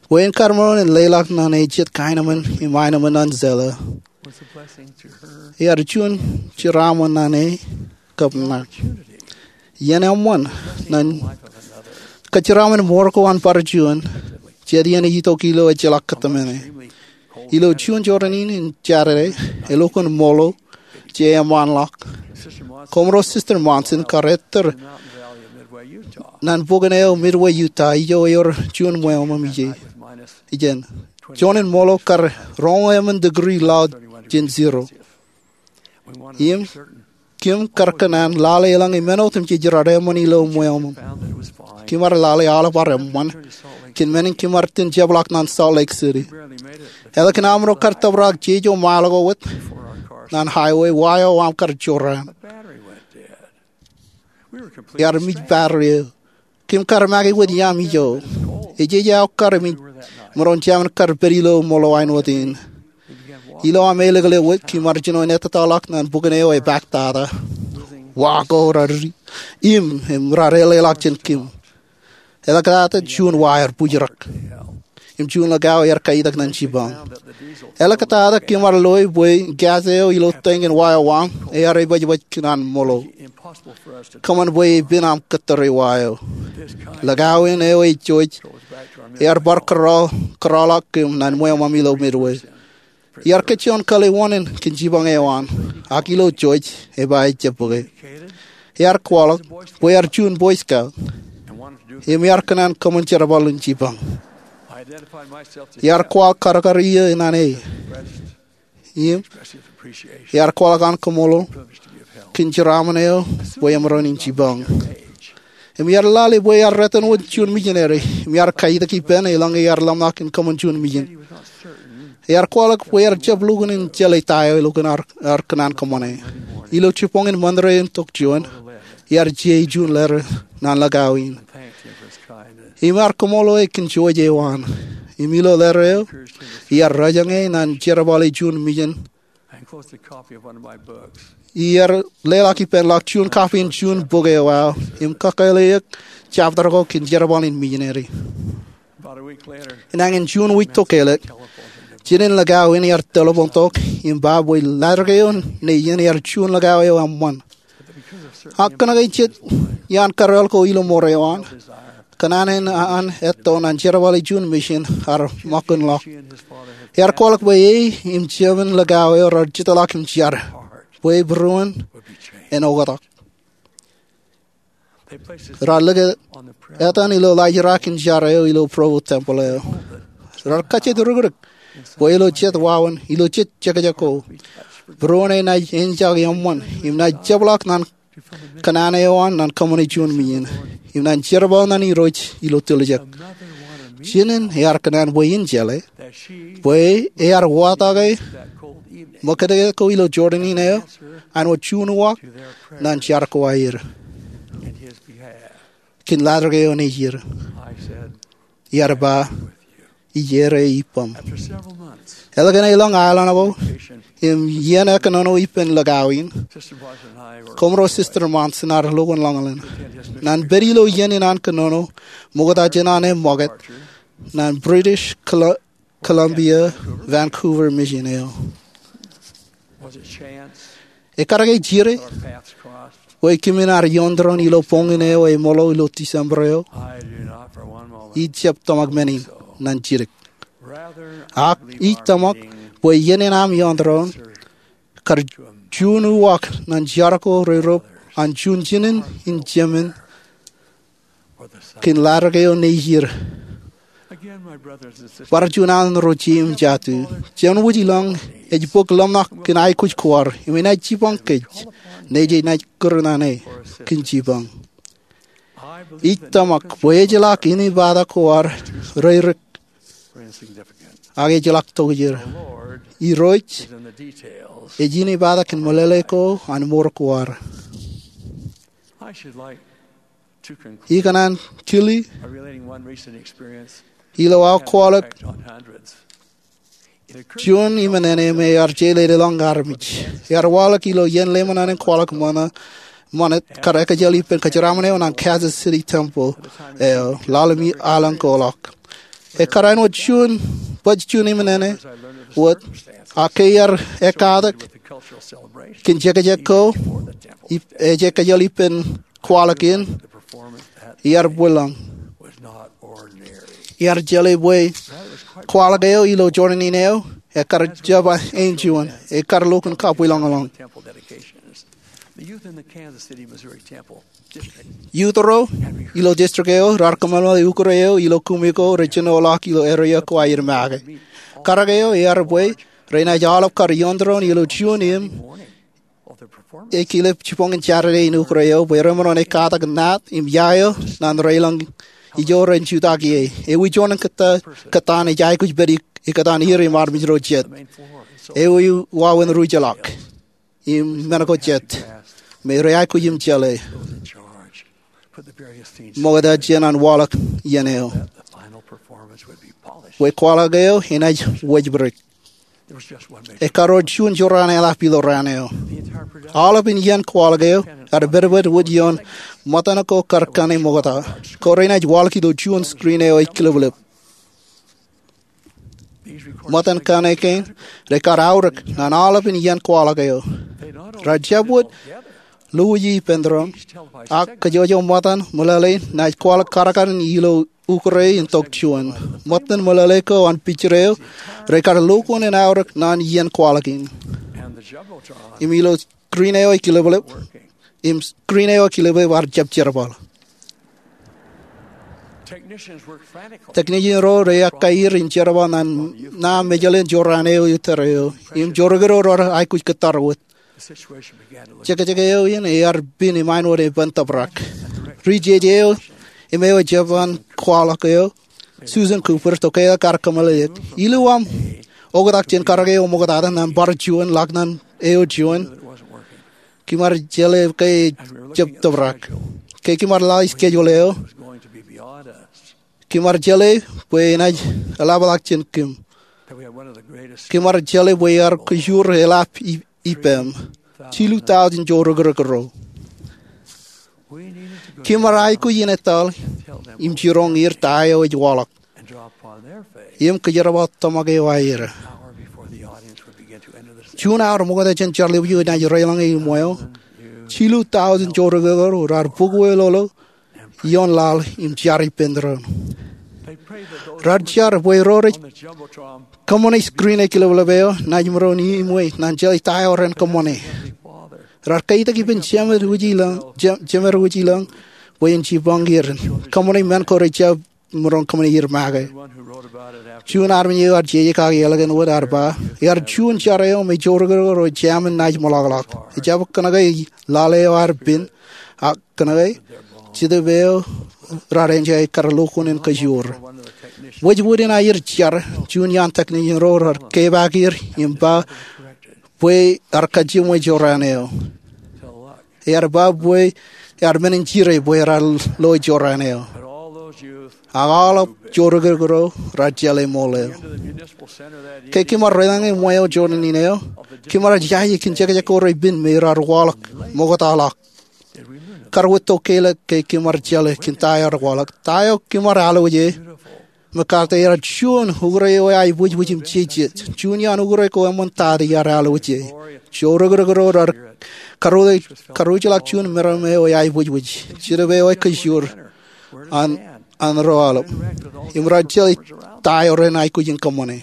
Bwe en kar maroñ in leḷọk ñan e jet kaenōṃṃan im aenōṃṃan ñan Zella, ear juon jeraaṃṃan ñan e kab ña. Iien eṃṃan ñan kōjeraṃṃan mour ko an bar juon, jet iien itok ilo ejjeḷọk kōtmāne. Ilo juon jorrāān in Jādede, elukkuun ṃoḷo je eṃṃanḷọk. Koṃro Sister Monson kar ettōr ñan bukun eo Midway, Utah, ijo ewōr juon ṃweo ṃōṃ ijin. Juon in ṃoḷo kar roñoul emān degree ḷọk jān zero. Im kōm kar kōṇaan lale eḷaññe men otemjej raar eṃṃan ilo ṃweo ṃōṃ. Kōm ar lale aolep ar eṃṃan kōn men in kōm ar itōn jepḷaak ñan Salt Lake City. Ālikin aṃro kar tōprak jeje mile ko wōt ñan highway, wa eo aṃ kar jorrāān. Ear mej battery eo. Kōm kar make wōt iaam ijo. Ejeje aō kar mej, imaroñ jemān kar pād ilo ṃoḷo āinwōt in. Ilo aṃ elōkḷọk wōt, kōm ar jino in ettōtōḷọk ñan bukun eo epaak tata. Wa ko raar ri im, im raar leḷọk jān kōm. Eḷak tata juon wa ear bwijrak im juon lakao ear kaitak ñan jipañ. Eḷak tata kōm ar loe bwe gas eo ilo tank in wa eo aṃ ear epajpaj kōn an ṃoḷo. Kōṃṃan bwe epen aṃ kōttōre wa eo. Lakao in eo ej jouj ear bar kōrọọl, kōrọọlḷọk kōm ñan ṃweo ṃōṃ ilo Midway. Iar kōjjeḷọk kōḷḷe wōṇāān kōn jipañ eo an, ak ilo jouj, eba ejjab bōke. Ear kwaḷọk bwe ear juon Boy Scout im ear kōṇaan kōṃṃan jerbal in jipañ. Ear kwaḷọk karkar iiō ñan e im ear kwaḷọk an kaṃṃoolol kōn jeraaṃṃan eo bwe emaroñ in jipañ. Im ear lale bwe ear rot in wōt juon mijineri im ear kaitak ippān eḷaññe ear ḷōmṇak in kōṃṃan juon mijin. Ear kwaḷọk bwe ear jab lukkuun in jeḷā ta eo elukkuun ear, ear kōṇaan kōṃṃane. Ilo jibboñin Ṃanre in tok juon, ear jiei juon letter ñan lakao in im ear kaṃṃoolol e kōn jouj eo an. Im ilo letter eo, ear rōjañe ñan jerbale juon mijin. Ear leḷọk ippān ḷọk juon copy in juon bok eo aō im kakōḷḷe eok chapter ko kōn jerbal in mijineri. Inañin juon wiik tokālik, jined in lakao in ear telephone tok im ba bwe letter kein eo ear juon lakao eo eṃṃan. Ak kōnke jet iaan kōrreoḷ ko ilo mour eo an, kōṇaan in an etto ñan jerbale juon mission ear ṃōkūnḷọk. Ear kwaḷọk bwe e im jemān lakao eo raar jetōḷọk im jar bwe būruon en oktak. Raar lōke etan ilo laajrak in jar eo ilo Provo Temple eo. Raar kajjitōk rikrik bwe ilo jet wāween, ilo jet jekjek ko, būruon e naaj enjeḷā eṃṃan im naaj jepḷaak ñan kōṇaan eo an ñan kōṃṃane juon mission im ñan jerbal ñan Irooj ilo tiljek. Jinen ear kōṇaan bwe in jeḷā bwe ear watake ṃōkajjitōk ko ilo jorrāān in eo an wōt juon uwaak ñan jar ko aer kōn letter kein eo ej er. Ear ba, ij er e ippaṃ. Ālikin elōñ aelōñ ko im iien kōnono ippān lakao in, koṃro Sister Monson ear lukkuun ḷōñḷọk ñan pād ilo iien in an kōnono ṃokta jān an e ṃōkaj ñan British Col- Columbia Vancouver Mission eo. Ekar ke jidik bwe kōmin ar ioon tōre in ilo boñin eo eṃṃoḷo ilo December eo? Ij jab tōmak men in ñan jidik. Ak ij tōmak bwe iien in aṃ ioon tōre in kar juon uwaak ñan jar ko reirop an juon jinen in jemān kōn ladik eo nejid. Bar juon aō ro jeiū im jatū, jemān wōj ilọk ej bōk ḷōmṇak kōn aikuj ko ad im enaaj jipañ kōj ñe enaaj kūr ñan e kōn jipañ. Ij tōmak bwe ejjeḷọk inepata ko ad reirik ak ejjeḷọk tokjān. Irooj ej inepata kōn meḷeḷe ko an mour ko ad. Ikōṇaan tōl ilo aō kwaḷọk juon iṃōṇōṇō me ear jeḷā ḷọk armej. Ear waḷọk ilo iien lemñan in kwaḷọk ṃōṇōṇō kar ekjel ippān kōjeraaṃṃan eo an Kansas City Temple eo ḷalem aelōñ ko ḷọk. Ekkar āinwōt juon, bōk juon iṃōṇōṇō wōt, ak ke iar ekkatak kōn jekjek ko ej ekjel ippān kwaḷọk in, iar bwilōñ. Iar jeḷā bwe kwaḷọk eo ilo jorrāān in eo ekkar jab āinjuon, ekkar lukkuun kabwilōñlōñ. Youth ro ilo district eo raar kōmeḷeḷe ukōt eo ilo kumi ko rej jino ḷọk ilo area ko aer make. Karōk eo ear bwe renaaj aolep kar ioon tōre in ilo juon im ekilep jibboñin Saturday in ukōt eo bwe remaroñ in ekkatak naat im ia eo ñan raelōñ ijo ren jutak ie. Ewi juon kōttan ej aikuj pād ikōtaan er im armej ro jet. Ewi wāween ri jeḷā im men ko jet me rej aikuj im jeḷā ṃokta jān an waḷọk iien eo bwe kwaḷọk eo enaaj wōjpidik. Ekkar wōt juon jorrāān eḷap ilo raan eo. Aolepān iien kwaḷọk eo ear pedped wōt ioon ṃōttan ko kar kane ṃokta ko renaaj waḷọk ilo juon screen eo ej kileplep. Ṃōttan kane kein rekar aorōk ñan aolepān iien kwaḷọk eo. Raar jab wōt lukkuun ippān tōre in, ak kōjwōj eo ṃōttan meḷeḷe in naaj kwaḷọk karkarin ilo ukōt in tok juon. Ṃōttan meḷeḷe ko an picture eo rekar lukkuun in aorōk ñan iien kwaḷọk in. Im ilo screen eo ej kileplep, im screen eo ej kileplep ear jab jerbal. Technician ro rej ekkaer im jerbal ñan ṇa mejeḷ in jorrāān eo ilo tōre eo im jorrāān ro raar aikuj kōttar wōt. Jekjek eo in ear pin im āinwōt epen tōprak. Ri jeje eo im eo ej jeban kwaḷọk eo, Susan Cooper, tokālik ear kōmeḷeḷeik, ilo aṃ oktak jān karōk eo ṃoktata ñan bar juon ḷọk ñan eo juon, kōm ar jeḷā ke ej jab tōprak. Ke kōm ar lale schedule eo, kōm ar jeḷā bwe enaaj eḷapḷọk jān kōm. Kōm ar jeḷā bwe ear kōjuur eḷap ippem jilu tọujin jorrāān ro. Kōm ar aikuj in etal im jiroñ er ta eo ej waḷọk im kōjerbal tōmak eo aer. Juon hour ṃokta jān jar ḷeo enaaj raelōñ e im wāween, jilu tọujin jorrāān ro raar bōk wōt lolo ioon laḷ im jar ippān tōre in. Raar jar bwe ro rej kōṃṃane screen eo kileplep eo naaj maroñ in ṃōj ñan jeḷā ta eo ren kōṃṃane. Raar kaitak ippān jemed wōj ilọk bwe en jipañ er kōṃṃane men ko rej jab maroñ kōṃṃane er make. Juon armej eo ear jeje kaki ālikin wōt ear ba, ear juon jar eo me jorrāān ro rej jamin naaj ṃōḷaḷḷọk. Ejjab kōnke lale eo ear pin, ak kōnke Jetōb eo raar enjoy kar lukkuun in kōjuur. Wōjwōd in aer jar, juon iaan technician ro raar kepaak er im ba bwe ear kajjimwe jorrāān eo. Ear ba bwe ear men in jire bwe raar lo jorrāān eo. Ak aolep jorrāān ro raar jeḷā ṃool eo. Ke kōm ar raelōñ e ṃweo jorrāān in eo, kōm ar jaje kōn jekjek ko rej pin me raar waḷọk ṃoktaḷọk. Kar wōt tokālik ke kōm ar jeḷā kōn ta eo raar waḷọk. Ta eo kōm ar alwōj e, MacArthur, ear juon ukōt eo eaibwijwij im jejet. Juon iaan ukōt ko eṃṃan ta eo ear alwōj e. Jorrāān ro raar karuj ḷọk juon meram eo eaibwijwij. Jetōb eo ej kōjuur an ro aolep im raar jeḷā ta eo ren aikuj in kōṃṃane.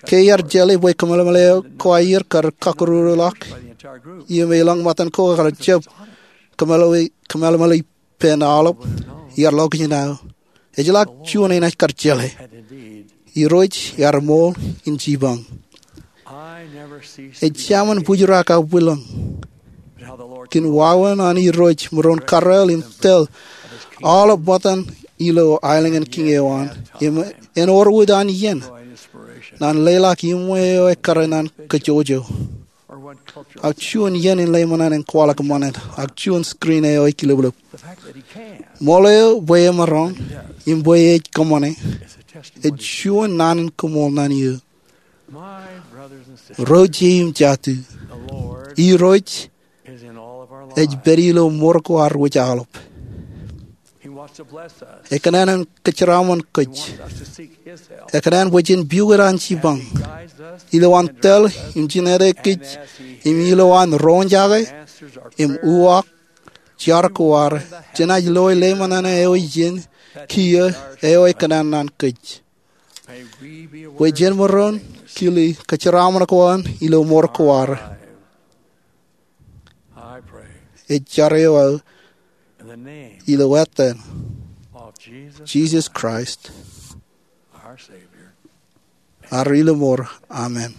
Ke iar jeḷā bwe kōmeḷeḷe eo ko aier kar kakūrūrūḷọk, im elōñ ṃōttan ko kar jab kōmeḷeḷe, kōmeḷeḷe ippān aolep, iar lo kōj nao. Ejjeḷọk juon enaaj kar jeḷā. Irooj ear ṃool in jipañ. Ej jaṃin bōjrak aō bwilōñ kōn wāween an Irooj maroñ kōrā im tōl aolep ṃōttan ilo aelōñ in kiiñ eo an. Im en wōr wōt an iien, nan leḷọk iṃwe eo ekkar naan kōjwōjwōj, ak juon iien in lale ṃōṇōṇō in kwaḷọk ṃanit, ak juon screen eo ekilōplōp. Ṃool eo bwe emaroñ im bwe ej kōṃṃane ej juon naan in koṃṃool naan eō. Ro ijin im jatū, Irooj ej pād ilo mour ko ad wōj aolep. Ekōṇaan en kōjeraaṃṃan kōj. Ekōṇaan bwe jen piukūt an jipañ, ilowaan tōl im jined kōj, im ilowaan roñjake im uwaak jar ko ad, jenaaj loe lale ṃōṇōṇō eo ijin kiiō eo ekōṇaan naan kōj. Bwe jen maroñ kile kōjeraaṃṃan ko an ilo mour ko ad. Ij jar eo aō ilo etan Jisōs Kraist, ad Rilōmor. Amen.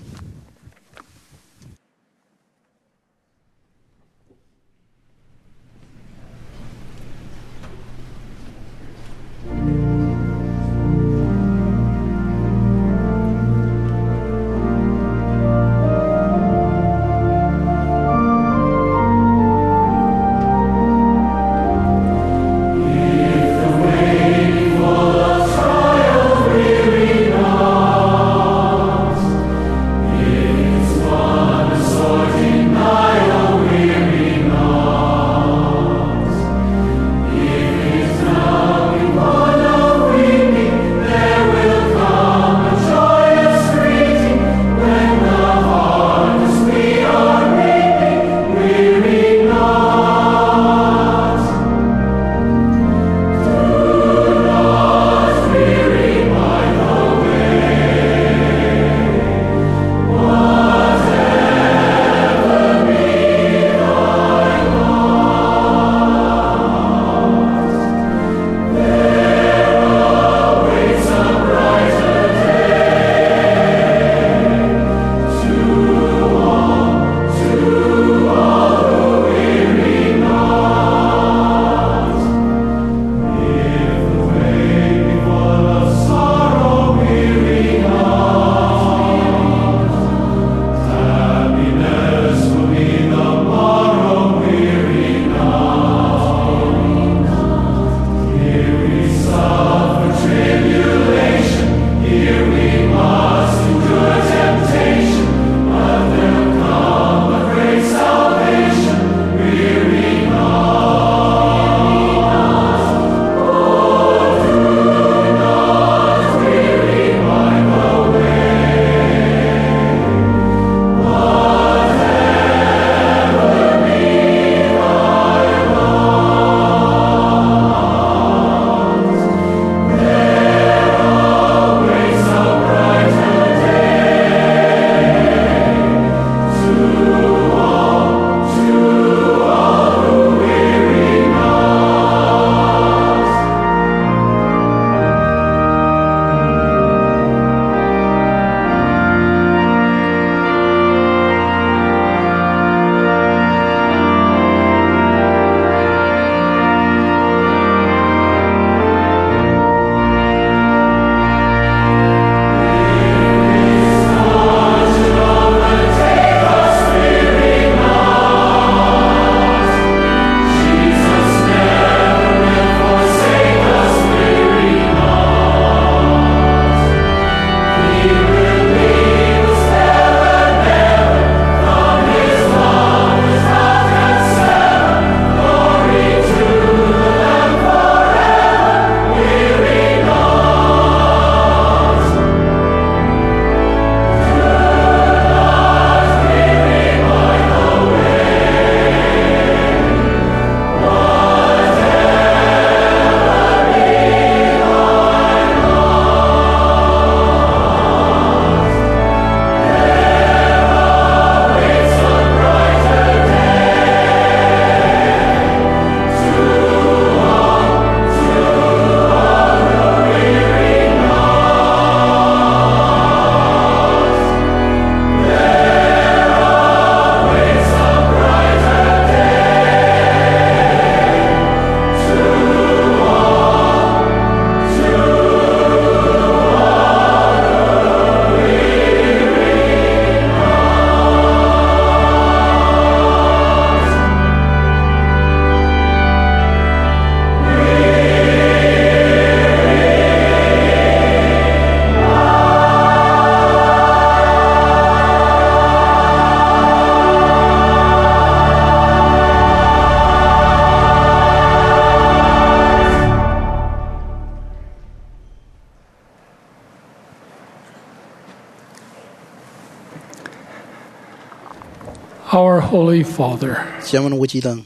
Holy Father, Jemān Wūjilōñ,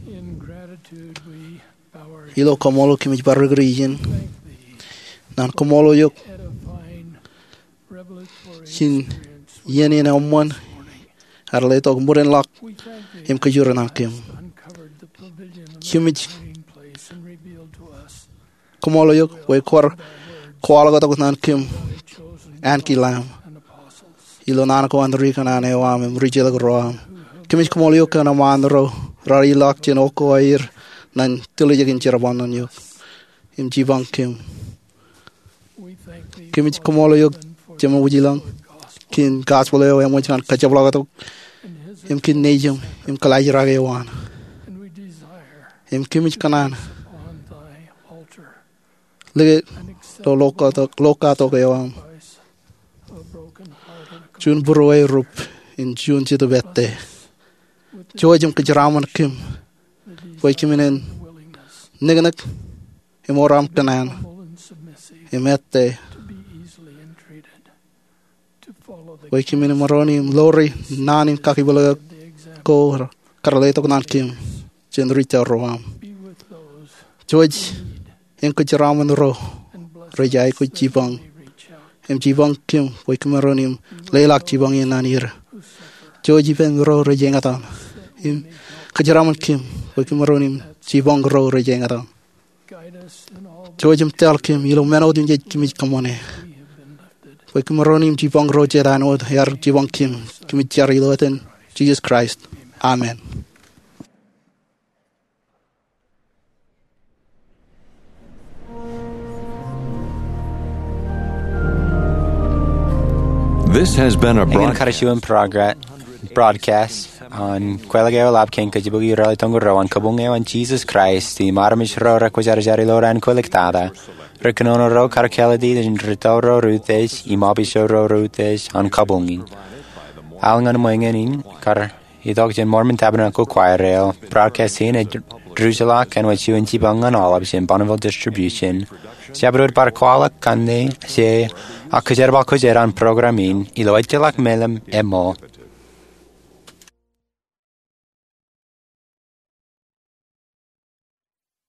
in gratitude we bow our ilo kaṃṃoolol kōmij bar rikūri ijin, thank thee, naan kaṃṃoolol eok, edifying, revelatory, im experience iien in eṃṃan, ear letok ṃurinḷọk, we thank thee, im kōjro naan kōm, uncovered the provision of kōmij the meeting place and revealed to us kaṃṃoolol eok bwe kwōj kwaḷọk tok naan kōm ankilaṃ ilo naan ko an ri kōṇaan eo aṃ im ri jeḷā ro aṃ. Kōmij kaṃṃoolol eok kōn eṃṃaan ro raar ilọk jān oko aer ñan tiljek in jerbal ṇe eok im jipañ kōm. Kōmij kaṃṃoolol eok Jemān Wūjilōñ kōn gospel eo eṃōj ñan kajepḷaaktok im kōn nejūṃ im kōlaajrak eo an. Im kōmij kōṇaan lōke ḷokatok eo aṃ juon būruerup in juon jetōb ettā. Jouj im kōjeraṃṃan kōm bwe kōmin en niknik im ewōr aṃ kōṇaan im ettā bwe kōmin maroñ in ḷoori naan in kakipḷaak ko kar letok naan kōm jān ri jar ro aṃ. Jouj im kōjeraṃṃan ro rej aikuj jipañ im jipañ kōm bwe kōm maroñ in leḷọk jipañ in naan er. Jouj ippān ro rej eñtaan im kōjeraṃṃan kōm bwe kōm maroñ in jipañ ro rej eñtaan. Jouj im tōl kōm ilo men otemjej kōmij kōṃṃane bwe kōm maroñ in jipañ ro jet āinwōt ear jipañ kōm. Kōmij jar ilo etan Jisōs Kraist, amen. This has been a Eñin broad- kar juon progra- broadcast an Kwōlọk eo eḷap kōn kōjepok eo ralitōñū ro an kabuñ eo an Jisōs Kraist im armej ro rekwōjarjar ilo raan kwōlọk tata, ri kōnono ro kar kāālōt in rūtto ro reutiej im obis ro reutiej an kabuñ in. Al ñan ṃōñā in kar itok jān Mormon Tabernacle Choir eo. Broadcast in ej ruj ḷọk āinwōt juon jipañ ñan aolep jān Bonneville Distribution. Jabdewōt bar kwaḷọk kanne, je, ak kōjerbal kōj an program in ilo ejjeḷọk meḷeḷe ṃōk.